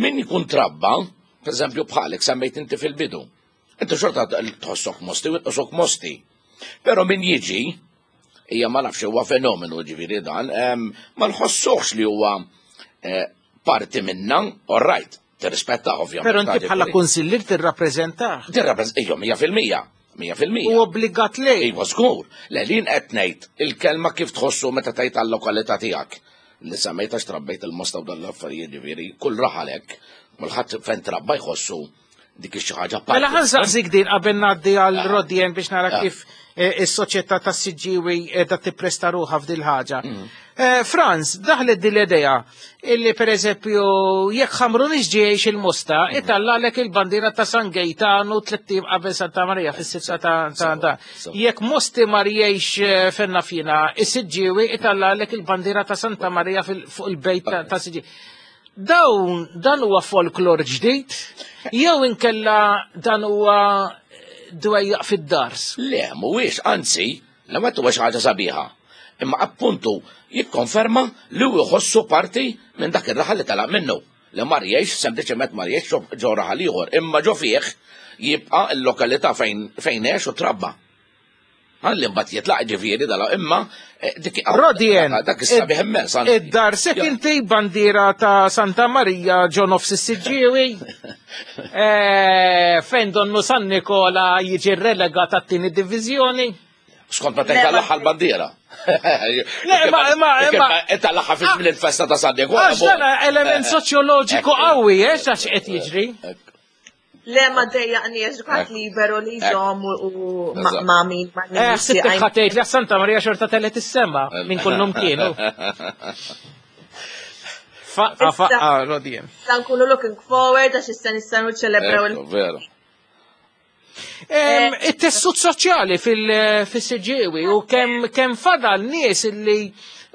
min jkun trabba, per eżempju bħalek semmejt inti fil-bidu, inti xorta tħossok mosti u tħossok mosti. Però min jiġi hija ma nafx huwa fenomenu ġifieri dan, ma nħossuhx li huwa eh, parti minna, all right, tirrispetta ovvjament. Però inti bħala kunsillier tirrappreżentah. Tirrappreżenta, ejja, 100%. 100%. U obbligat lej. Iva, żgur. Le li qed ngħid il-kelma kif tħossu meta tgħid għal-lokalità tiegħek. Li semmejt għax trabbejt il-mosta u dan l-affarijiet ġifieri, kull raħalek, kulħadd fejn trabba jħossu dik xi ħaġa Mela ħa nsaqsik din qabel ngħaddi għal ah. Rodien biex nara ah. kif eh, is-soċjetà tas-Siġġiewi qiegħda tippresta ruħha f'dil ħaġa. Mm. Eh, Franz, daħlet din l-idea illi pereżempju jekk ħamru ġiex il-Mosta, mm. itallalek il-bandiera ta' San Gejtanu tliet qabel Santa Marija fis-sitta ta' da. Jekk Mosti mar jgħix eh, fenna fina, is-Siġġiewi itallalek il-bandiera ta' Santa Marija fuq il-bejt ta' Siġġiewi. Dawn dan huwa folklor ġdid jew inkella dan huwa dwejjaq fid-dars? Le, mhuwiex, anzi, l-ewwel huwa xi ħaġa sabiħa. Imma appuntu jikkonferma li hu jħossu parti minn dak ir-raħal li telaq minnu. Li mar jgħix, sempliċement mar jgħix ġo raħal ieħor, imma ġo fih jibqa' l-lokalità fejn fejn għex u trabba. Għalli mbagħad jitlaq ġifieri dala imma eh, dik Rodien, dak is-sabiħ immens. Id-dar se inti bandiera ta' Santa Marija ġo nofs is-Siġġiewi. Eh, fejn donnu San Nikola jiġi relegat għat-tieni diviżjoni. Skont ma tgħid l-aħħar bandiera. Le, ma ma ma tal-aħħar fi żmien il-festa ta' San Nikola. Għax dan element soċjoloġiku qawwi, eh, x'għax qed jiġri. Le ma dejjaqniex dak liberu li jżomm u ma' min ma' Eh, ħsibtek ħatejt li Santa Maria xorta tellet is-sema minn kullum kienu. Faqqa, faqqa, Rodien. Sa nkunu looking forward għax issa nistgħu niċċelebraw il. Veru. It-tessut soċjali fil-Siġġiewi u kemm fadal nies li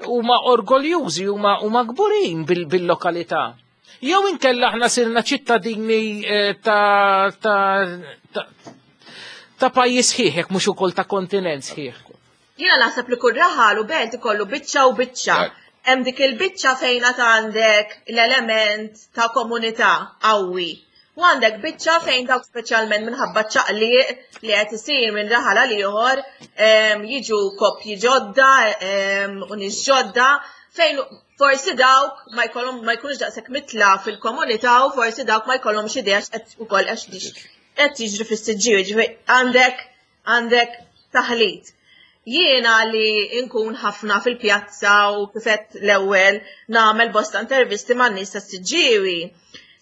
huma orgoljużi huma kburin bil-lokalità. Jew inkella aħna sirna ċittadini eh, ta' ta' ta' pajjiż sħiħ, jekk mhux ukoll ta' kontinent sħiħ. Jiena naħseb li kull raħal u belt ikollu biċċa u biċċa. Hemm dik il-biċċa fejn għad għandek l-element ta' komunità qawwi. U għandek biċċa fejn dawk speċjalment minħabba ċaqliq li qed isir minn raħal għal ieħor jiġu koppji ġodda u nies ġodda fejn forsi dawk ma jkollhom ma jkunux daqshekk mitla fil-komunità u forsi dawk ma jkollhomx idea x'qed ukoll għax qed jiġri fis-siġġiewi, ġifieri għandek għandek taħlit. Jiena li nkun ħafna fil-pjazza u kifet l-ewwel nagħmel bosta intervisti man nies tas-Siġġiewi,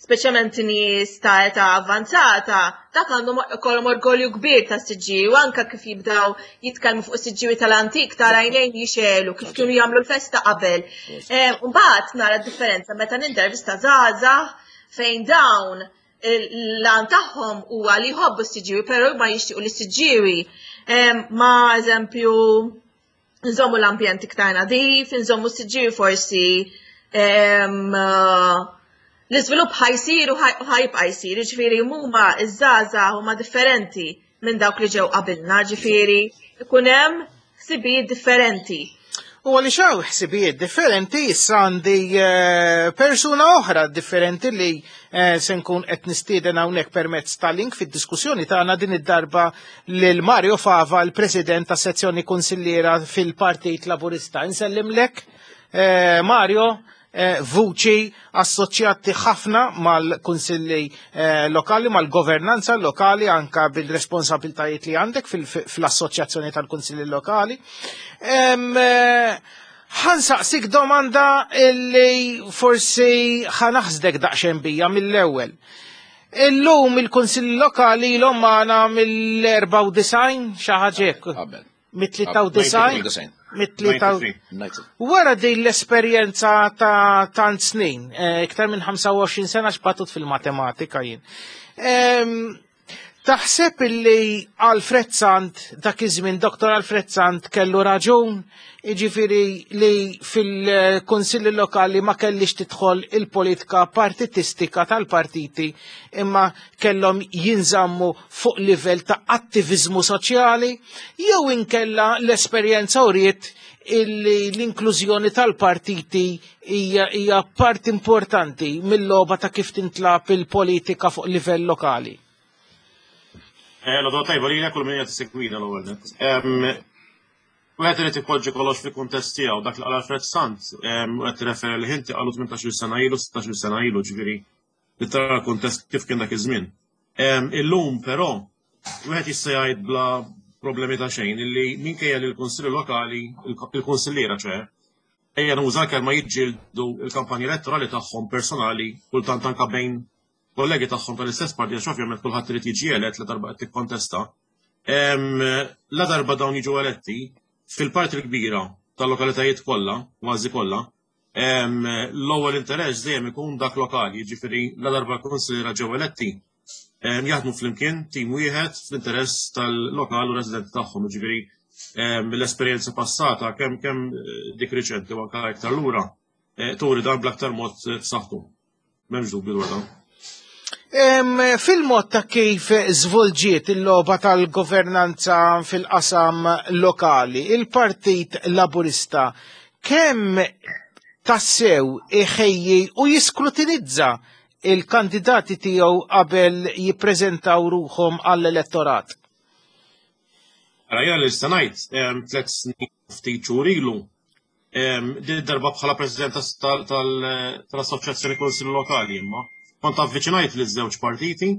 speċjalment nies ta' età avvanzata, dak għandhom ikollhom orgolju kbir tas-Siġġiewi anke kif jibdew jitkellmu fuq is-Siġġiewi tal-antik tara għajnejn jixegħlu kif kienu jagħmlu l-festa qabel. Eh, mbagħad nara d-differenza meta nintervista żgħażagħ fejn dawn l-għan tagħhom huwa li jħobbu s-siġġiewi, però ma jixtiequ li s-siġġiewi ma eżempju nżommu l-ambjent iktar nadif, nżommu s-siġġiewi forsi l-iżvilupp ħajsir u ħajbqa' jsir, ġifieri huma iż-żgħażagħ huma differenti minn dawk li ġew qabilna, ġifieri ikun hemm ħsibijiet differenti. U għaliex hawn ħsibijiet differenti issa għandi eh, persuna oħra differenti li eh, se nkun qed nistieden hawnhekk permezz ta' link fid-diskussjoni tagħna din id-darba lil Mario Fava, l-President tas sezzjoni Kunsilliera fil-Partit Laburista. Insellimlek, eh, Mario, Eh, vuċi assoċjati ħafna mal-kunsilli eh, lokali, mal-governanza lokali, anka bil-responsabiltajiet li għandek fil-assoċjazzjoni tal-kunsilli lokali. Eh, ħansaqsik domanda illi forsi ħanaħsdek daqsxejn bija mill-ewwel. Illum il-kunsilli lokali l magħna mill-94 xi ħaġa hekk. Mit-93? Mit-93. Wara din l-esperjenza ta' tant snin, eh, iktar minn 25 sena xbatut fil-matematika jien. Taħseb illi Alfred Sant, dak iż-żmien Dr. Alfred Sant kellu raġun, jiġifieri li fil-kunsilli lokali ma kellix tidħol il-politika partitistika tal-partiti imma kellhom jinżammu fuq livell ta' attiviżmu soċjali jew inkella l-esperjenza uriet illi l-inklużjoni tal-partiti hija hija parti importanti mill-logħba ta' kif tintlab il-politika fuq livell lokali. Eh, l-għodwa tajba li kull min qed isegwina l-ewwel nett. Wieħed irid ipoġġi kollox fil-kuntest tiegħu dak li qal Alfred Sant, u qed tirreferi li ħinti qalu 18-il sena ilu, 16-il sena ilu, ġifieri li tara l-kuntest kif kien dak iż-żmien. Illum però wieħed jista' jgħid bla problemi ta' xejn illi minkejja li l-kunsilli lokali, il-kunsilliera ċe, ejja nuża l-kelma jiġġieldu l-kampanja elettorali tagħhom personali kultant anke bejn kollegi tagħhom tal-istess parti għax ovvjament kulħadd irid jiġi elett la darba qed tikkontesta. La darba dawn jiġu eletti, fil-parti l-kbira tal-lokalitajiet kollha, kważi kollha, L-ewwel interess dejjem ikun dak lokali, jiġifieri la darba l-kunsilliera ġew eletti, jaħdmu flimkien tim wieħed fl-interess tal-lokal u residenti tagħhom, jiġifieri mill-esperjenza passata kemm kemm eh, dik riċenti u anke iktar lura eh, turi dan bl-aktar mod eh, b'saħħtu. M'hemmx dubju dwar dan. Fil-mod ta' kif żvolġiet il-logħba tal-governanza fil-qasam lokali, il-Partit Laburista kemm tassew iħejji u jiskrutinizza il-kandidati tiegħu qabel jippreżentaw ruħhom għall-elettorat? Ara jiena li nista' ngħid tliet snin ftit xhur ilu Din darba bħala President tal-Assoċjazzjoni Kunsilli Lokali imma kont avviċinajt li żewġ partiti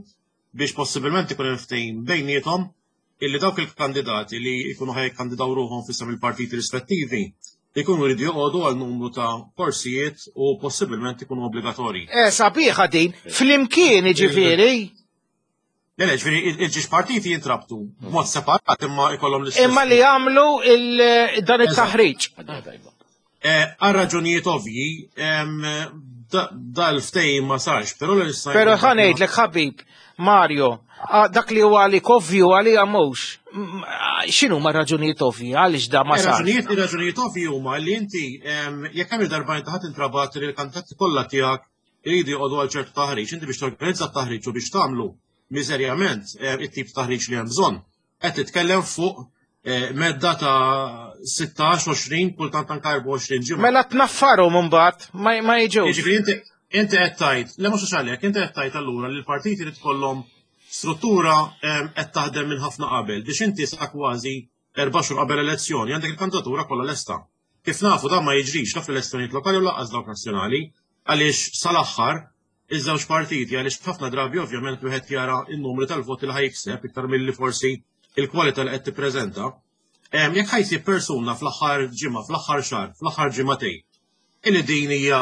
biex possibilment ikun hemm ftehim bejniethom illi dawk il-kandidati li jkunu ħaj jikkandidaw ruħhom f'isem il-partiti rispettivi jkunu jridu joqogħdu għal numru ta' korsijiet u possibilment ikunu obbligatorji. Eh, sabiħa din, flimkien jiġifieri. Le, le, ġifieri il-ġiex partiti jintrabtu b'mod separat imma jkollhom l-istess. Imma li jagħmlu dan it-taħriġ. Eh, għal raġunijiet ovvji, dal-ftehim ma sarx, però l issa. Però ħa ngħidlek ħabib, Mario, dak li huwa għalik ovvju għalija mhux. X'inhu ma raġunijiet ovvji għaliex da ma eh, sarx? Raġunijiet ovvji huma li inti jekk hemm il-darba inti ħadd intrabat li l-kandidati kollha tiegħek iridu joqogħdu għal ċertu taħriġ, inti biex torganizza t-taħriġ u biex tagħmlu miżerjament eh, it-tip ta' taħriġ li hemm bżonn. Qed titkellem fuq eh, medda ta' 16, 20, kultant anke 24 ġimgħa. Mela tnaffarhom imbagħad ma ma jiġux. Jiġifieri inti inti qed tgħid, le mhux għalhekk, inti qed tgħid allura li l-partiti li tkollhom struttura eh, qed taħdem minn ħafna qabel biex inti sa kważi erba' xhur qabel elezzjoni għandek il-kandidatura kollha lesta. Kif nafu dan ma jiġrix la fl-elezzjonijiet lokali u lanqas dawk nazzjonali għaliex sal-aħħar iż-żewġ partiti għaliex ħafna drabi ovvjament wieħed jara n-numri tal-voti li ħa jikseb iktar milli forsi il-kwalità li qed tippreżenta. Jekk ħa jsib persuna fl-aħħar ġimgħa, fl-aħħar xahar, fl-aħħar ġimagħtejn illi din hija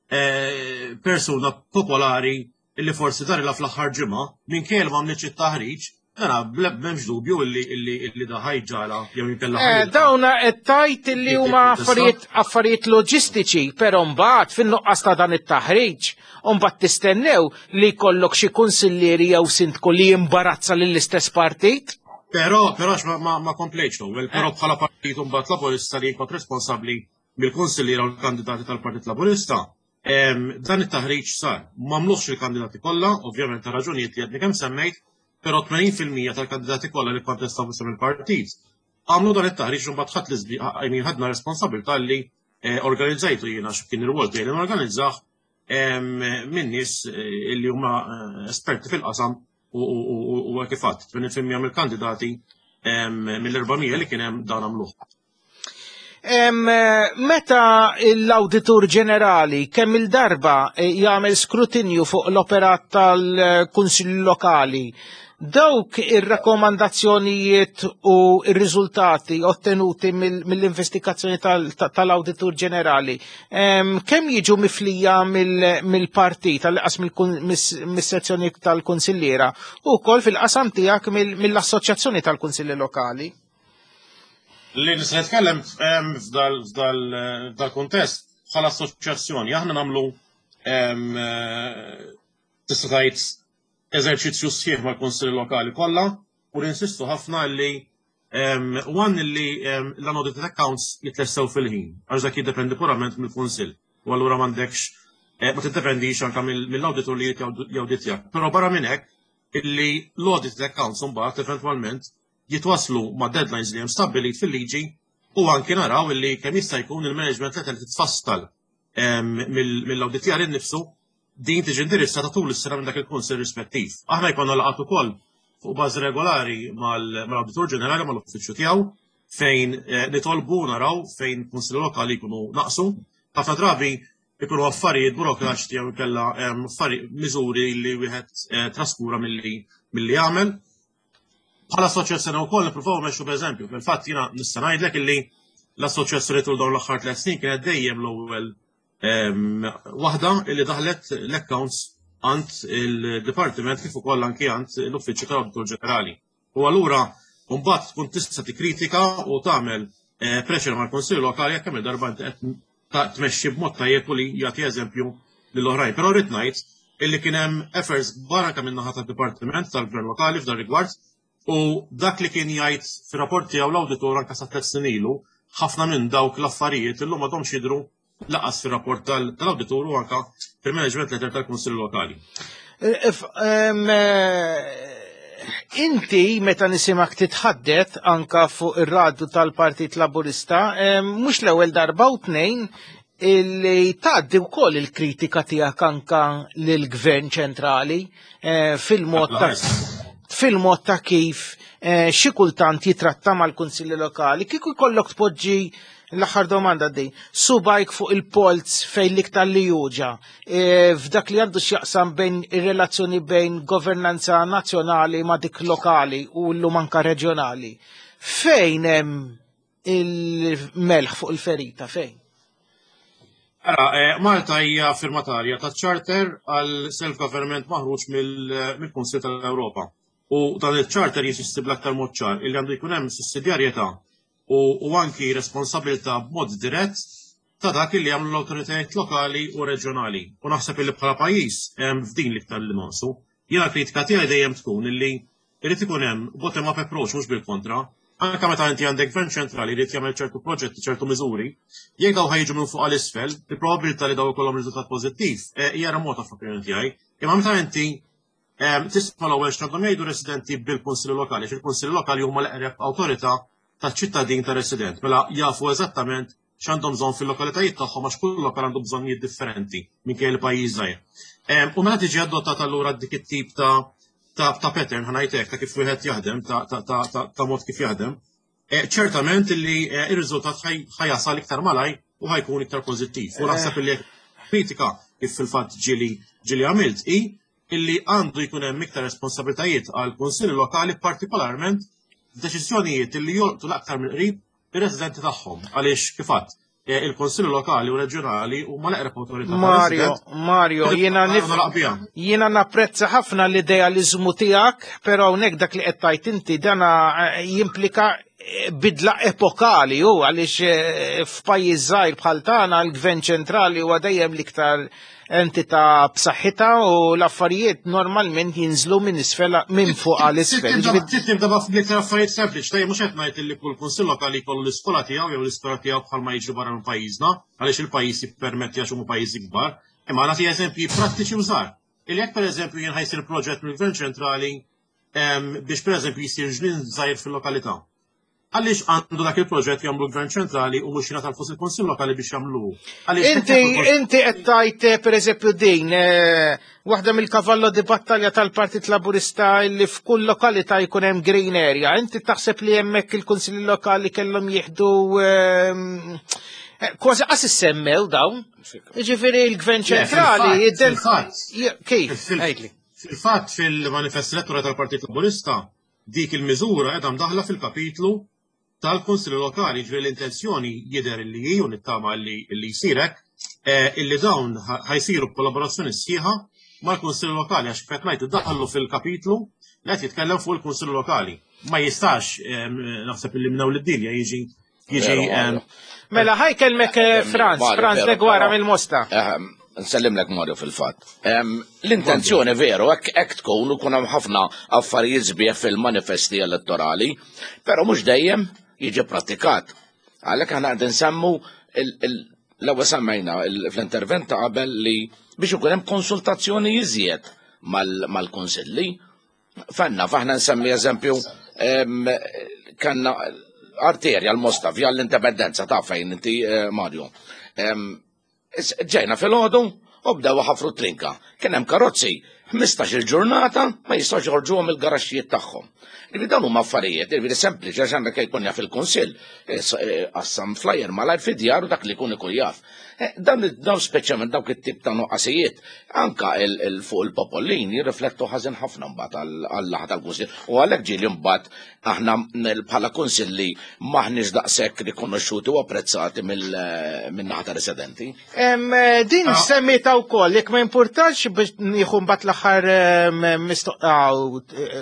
eh, persuna popolari illi forsi darilha fl-aħħar ġimgħa, minkejja li m'għamlitx it-taħriġ, mela m'hemmx dubju illi illi illi da ħajġala jew inkella eh, Dawna qed tgħid illi huma affarijiet affarijiet loġistiċi, però mbagħad fin-nuqqas ta' dan it-taħriġ, u mbagħad tistennew li jkollok xi kunsillieri jew sindku li jimbarazza lill-istess partit. Però, però ma, ma komplejtx l-ewwel, però eh. bħala partit mbagħad Laburista li kont responsabbli mill-kunsilliera u l-kandidati tal-Partit Laburista, Dan it-taħriġ sar. M'għamluhx il-kandidati kollha, ovvjament ta' raġunijiet li għadni kemm semmejt, però 80% tal-kandidati kollha li kkontestaw f'isem il-partit għamlu dan it-taħriġ u mbagħad ħadd l-iżbi I ħadna responsabilità li eh, organizzajtu jiena x'kien ir-rwol tiegħi li norganizzah minn nies eh, li huma eh, esperti fil-qasam u kif għadt 80% mill-kandidati mill-400 li kien hemm dan għamluh. Meta l-Awditur Ġenerali kemm il-darba eh, jagħmel skrutinju fuq l-operat tal-Kunsill Lokali, dawk ir-rakkomandazzjonijiet u r-riżultati ottenuti mill-investigazzjoni tal-Awditur Ġenerali, kemm jiġu miflija mill-partit, tal-qas mis-sezzjoni tal-Kunsilliera u wkoll fil-qasam tiegħek mill-Assoċjazzjoni tal-Kunsilli Lokali? Li nista' nitkellem f'dal-kuntest bħala assoċjazzjoni, aħna nagħmlu eh, tista' tgħid eżerċizzju sħiħ mal-kunsilli lokali kollha u ninsistu ħafna li one li l-unaudited accounts jitlessew fil-ħin, għax dak jiddependi purament mill-kunsill. U allura m'għandekx eh, ma tiddependix anke mill-awditur li jawditjak. Però barra minn hekk illi l-audited accounts mbagħad eventwalment jitwasslu mad-deadlines li hemm stabbilit fil-liġi u anki naraw illi kemm jista' jkun il-management letter li titfassal mill-awditjar innifsu din tiġi indirizzata tul is-sena minn dak il-kunsill rispettiv. Aħna jkollna laqgħat ukoll fuq bażi regolari mal-Awditur Ġenerali mal-uffiċċju tiegħu fejn eh, nitolbu naraw fejn kunsilli lokali jkunu naqsu. Ħafna drabi ikunu affarijiet burokratiċi jew inkella miżuri li wieħed eh, traskura milli milli jagħmel. Bħala assoċjazzjoni wkoll nippruvaw mmexxu b'eżempju. Fil-fatt jiena nista' ngħidlek illi l-assoċjazzjoni tul dawn l-aħħar tliet snin kienet dejjem l-ewwel ehm, waħda illi daħlet l-accounts għand il-dipartiment kif ukoll anki għand l-Uffiċċju tal-Awditur Ġenerali. U allura mbagħad tkun tista' tikkritika u tagħmel eh, pressure mal-Kunsill Lokali jekk hemm darba inti qed tmexxi b'mod tajjeb u li jagħti eżempju lill-oħrajn. Però rrid ngħid illi kien hemm efforts kbar anke min-naħa tad-Dipartiment tal-Gvern Lokali f'dan rigward u dak li kien jgħid fir-rapport tiegħu l-awditur anke sa tliet snin ilu, ħafna minn dawk l-affarijiet illum m'għadhomx jidhru laqas fir-rapport tal-awditur u anke fil-management letter tal-Kunsill Lokali. Eh, eh, inti meta nisimak titħaddet anka fuq ir-radju tal-Partit Laburista, mhux l-ewwel darba u tnejn illi tgħaddi wkoll il-kritika tiegħek anka lill-Gvern ċentrali eh, fil-mod ta' fil-mod ta' kif eh, xi kultant jitratta mal-kunsilli lokali. Kieku jkollok tpoġġi l-aħħar domanda din, subajk fuq il-polz fejn l-iktar li juġa, e, f'dak li għandu x'jaqsam bejn ir-relazzjoni bejn governanza nazzjonali ma' dik lokali u llum anka reġjonali. Fejn hemm il-melħ fuq il-ferita, fejn? Ara, eh, Malta hija firmatarja ta' charter għal self-government maħruġ mill-Kunsil tal-Ewropa. U dan il-charter jinsisti bl-aktar mod ċar illi għandu jkun hemm sussidjarjetà u, u anki responsabilità b'mod dirett ta' dak illi jagħmlu l-awtoritajiet lokali u reġjonali. U naħseb illi bħala pajjiż f'din l-iktar li nonqsu. Jiena l-kritika tiegħi dejjem tkun illi irid ikun hemm bottom up approach mhux bil-kontra. Anke meta inti għandek gvern ċentrali jrid jagħmel ċertu proġetti, ċertu miżuri, jekk daw ħa jiġu minn fuq għal isfel, il-probabilità li daw ikollhom riżultat pożittiv eh, hija remota fl-opinjoni tiegħi. Imma meta inti eh, tisma' l-ewwel x'għandhom jgħidu residenti bil-kunsilli lokali, x'il-kunsilli lokali huma l-eqreb awtorità taċ-ċittadin ta' resident, mela jafu eżattament x'għandhom bżonn fil-lokalitajiet tagħhom għax kull lokal għandu bżonnijiet differenti minkejja li pajjiż żgħir. U meta tiġi adottata allura dik it-tip ta' ta' ta' pattern ħa ngħid hekk ta' kif wieħed jaħdem ta' ta' ta' ta' ta' mod kif jaħdem, eh, ċertament li eh, ir-riżultat ħa jasal iktar malaj u ħa jkun iktar pożittiv. U naħseb li kritika kif fil-fatt ġieli ġieli għamilt hi illi għandu jkun hemm iktar responsabilitajiet għal kunsilli lokali partikolarment f'deċiżjonijiet illi jolqtu l-aktar mill-qrib ir-residenti tagħhom għaliex kif għedt eh, il-Konsilli Lokali u Reġjonali huma l-eqreb awtorità. Mario, Mario, jiena nif jiena napprezza ħafna l-idealiżmu tiegħek, però hawnhekk dak li qed tgħid inti dana eh, jimplika eh, bidla epokali u għaliex f'pajjiż żgħir bħal tagħna l-Gvern ċentrali huwa dejjem l-iktar entità b'saħħitha u l-affarijiet normalment jinżlu minn isfel minn fuq għal isfel. Tibda b'iktar affarijiet sempliċi, tajjeb mhux qed ngħid li kull kunsill lokali jkollu l-iskola tiegħu jew l-iskola tiegħu bħalma jiġri barra minn pajjiżna, għaliex il-pajjiż jippermetti għax huma pajjiżi kbar. Imma nagħti eżempji prattiċi u żgħar. Illi jekk pereżempju jien ħa jsir proġett mill-Gvern ċentrali biex pereżempju jsir ġnien żgħir fil-lokalità. Għaliex għandu dak il-proġett jagħmlu l-Gvern ċentrali u mhux jingħata l-flus il-Kunsill Lokali biex jagħmlu? Inti inti qed tgħid eh, pereżempju din eh, waħda mill-kavallo di battalja tal-Partit Laburista li f'kull lokalità jkun hemm green area. Inti taħseb li hemmhekk il-Kunsilli Lokali kellhom jieħdu ehm, eh, kważi qas issemmew dawn. Jiġifieri l-Gvern ċentrali kif? Fil-fatt fil-manifest elettorali tal-Partit Laburista Dik il-miżura qiegħda mdaħħla fil-kapitlu tal-Kunsilli Lokali, jiġifieri l-intenzjoni jidher illi hi, u nittama illi jsir hekk, illi dawn ħa jsiru b'kollaborazzjoni sħiħa mal-Kunsilli Lokali għax kif qed ngħid iddaħħlu fil-kapitlu li qed jitkellem fuq il-Kunsilli Lokali. Ma jistax naħseb illi minn hawn lid-dinja jiġi jiġi Mela ħa jkellmek eh, Franz, Franz Degwara mill-Mosta. Nsellimlek Mario fil-fatt. L-intenzjoni veru hekk tkun u kun hemm ħafna affarijiet sbieħ fil-manifesti elettorali, però mhux dejjem jiġi prattikat. Għalhekk aħna qed nsemmu l-ewwel semmejna fl-intervent ta' qabel li biex ikun hemm konsultazzjoni iżjed mal-kunsilli. Fenna, faħna nsemmi eżempju, kanna arterja l-Mosta, via l-Indipendenza ta' fejn inti eh, Mario. Ġejna fil-ħodu u bdew ħafru trinka. Kien hemm karozzi 15 il-ġurnata ma jistgħux joħorġuhom il-garaxxijiet tagħhom. Ġifieri dawn huma affarijiet, ġifieri sempliċi għax għandek jkun jaf il-kunsill, eh, eh, qassam flyer malajr fid-djar u dak li jkun ikun jaf. Eh, dan dawn speċjalment dawk it-tip ta' nuqqasijiet, anka fuq il-popolin jirriflettu ħażin ħafna mbagħad għall-laħa tal-kunsill. U għalhekk ġieli mbagħad aħna bħala kunsilli maħniex daqshekk rikonoxxuti u apprezzati min-naħa ta' residenti. Eh, din ah. semmita wkoll, jekk ma importax biex nieħu mbagħad l-aħħar eh,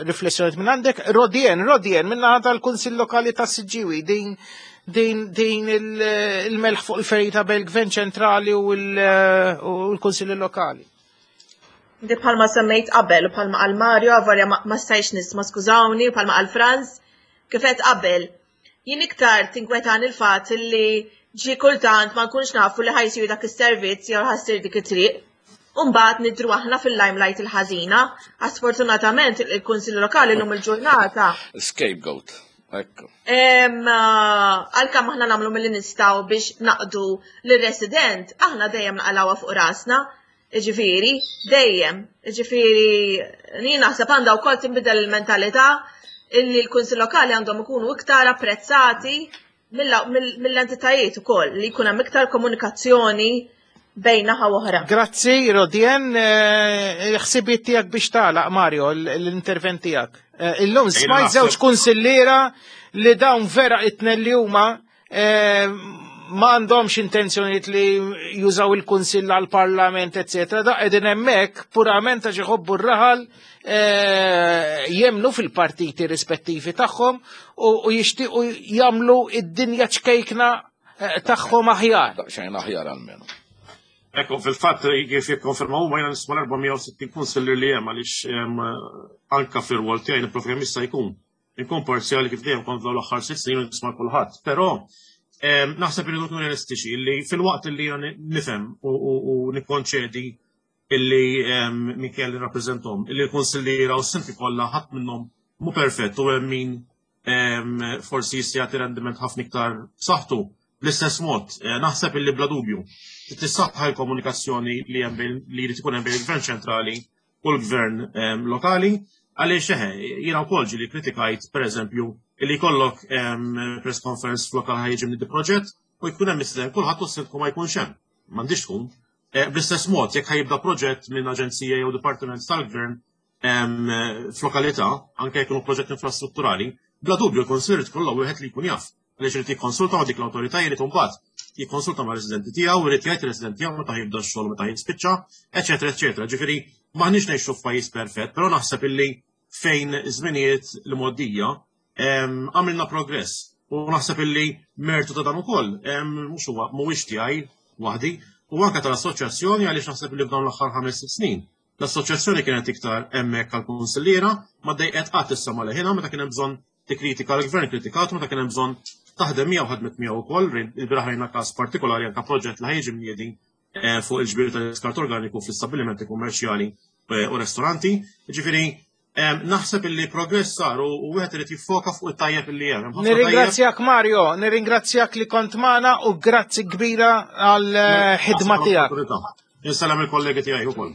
riflessjoni minn għandek, Rodien, Rodien min-naħa tal-Kunsill Lokali ta' Siġġiwi, din din din il-melħ fuq il-ferita bejn il-Gvern ċentrali u l-Kunsilli Lokali. Di bħalma semmejt qabel, bħalma qal Mario, avolja ma stajx nisma' skużawni, bħalma qal Franz, kif għedt qabel, jien iktar tinkwetan il-fatt li ġi kultant ma nkunx nafu li ħa jsir dak is-servizz jew ħa ssir dik it-triq. U mbagħad nidhru aħna fil-limelight il-ħażina. Għax sfortunatament il-Kunsill Lokali llum il-ġurnata. Scapegoat. Ekku. Għalkemm aħna nagħmlu milli nistgħu biex naqdu lir-resident, aħna dejjem naqalgħuha fuq rasna. Jiġifieri, dejjem. Jiġifieri, jien naħseb għandha wkoll tinbidel il-mentalità illi l-Kunsill Lokali għandhom ikunu iktar apprezzati mill-entitajiet ukoll li jkun hemm iktar komunikazzjoni bejn naħa u oħra. Grazzi, Rodien, eh, ħsibiet tiegħek biex tagħlaq Mario l-intervent tiegħek. Eh, illum smajt żewġ kunsilliera li dawn vera itnen li huma eh, M'għandhomx intenzjonijiet li jużaw il-Kunsill għall-Parlament, eccetera. Da qegħdin hemmhekk purament għax iħobbu r-raħal eh, jemnu fil-partiti rispettivi tagħhom u jixtiequ jagħmlu id-dinja ċkejkna eh, tagħhom aħjar. Daqsxejn aħjar almenu. Ekku, fil-fatt kif jikkonfermaw huma jiena nisma' l-460 kunsillier li hemm għaliex anka fir-rwol tiegħi nipprova kemm jista' jkun inkun parzjali kif dejjem kont f'dawn l-aħħar sitt snin u nisma' kulħadd. Però naħseb irridu nkunu realistiċi li filwaqt li jiena nifhem u nikkonċedi illi minkejja li nirrappreżenthom, illi l-kunsilliera u s-sinti kollha ħadd minnhom mhu perfett u hemm min forsi jista' jagħti rendiment ħafna iktar b'saħħtu. Bl-istess mod, eh, naħseb illi bla dubju trid tissaħħa l-komunikazzjoni li hemm li jrid ikun hemm bejn il-Gvern ċentrali u l-Gvern lokali għaliex eħe, jiena wkoll ġieli kritikajt pereżempju illi jkollok press conference f'lokal ħajġi minn proġett u jkun hemm mistieden kulħadd u s-sindku ma jkunx hemm. M'għandix tkun. Eh, bl-istess mod, jekk ħajibda proġett minn aġenzija jew dipartiment tal-gvern f'lokalità, anke jkunu proġett infrastrutturali, bla dubju l-Kunsill irid kollha wieħed li jkun jaf. Għaliex irid jikkonsulta ma' dik l-awtorità jrid imbagħad jikkonsulta ma' residenti tiegħu, irid jgħid ir-residenti tiegħu meta jibda x-xogħol meta jispiċċa, eċetera, eċetera. Ġifieri m'aħniex ngħixu f'pajjiż perfett, però naħseb illi fejn żminijiet li mgħoddija għamilna progress. U naħseb illi mertu ta' dan ukoll mhux huwa mhuwiex tiegħi waħdi, u anke tal-assoċjazzjoni għaliex naħseb illi f'dawn l-aħħar ħames snin L-assoċjazzjoni kienet iktar hemmhekk għall-kunsilliera, ma ddejqet qatt issa leħinha meta kien hemm bżonn tikkritika l-gvern kritikat meta kien hemm bżonn taħdem miegħu ħadmet miegħu wkoll, il-bieraħ rajna każ partikolari anke proġett li ħajġi mniedi eh, fuq il-ġbir tal-iskart organiku fl-istabbilimenti kummerċjali eh, u ristoranti. Ġifieri Naħseb illi progress sar u wieħed irid jiffoka fuq it-tajjeb illi hemm. Nirringrazzjak Mario, nirringrazzjak li kont magħna u grazzi kbira għal eh, ħidma tiegħek. Insellem il-kollegi tiegħi wkoll.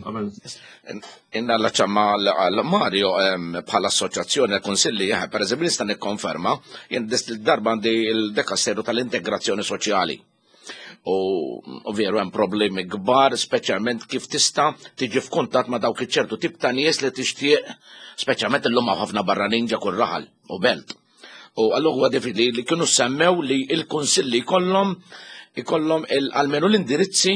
Inna l-ċamma għal Mario bħala assoċjazzjoni għal konsilli, eh, per eżempju nista' nikkonferma, jien darba għandi il-dekasteru tal-integrazzjoni soċjali. U veru hemm problemi kbar, speċjalment kif tista' tiġi f'kuntatt ma' dawk iċ-ċertu tip ta' nies li tixtieq, speċjalment illum hawn ħafna barranin ġa kull raħal u belt. U allura huwa diffiċli li kienu semmew li l-kunsilli jkollhom ikollhom almenu l-indirizzi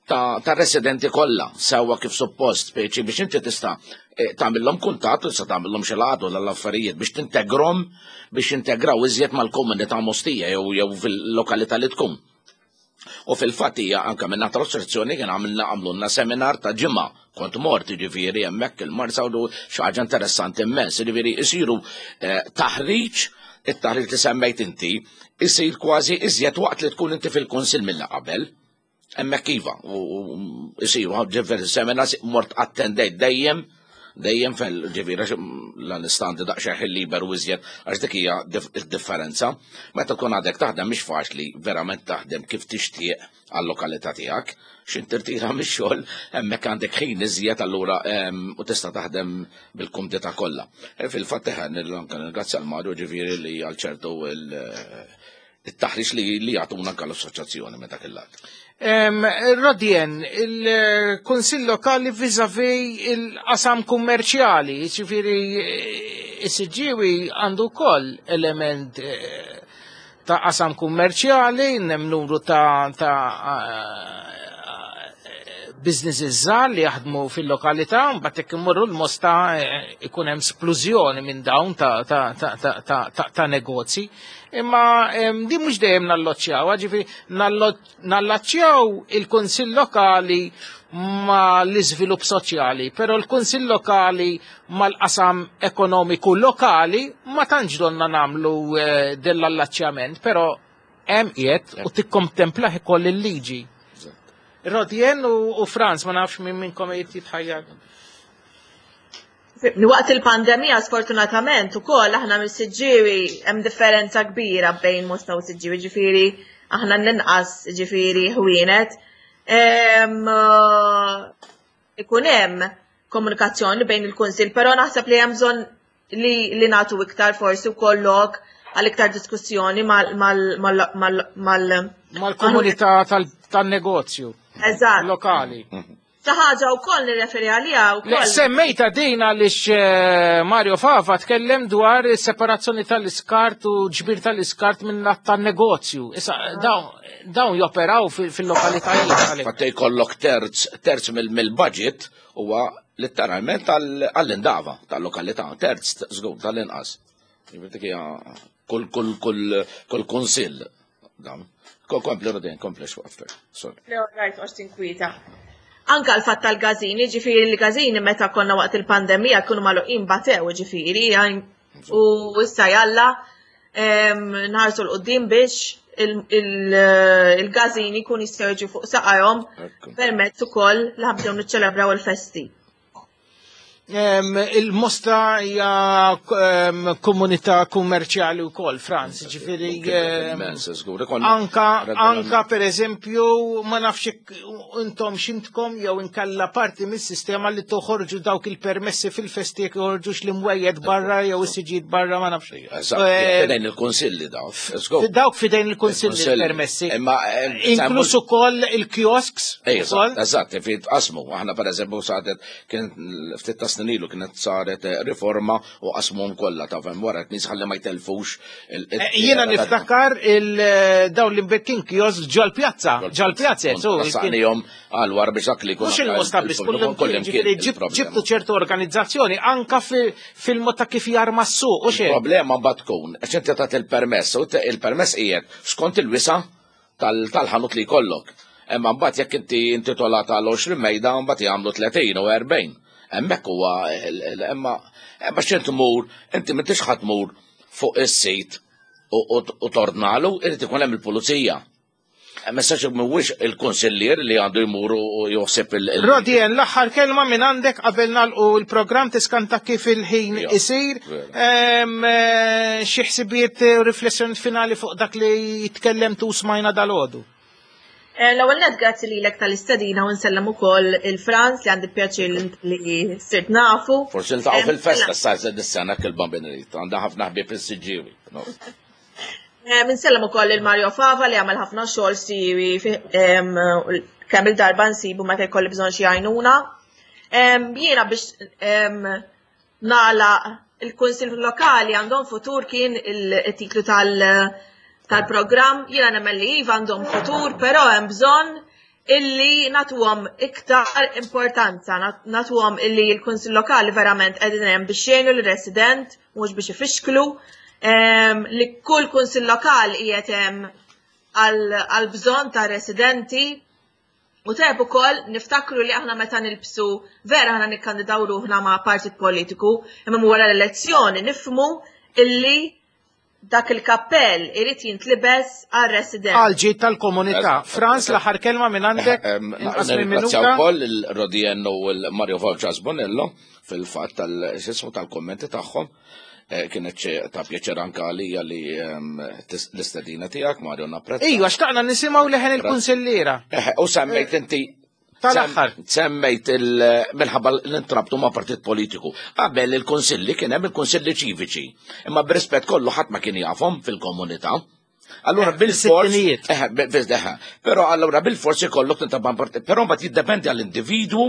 ta', ta residenti kollha sewwa kif suppost, speċi biex inti tista' eh, tagħmilhom kuntatt u tista' tagħmilhom xi laqgħat u l-affarijiet biex tintegrom biex jintegraw iżjed mal-komunità Mostija jew jew fil-lokalità li tkun. U fil-fatt hija anke minn tal-assoċjazzjoni kien għamilna għamlulna seminar ta' ġimgħa kont mort jiġifieri hemmhekk il-Marsa u xi ħaġa interessanti immens, jiġifieri isiru eh, taħriġ it-taħriġ li semmejt inti isir kważi iżjed waqt li tkun inti fil-kunsill mill qabel. Hemmhekk iva, u isiru diversi seminars mort attendejt dejjem dejjem fil ġifieri l-istandi daqsxejn ħin liberu iżjed għax dik hija differenza. Meta tkun għadek taħdem mhix faċli verament taħdem kif tixtieq għal-lokalità tiegħek. X'in tirtira mix-xogħol hemmhekk għandek ħin iżjed allura u tista' taħdem bil-kumdità kollha. E, fil-fatt eħe nirringrazzja l-Mario ġifieri li għal ċertu it-taħriġ li li jagħtuna anke l-assoċjazzjoni minn dak il-lat. Rodien, il-Kunsill Lokali vis-a-vis il-qasam kummerċjali, ġifieri is-Siġġiewi għandu wkoll element eh, ta' qasam kummerċjali, hemm numru ta', ta eh, businesses żgħar li jaħdmu fil-lokalità, mbagħad jekk imorru l-mosta eh, ikun hemm splużjoni minn dawn ta', ta, ta, ta, ta, ta, ta negozji. Imma din mhux dejjem nalloċċjaw, ġifieri nallaċċjaw il-Kunsill Lokali ma l-iżvilupp soċjali, però l-Kunsill Lokali mal-qasam ekonomiku lokali ma tantx donna nagħmlu eh, dell-allaċċjament, però hemm qiegħed u tikkontemplah ikoll il-liġi. Rodjen u Franz, ma nafx minn minnkom qed jitħajjar. Waqt il-pandemija sfortunatament ukoll aħna mis-Siġġiewi hemm differenza kbira bejn Mosta u Siġġiewi, ġifieri aħna l-inqas ġifieri ħwienet. Eh, ikun hemm komunikazzjoni bejn il-kunsil, però naħseb li hemm bżonn li, li nagħtu iktar forsi wkoll lok għal iktar diskussjoni mal mal mal mal mal-komunità tan-negozju. Eżatt. Lokali. Xi ħaġa wkoll nirreferi għaliha wkoll. Semmejta din għaliex eh, Mario Fava tkellem dwar separazzjoni tal-iskart u ġbir tal-iskart minn lat tan-negozju. Issa ah. dawn joperaw fil-lokalitajiet. Fatt jkollok terz terz mill-budget huwa letteralment għall-indava tal-lokalità, terz żgur tal-inqas. Kull kull kull kull kunsill dan. Kompli Rodin, kompli xwaqftek. Sorry. Le, rajt, għax tinkwieta. Anka l-fatt tal-gazini, ġifiri l-gazini meta konna waqt il-pandemija kienu magħluqin batew, ġifiri, u issa jalla nħarsu l-qoddim biex il-gazini kun jistgħu jiġu fuq saqajhom permezz ukoll li ħabdew niċċelebraw il-festi. Il-Mosta hija komunità kummerċjali wkoll, Franz, ġifieri anka anka pereżempju ma nafx intom xintkom jew inkella parti mis-sistema li toħorġu dawk il-permessi fil-festi jekk joħorġux l-imwejjed barra jew is-siġijiet barra ma nafx. Eh, fidejn il-kunsilli dawk. Dawk fidejn il-kunsilli il-permessi. Inkluż ukoll il-kiosks. Eżatt, fi qasmu. Aħna pereżempju saret kien ftit ta' snin ilu kienet saret eh, riforma u qasmuhom kollha ta' fem wara nies ħalli ma jtelfux. Eh, jiena niftakar il-dawn l-imbekkin kiosk ġol-pjazza, ġol-pjazza. Għal wara biex dak li jkun. Mhux il-Mosta biss, kull ġibtu ċertu organizzazzjoni anka fil-mod ta' kif jarma s-suq u xejn. Problema mbagħad tkun, għax inti tagħti il-permess, u il-permess qiegħed skont il-wisa tal-ħanut li jkollok. Imma mbagħad jekk inti intitolat għal 20 mejda mbagħad jagħmlu 30 u 40. Hemmhekk huwa imma imma x'int tmur, inti m'intix ħadd tmur fuq is-sit u tordnalu, irid ikun hemm il-pulizija. Messaġġ mhuwiex il-kunsillier li għandu jmur u joħseb il- Rodien, l-aħħar kelma minn għandek qabel nagħlqu l-programm tiskanta kif il-ħin isir. Eh, xi ħsibijiet u riflessjoni finali fuq dak li tkellemtu u smajna dal-għodu. Eh, l-ewwel net grazzi lilek tal-istedina u nsellem ukoll il-Franz li għandi pjaċir li sirt nafu. Forsi niltaqgħu fil-festa sa dis-sena kil-Bambin Għandha ħafna ħbieb is-Siġġiewi. Eh, Nsellem ukoll il Mario Fava li għamel ħafna xogħol siwi kemm il-darba nsibu meta jkolli bżonn xi għajnuna. Jiena biex nagħlaq il-Kunsill Lokali għandhom futur kien il-titlu tal-programm, jiena nemmen li iva għandhom futur, però hemm bżonn illi natuhom iktar importanza, natuhom illi l-Kunsill Lokali verament qegħdin hemm biex jgħinu l-resident, mhux biex ifixklu, li kull Kunsill Lokali qiegħed hemm għal bżonn ta' residenti. U tajb ukoll niftakru li aħna meta nilbsu vera aħna nikkandidaw ruħna ma' partit politiku, imma wara l-elezzjoni nifhmu illi dak il-kappell irid jintlibes għar-resident. Għal ġid tal-komunità. Franz, l-aħħar kelma minn għandek. Inqas minn minuta. wkoll il-Rodien u l-Mario Volċas Bonello fil-fatt tal-xismu tal-kommenti tagħhom. Eh, kienet ta' pjaċir anka għalija li ehm, l-istedina tiegħek Mario napprezza. Iva, xtaqna nisimgħu leħen il-kunsilliera. Eh, u semmejt inti Tal-aħħar. Semmejt minħabba l-intrabtu ma' partit politiku. Qabel il-konsilli kien hemm il-konsilli ċiviċi. Imma b'rispett kollu ħadd ma kien jafhom fil-komunità. Allura eh, bil-fors. Eh, eh, però allura bil-fors ikollok tintrabat partit. Però mbagħad jiddependi għall-individwu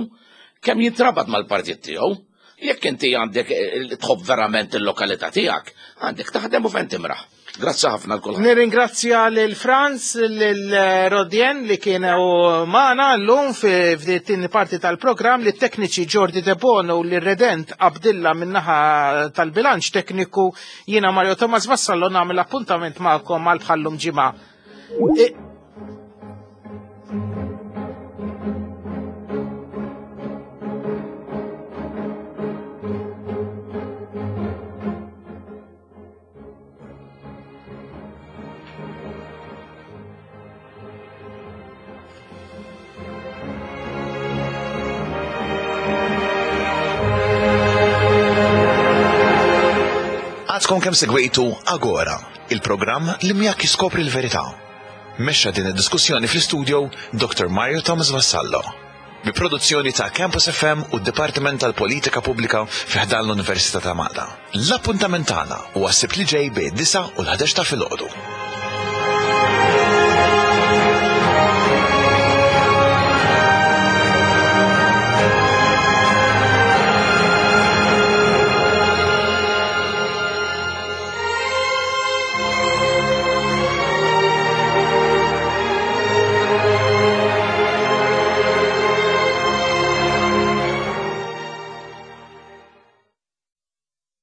kemm jintrabat mal-partit tiegħu. Jekk inti għandek tħobb verament il-lokalità tiegħek, għandek taħdem u fejn timraħ. Grazzi ħafna l-kulħadd. Nirringrazzja lil Franz, lil Rodien li kienu magħna llum f'din parti tal-programm li tekniċi Jordi De Bono u lil Redent Abdilla min-naħa tal-bilanċ tekniku jiena Mario Thomas Vassallo nagħmel appuntament magħkom għal bħallum ġimgħa. Għadkom kemm segwejtu Agora, il-programm li miegħek jiskopri l-verità. Mexxa din id-diskussjoni fl-istudio Dr. Mario Thomas Vassallo. Bi produzzjoni ta' Campus FM u d-Dipartiment tal-Politika Pubblika fi ħdan l-Università ta' Malta. L-appuntament tagħna huwa s-Sibt li ġej bejn id-disgħa u l-ħdax ta' filgħodu.